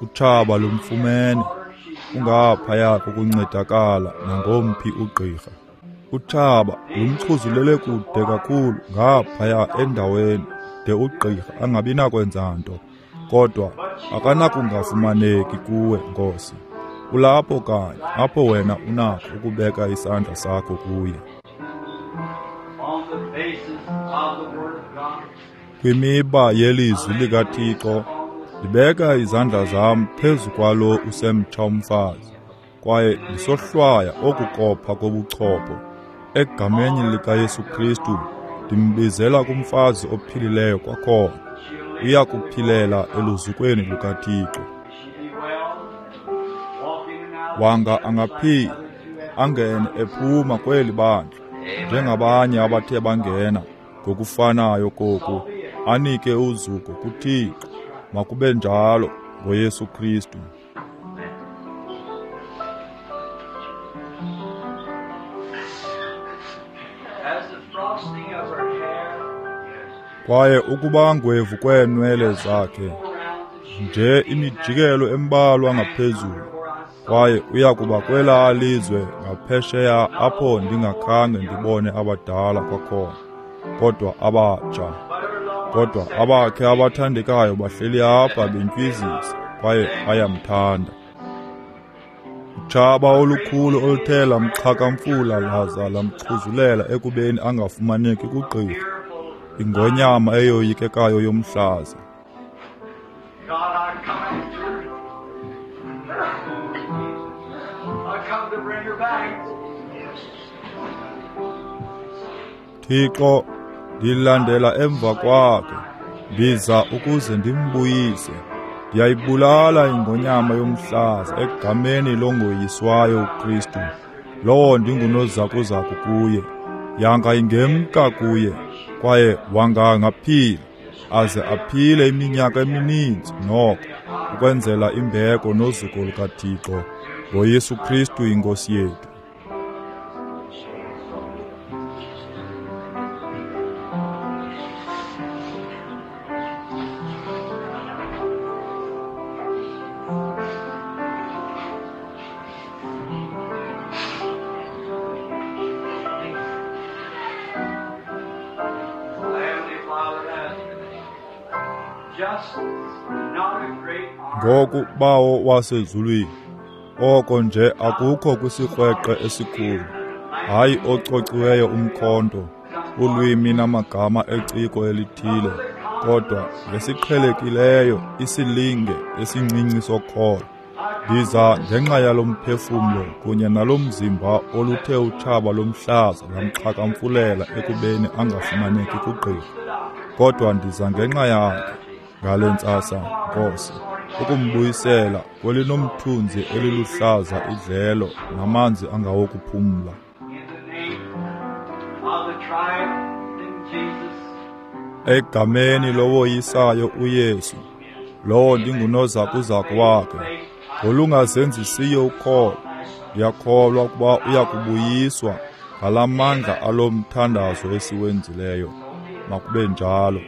Utshaba lumfumene, ungaphaya kokuncedakala nangomphi ugqirha. Utshaba lumxhuzulele kude kakhulu ngaphaya endaweni de ugqirha angabi nakwenza nto, kodwa akanakungafumaneki kuwe, Nkosi. Ulapho kanye apho wena unakho ukubeka isandla sakho kuye. Kwimiba yelizwi likaThixo, ndibeka izandla zam phezu kwalo usemtsha umfazi. Kwaye ndisohlwaya oku kopha kobuchopho. Egameni likaYesu Kristu, ndimbizela kumfazi ophilileyo kwakhona. Uya kuphilela eluzukweni lukaThixo. Wanga angaphila, angene ephuma kweli bandla, njengabanye abathe bangena ngokufanayo koku, anike uzuko kuThixo. Makube njalo ngoYesu Kristu. Kwaye ukuba ngwevu kweenwele zakhe, nje imijikelo embalwa ngaphezulu, kwaye uya kuba kwelaa lizwe ngaphesheya apho ndingakhange ndibone abadala kwakhona, kodwa abatsha. Kodwa abakhe abathandekayo bahleli apha bentywizisa, kwaye bayamthanda. Utshaba olukhulu oluthe lamxhakamfula laza lamxhuzulela ekubeni angafumaneki kugqirha, ingonyama eyoyikekayo yomhlaza. Thixo, ndilandela emva kwakhe, ndiza ukuze ndimbuyise. Ndiyayibulala ingonyama yomhlaza egameni longoyiswayo uKristu, lowo ndingunozakuzaku kuye. Yanga ingemka kuye, kwaye wanga angaphila, aze aphile iminyaka emininzi noko, ukwenzela imbeko nozuko lukaThixo, ngoYesu Kristu iNkosi yethu. Ngoku, Bawo wasezulwini, oko nje akukho kwisikrweqe esikhulu, hayi ocociweyo umkhonto, ulwimi namagama eciko elithile, kodwa ngesiqhelekileyo isilinge esincinci sokholo. Ndiza ngenxa yalo mphefumlo kunye nalo mzimba oluthe utshaba lomhlaza lamxhakamfulela ekubeni angafumaneki kugqirha. Kodwa ndiza ngenxa yakhe ngale ntsasa, Nkosi, ukumbuyisela kwelinomthunzi eliluhlaza idlelo namanzi angawokuphumla. Egameni lowoyisayo uYesu, lowo ndingunozakuzaku wakhe, ngolungazenzisiyo ukholo, ndiyakholwa ukuba uya kubuyiswa ngala mandla alo mthandazo esiwenzileyo. Makube njalo.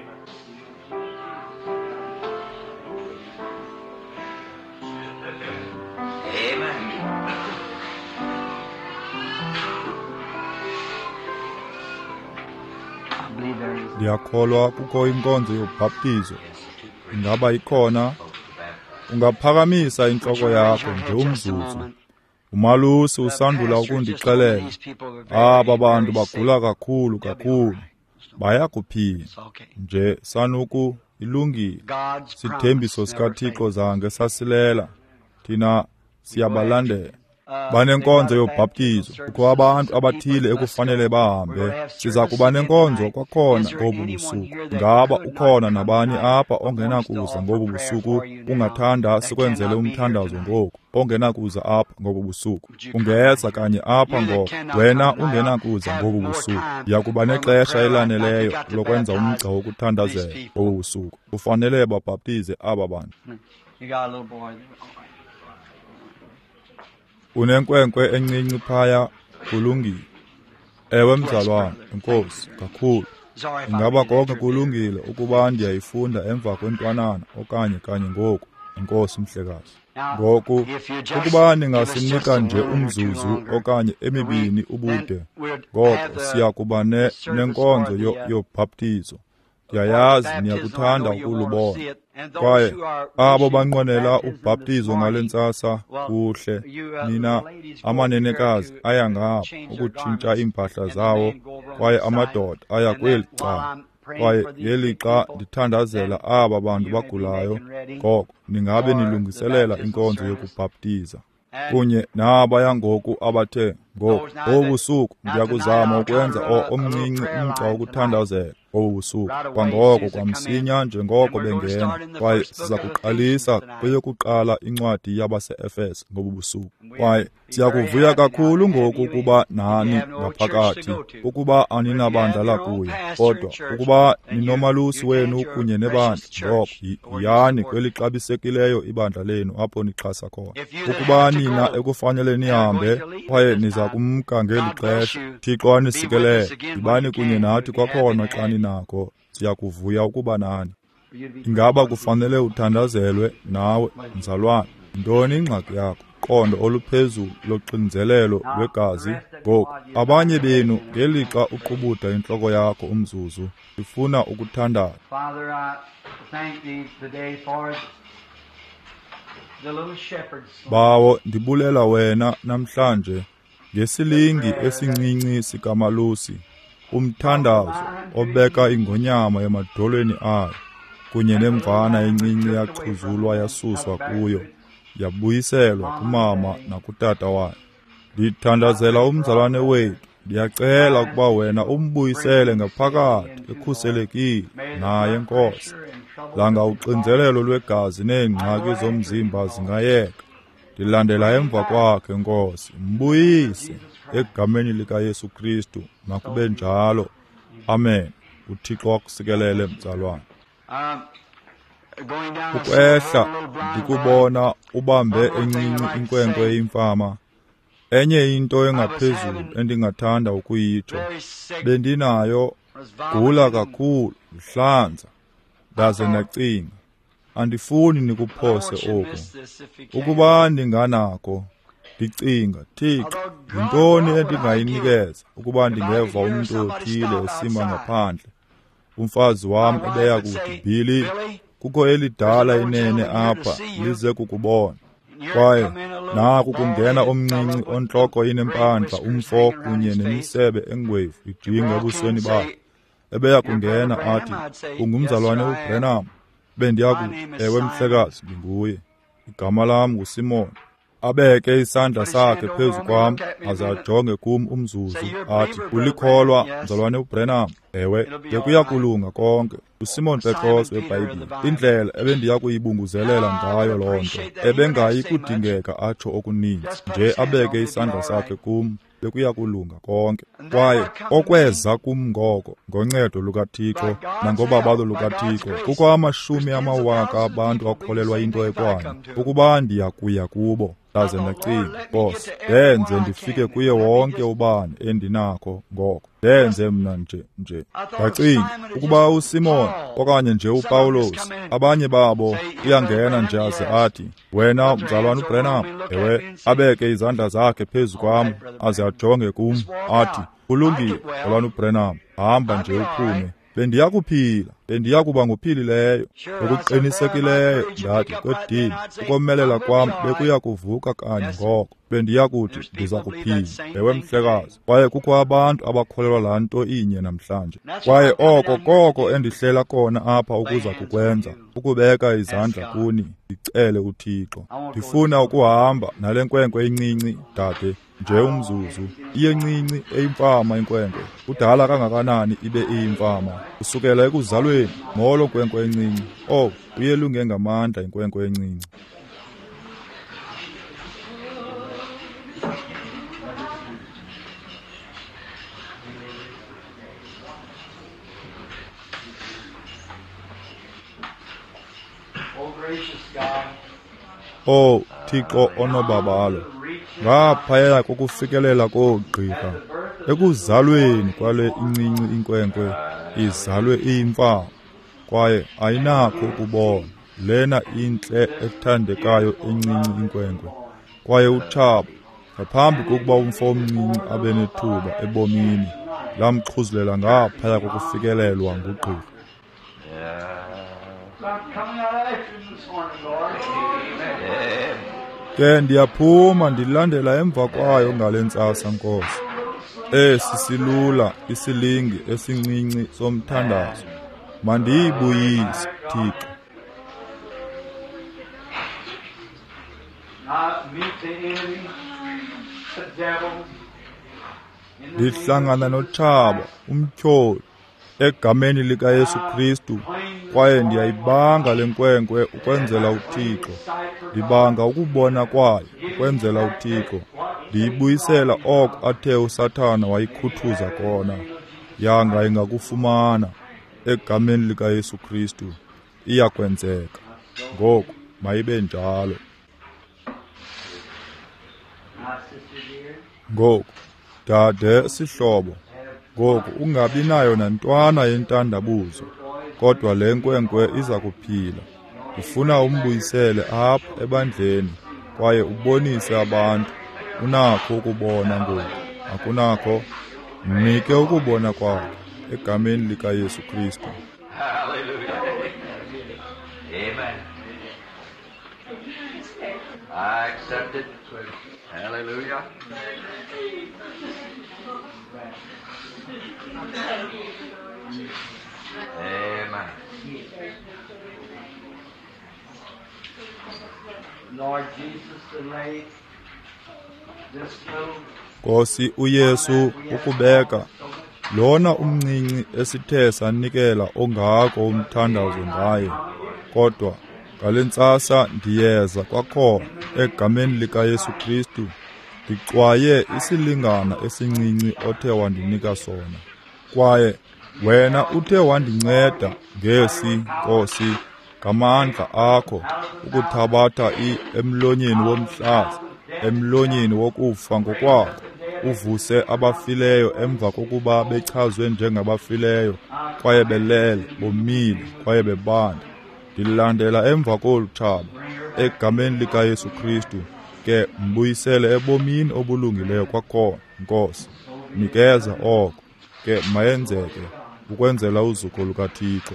Ndiyakholwa kukho inkonzo yobhaptizo. Ingaba ikhona? Ungaphakamisa intloko yakho nje umzuzu. Umalusi usandula ukundixelela, aba bantu bagula kakhulu kakhulu, bayakuphila nje sanuku ilungile. Sithembiso sikaThixo zange sasilela, thina siyabalandela. Banenkonzo yobhaptizo, kukho abantu abathile ekufanele bahambe. Siza kuba nenkonzo kwakhona ngobu busuku. Ingaba ukhona nabani apha ongenakuza ngobu busuku? Ungathanda sikwenzele umthandazo ngoku, ongenakuza apha ngobu busuku? Ungeza kanye apha ngoku, wena ungenakuza ngobu busuku. Ndiya kuba nexesha elaneleyo lokwenza umgca wokuthandazela ngobu busuku. Kufanele babhaptize aba bantu. Unenkwenkwe encinci phaya, kulungile. Ewe mzalwane, enkosi kakhulu. Ingaba konke kulungile ukuba ndiyayifunda emva kwentwanana okanye kanye ngoku? Enkosi mhlekazi. Ngoku, ukuba ningasinika nje umzuzu okanye emibini ubude, ngoko siya kuba ne, nenkonzo yobhaptizo. Ndiyayazi niyakuthanda ukulubona. Kwaye abo banqwenela ubhaptizo ngale ntsasa, kuhle, nina amanenekazi aya ngapha ukutshintsha iimpahla zawo, kwaye amadoda aya kweli cala. Kwaye ngelixa ndithandazela aba bantu bagulayo, ngoko ningabe nilungiselela inkonzo yokubhaptiza. Kunye nabaya ngoku abathe ngoku ngobusuku ndiyakuzama ukwenza omncinci umgca wokuthandazela ngobu busuku kwangoko kwamsinya njengoko bengena, kwaye siza kuqalisa kweyokuqala incwadi yabase-Efese ngobu busuku. Kwaye siyakuvuya kakhulu ngoku ukuba nani ngaphakathi, ukuba aninabandla lakuyo, kodwa ukuba ninomalusi wenu kunye nebandla, ngoko yiyani kwelixabisekileyo ibandla lenu apho nixhasa khona. Ukuba nina ekufanele nihambe kwaye niza kumka ngeli xesha, Thixo anisikelele, yibani kunye nathi kwakhona xa ninako. Siyakuvuya ukuba nani. Ingaba kufanele uthandazelwe nawe, mzalwane? Yintoni ingxaki yakho? Qondo oluphezulu loxinzelelo lwegazi. Ngoku abanye benu ngelixa uqubuda intloko yakho umzuzu, ndifuna ukuthandaza. Bawo, ndibulela wena namhlanje ngesilingi esincinci sikamalusi, umthandazo obeka ingonyama emadolweni ayo, kunye nemvana encinci yaxhuzulwa yasuswa kuyo, yabuyiselwa kumama nakutata wayo. Ndithandazela umzalwane wethu, ndiyacela ukuba wena umbuyisele ngaphakathi ekhuselekile naye, Nkosi. Langa uxinzelelo lwegazi neengxaki zomzimba zingayeka. Ndilandela emva kwakhe, Nkosi, mbuyise egameni likaYesu Kristu. Makube njalo. Amen. UThixo akusikelele, mzalwane. Ukwehla ndikubona ubambe encinci inkwenkwe eyimfama. Enye into engaphezulu endingathanda ukuyitsho, bendinayo gula kakhulu, ndihlanza, ndaze ndacinga, andifuni nikuphose oku. Ukuba ndinganako, ndicinga, Thixo, yintoni endingayinikeza ukuba ndingeva umntu othile esima ngaphandle? Umfazi wam ebeya kuthi, Billy, kukho elidala inene apha, lize kukubona. Kwaye naku kungena omncinci ontloko inempandla, umfo kunye nemisebe engwevu ijinga ebusweni bakhe. Ebeya kungena athi, ungumzalwane uBranham? Bendiya kuthi, ewe mhlekazi, ndinguye. Igama lam nguSimon. Abeke isandla sakhe phezu kwam aze ajonge kum umzuzu athi, ulikholwa, mzalwane uBranham? Ewe, bekuya kulunga konke. uSimon Petros weBhayibhile, indlela ebendiya kuyibunguzelela ngayo loo nto, ebengayi kudingeka atsho okuninzi, nje abeke isandla sakhe kum, bekuya kulunga konke. Kwaye okweza kum ngoko, ngoncedo lukaThixo nangobabalo lukaThixo, kukho amashumi amawaka abantu akholelwa into ekwayo, ukuba ndiya kuya kubo. Ndaze ndacinga, Nkosi, ndenze ndifike kuye wonke ubani endinakho ngoko. Ndenze mna nje nje. Ndacinga, ukuba uSimon okanye nje uPawulos, abanye babo uyangena nje aze athi, wena mzalwane uBranham? Ewe, abeke izandla zakhe phezu kwam aze ajonge kum athi, kulungile, mzalwane uBranham, hamba nje uphume. Bendiya kuphila, bendiya kuba nguphilileyo. Ngokuqinisekileyo ndathi, kwedini, ukomelela kwam bekuya kuvuka kanye ngoko. Bendiya kuthi ndiza kuphila. Ewe mhlekazi. Kwaye kukho abantu abakholelwa laa nto inye namhlanje. Kwaye oko koko endihlela kona apha ukuza kukwenza, ukubeka izandla kuni, ndicele uThixo. Ndifuna ukuhamba nale nkwenkwe incinci, dade, nje umzuzu. Iyencinci eyimfama inkwenkwe. Kudala kangakanani ibe iyimfama? Kusukela ekuzalweni. Molo nkwenkwe encinci. Oh, uyelunge ngamandla inkwenkwe encinci. Oh, Thixo onobabalo, ngaphaya kokufikelela koogqirha, ekuzalweni kwale incinci inkwenkwe izalwe iyimfama, kwaye ayinakho ukubona lena intle ethandekayo encinci inkwenkwe. Kwaye utshaba, ngaphambi kokuba umfo omncinci abe nethuba ebomini, lamxhuzulela ngaphaya kokufikelelwa ngugqirha. Ke ndiyaphuma ndilandela emva kwayo ngale ntsasa, Nkosi. Esi silula isilingi esincinci somthandazo, mandiyibuyise, Thixo. Ndihlangana notshaba umtyholi egameni likaYesu Kristu, kwaye ndiyayibanga le nkwenkwe ukwenzela uThixo. Ndibanga ukubona kwayo ukwenzela uThixo. Ndiyibuyisela oko athe uSathana wayikhuthuza kona. Yanga ingakufumana egameni likaYesu Kristu. Iyakwenzeka. Ngoku mayibe njalo. Ngoku, dade sihlobo, ngoku ungabi nayo nantwana yentandabuzo, kodwa le nkwenkwe iza kuphila. Ndifuna umbuyisele apha ebandleni kwaye ubonise abantu. Unakho ukubona ngoku, akunakho? Mnike ukubona kwakhe egameni likaYesu Kristu. Hallelujah. Amen. I accept it. Hallelujah. Amen. Lord Jesus, to lay this little Nkosi uYesu, ukubeka lona umncinci esithe sanikela ongako umthandazo ngaye, kodwa ngale ntsasa ndiyeza kwakhona egameni likaYesu Kristu, ndixwaye isilingana esincinci othe wandinika sona. Kwaye wena uthe wandinceda ngesi, Nkosi, ngamandla akho ukuthabatha i emlonyeni womhlaza, emlonyeni wokufa ngokwakho, uvuse abafileyo emva kokuba bechazwe njengabafileyo, kwaye belele, bomile, kwaye bebanda. Ndilandela emva kolu tshaba egameni likaYesu Kristu, ke mbuyisele ebomini obulungileyo kwakhona, Nkosi. Nikeza oko, ke mayenzeke ukwenzela uzuko lukaThixo.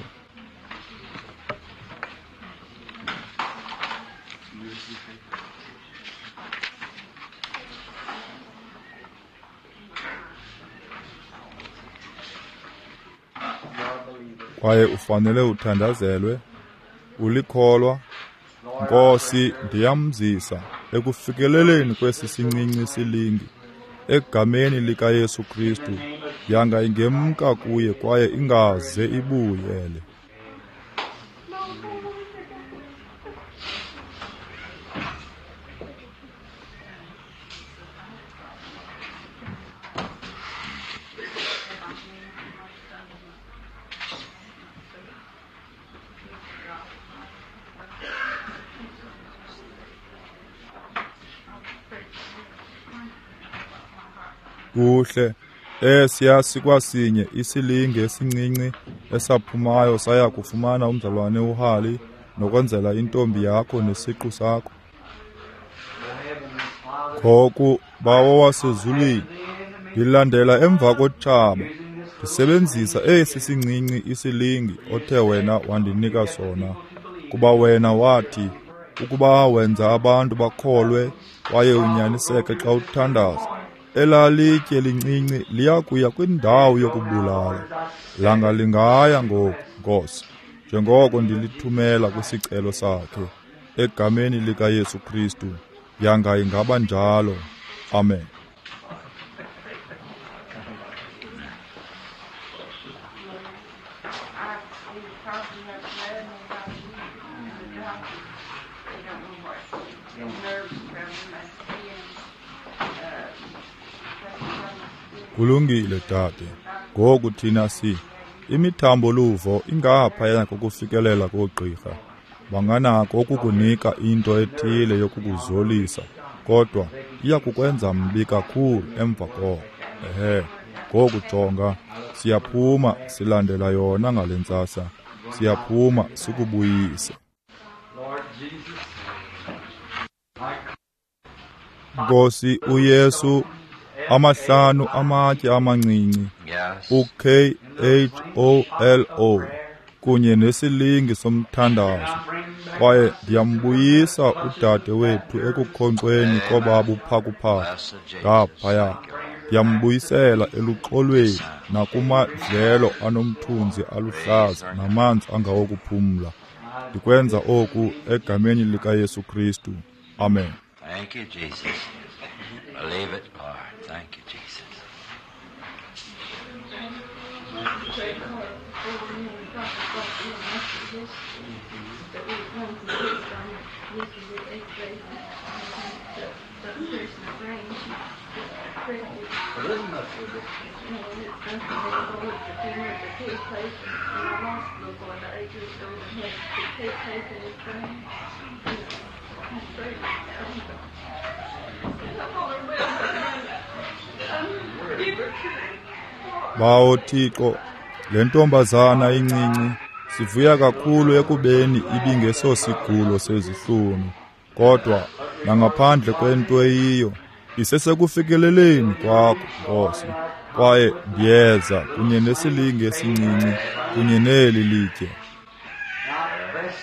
Kwaye ufanele uthandazelwe. Ulikholwa. Nkosi, ndiyamzisa ekufikeleleni kwesi sincinci silingi egameni likaYesu Kristu. Yanga ingemka kuye kwaye ingaze ibuyele. Kuhle, esiya sikwasinye isilinge esincinci esaphumayo saya kufumana umzalwane uHali nokwenzela intombi yakho nesiqu sakho. Ngoku, Bawo wasezulwini, ndilandela emva kotshaba, ndisebenzisa esi sincinci isilingi othe wena wandinika sona, kuba wena wathi ukuba wenza abantu bakholwe kwaye unyaniseke xa uthandaza, elaa litye lincinci liya kuya kwindawo yokubulala. Langa lingaya ngoku, Nkosi, njengoko ndilithumela kwisicelo sakhe egameni likaYesu Kristu. Yanga ingaba njalo. Amen. Kulungile, dade. Ngoku thina si imithambo luvo ingaphaya kokufikelela koogqirha. Banganako ukukunika into ethile yokukuzolisa, kodwa iya kukwenza mbi kakhulu emva koko. Ehe, ngoku jonga, siyaphuma silandela yona ngale ntsasa. Siyaphuma sikubuyise. Lord Jesus, Nkosi uYesu, amahlanu amatye amancinci, Yes. u-K H O L O, kunye nesilingi somthandazo. Kwaye ndiyambuyisa udade wethu ekukhonkxweni kobabuphakuphaku Blessed Jesus. ngaphaya. Ndiyambuyisela eluxolweni nakumadlelo anomthunzi aluhlaza namanzi angawokuphumla. Ndikwenza oku egameni likaYesu Kristu. Amen. Thank you, Jesus. Believe it, Lord. Thank you, Jesus. Bawo Thixo, le ntombazana incinci sivuya kakhulu ekubeni ibingesosigulo sezihlunu, kodwa nangaphandle kwento eyiyo isesekufikeleleni kwakho, Nkosi. Kwaye ndiyeza kunye nesilinge esincinci kunye neli litye,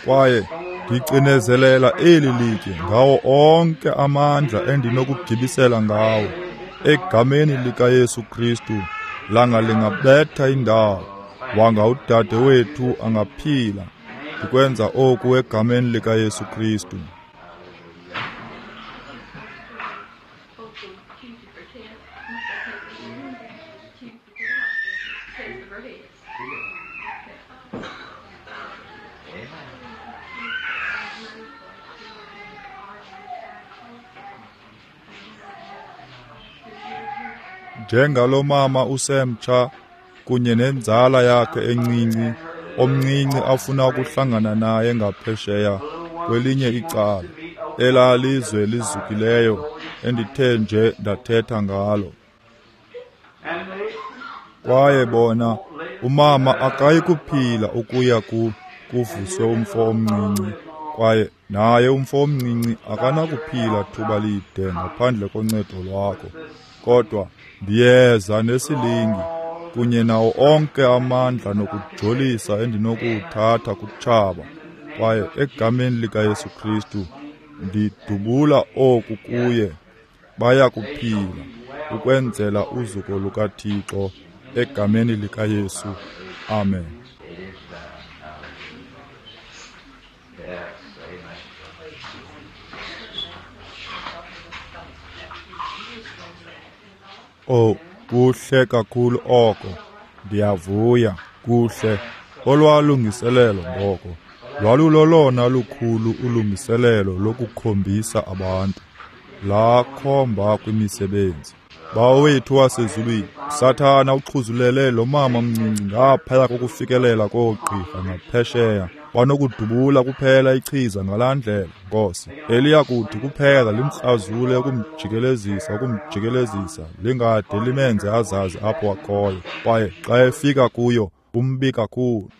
kwaye ndicinezelela eli litye ngawo onke amandla endinokugibisela ngawo egameni likaYesu Kristu. Langa lingabetha indawo, wanga udade wethu angaphila. Ndikwenza oku egameni likaYesu Kristu. Njengalo mama usemtsha kunye nenzala yakhe encinci, omncinci afuna ukuhlangana naye ngaphesheya kwelinye icala, elaa lizwe lizukileyo endithe nje ndathetha ngalo. Kwaye bona, umama akayi kuphila ukuya ku kuvuswe umfo omncinci, kwaye naye umfo omncinci akanakuphila thuba lide ngaphandle koncedo lwakho. Kodwa ndiyeza nesilingi kunye nawo onke amandla nokujolisa endinokuwuthatha kutshaba, kwaye egameni likaYesu Kristu ndidubula oku kuye. Baya kuphila ukwenzela uzuko lukaThixo egameni likaYesu. Amen. Oh, kuhle kakhulu oko. Ndiyavuya, kuhle. Olwalungiselelo ngoko lwalulolona lukhulu ulungiselelo lokukhombisa abantu, lakhomba kwimisebenzi. Bawo wethu wasezulwini, uSathana uxhuzulele lo mama mncinci ngaphaya kokufikelela koogqirha ngaphesheya. Banokudubula kuphela ichiza ngalaa ndlela, Nkosi, eliya kuthi kuphela limkrazule ukumjikelezisa ukumjikelezisa lingade limenze azazi apho akhoyo, kwaye xa efika kuyo umbi kakhulu.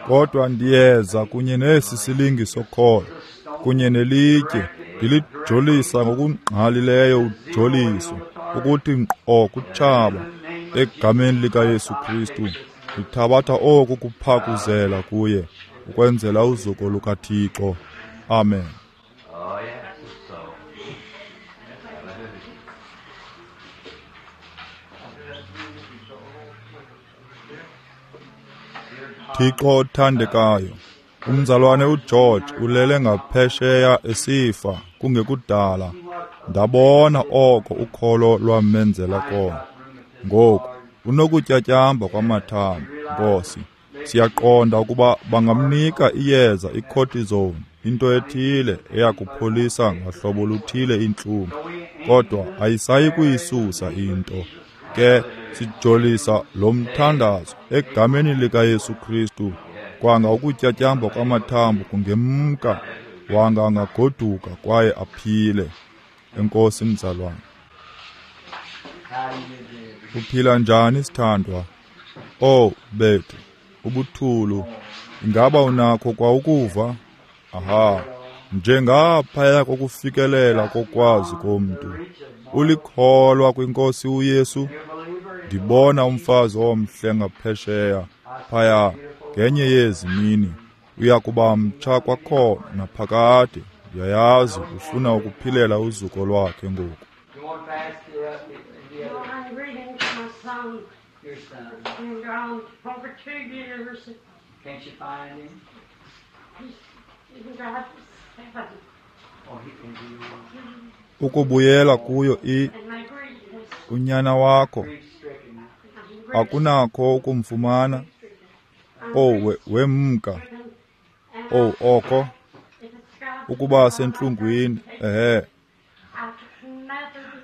Kodwa ndiyeza kunye nesi silingi sokholo kunye nelitye, ndilijolisa ngokungqalileyo ujoliso ukuthi ngqo kutshaba egameni likaYesu Kristu. Ndithabatha oku kuphakuzela kuye ukwenzela uzuko lukaThixo. Amen. Thixo othandekayo, umzalwane uGeorge ulele ngaphesheya esifa kungekudala. Ndabona oko ukholo lwamenzela kona. Ngoku unokutyatyamba kwamathambo, Nkosi. Siyaqonda ukuba bangamnika iyeza icortisone, into ethile eyakupholisa ngahlobo luthile intlungu, kodwa ayisayi kuyisusa into. Ke sijolisa lo mthandazo egameni likaYesu Kristu, kwanga ukutyatyamba kwamathambo kungemka, wanga angagoduka kwaye aphile. Enkosi mzalwane. Uphila njani sithandwa? Oh bethu, ubuthulu, ingaba unakho kwa ukuva? Aha, njengaphaya kokufikelela kokwazi komntu. Ulikholwa kwinkosi uYesu? Ndibona umfazi omhle ngaphesheya phaya ngenye yezi mini. Uya kuba mtsha kwakhona naphakade. Ndiyayazi ufuna ukuphilela uzuko lwakhe ngoku. Can't you find him? He's, he's got Ukubuyela kuyo i unyana wakho akunakho ukumfumana. Owu, wemka. Owu, oko ukuba sentlungwini. Ehe,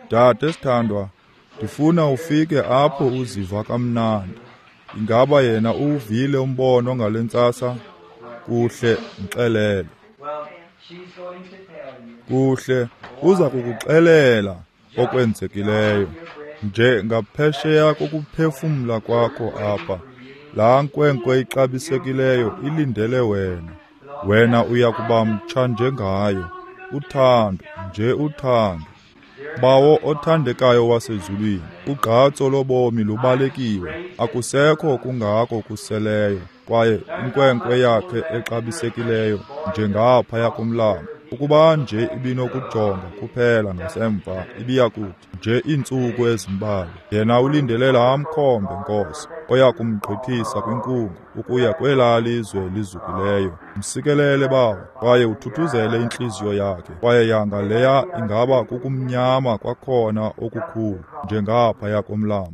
dade sithandwa, ndifuna ufike apho uziva kamnandi. Ingaba yena uwuvile umbono ngale ntsasa? Kuhle, mxelele. Kuhle, uza kukuxelela okwenzekileyo. Nje ngaphesheya kokuphefumla kwakho apha, laa nkwenkwe ixabisekileyo ilindele wena. Wena uya kuba mtsha njengayo. Uthando, nje uthando. Bawo othandekayo wasezulwini, ugqatso lobomi lubalekiwe, akusekho kungako kuseleyo, kwaye inkwenkwe yakhe exabisekileyo njengaphaya komlambo, ukuba nje ibinokujonga kuphela ngasemva, ibiyakuthi nje iintsuku ezimbalwa. Yena ulindele laa mkhombe, Nkosi, oya kumgqithisa kwinkungu ukuya kwelaa lizwe lizukileyo. Msikelele, Bawo, kwaye uthuthuzele intliziyo yakhe, kwaye yanga leya ingaba kukumnyama kwakhona okukhulu njengaphaya komlambo.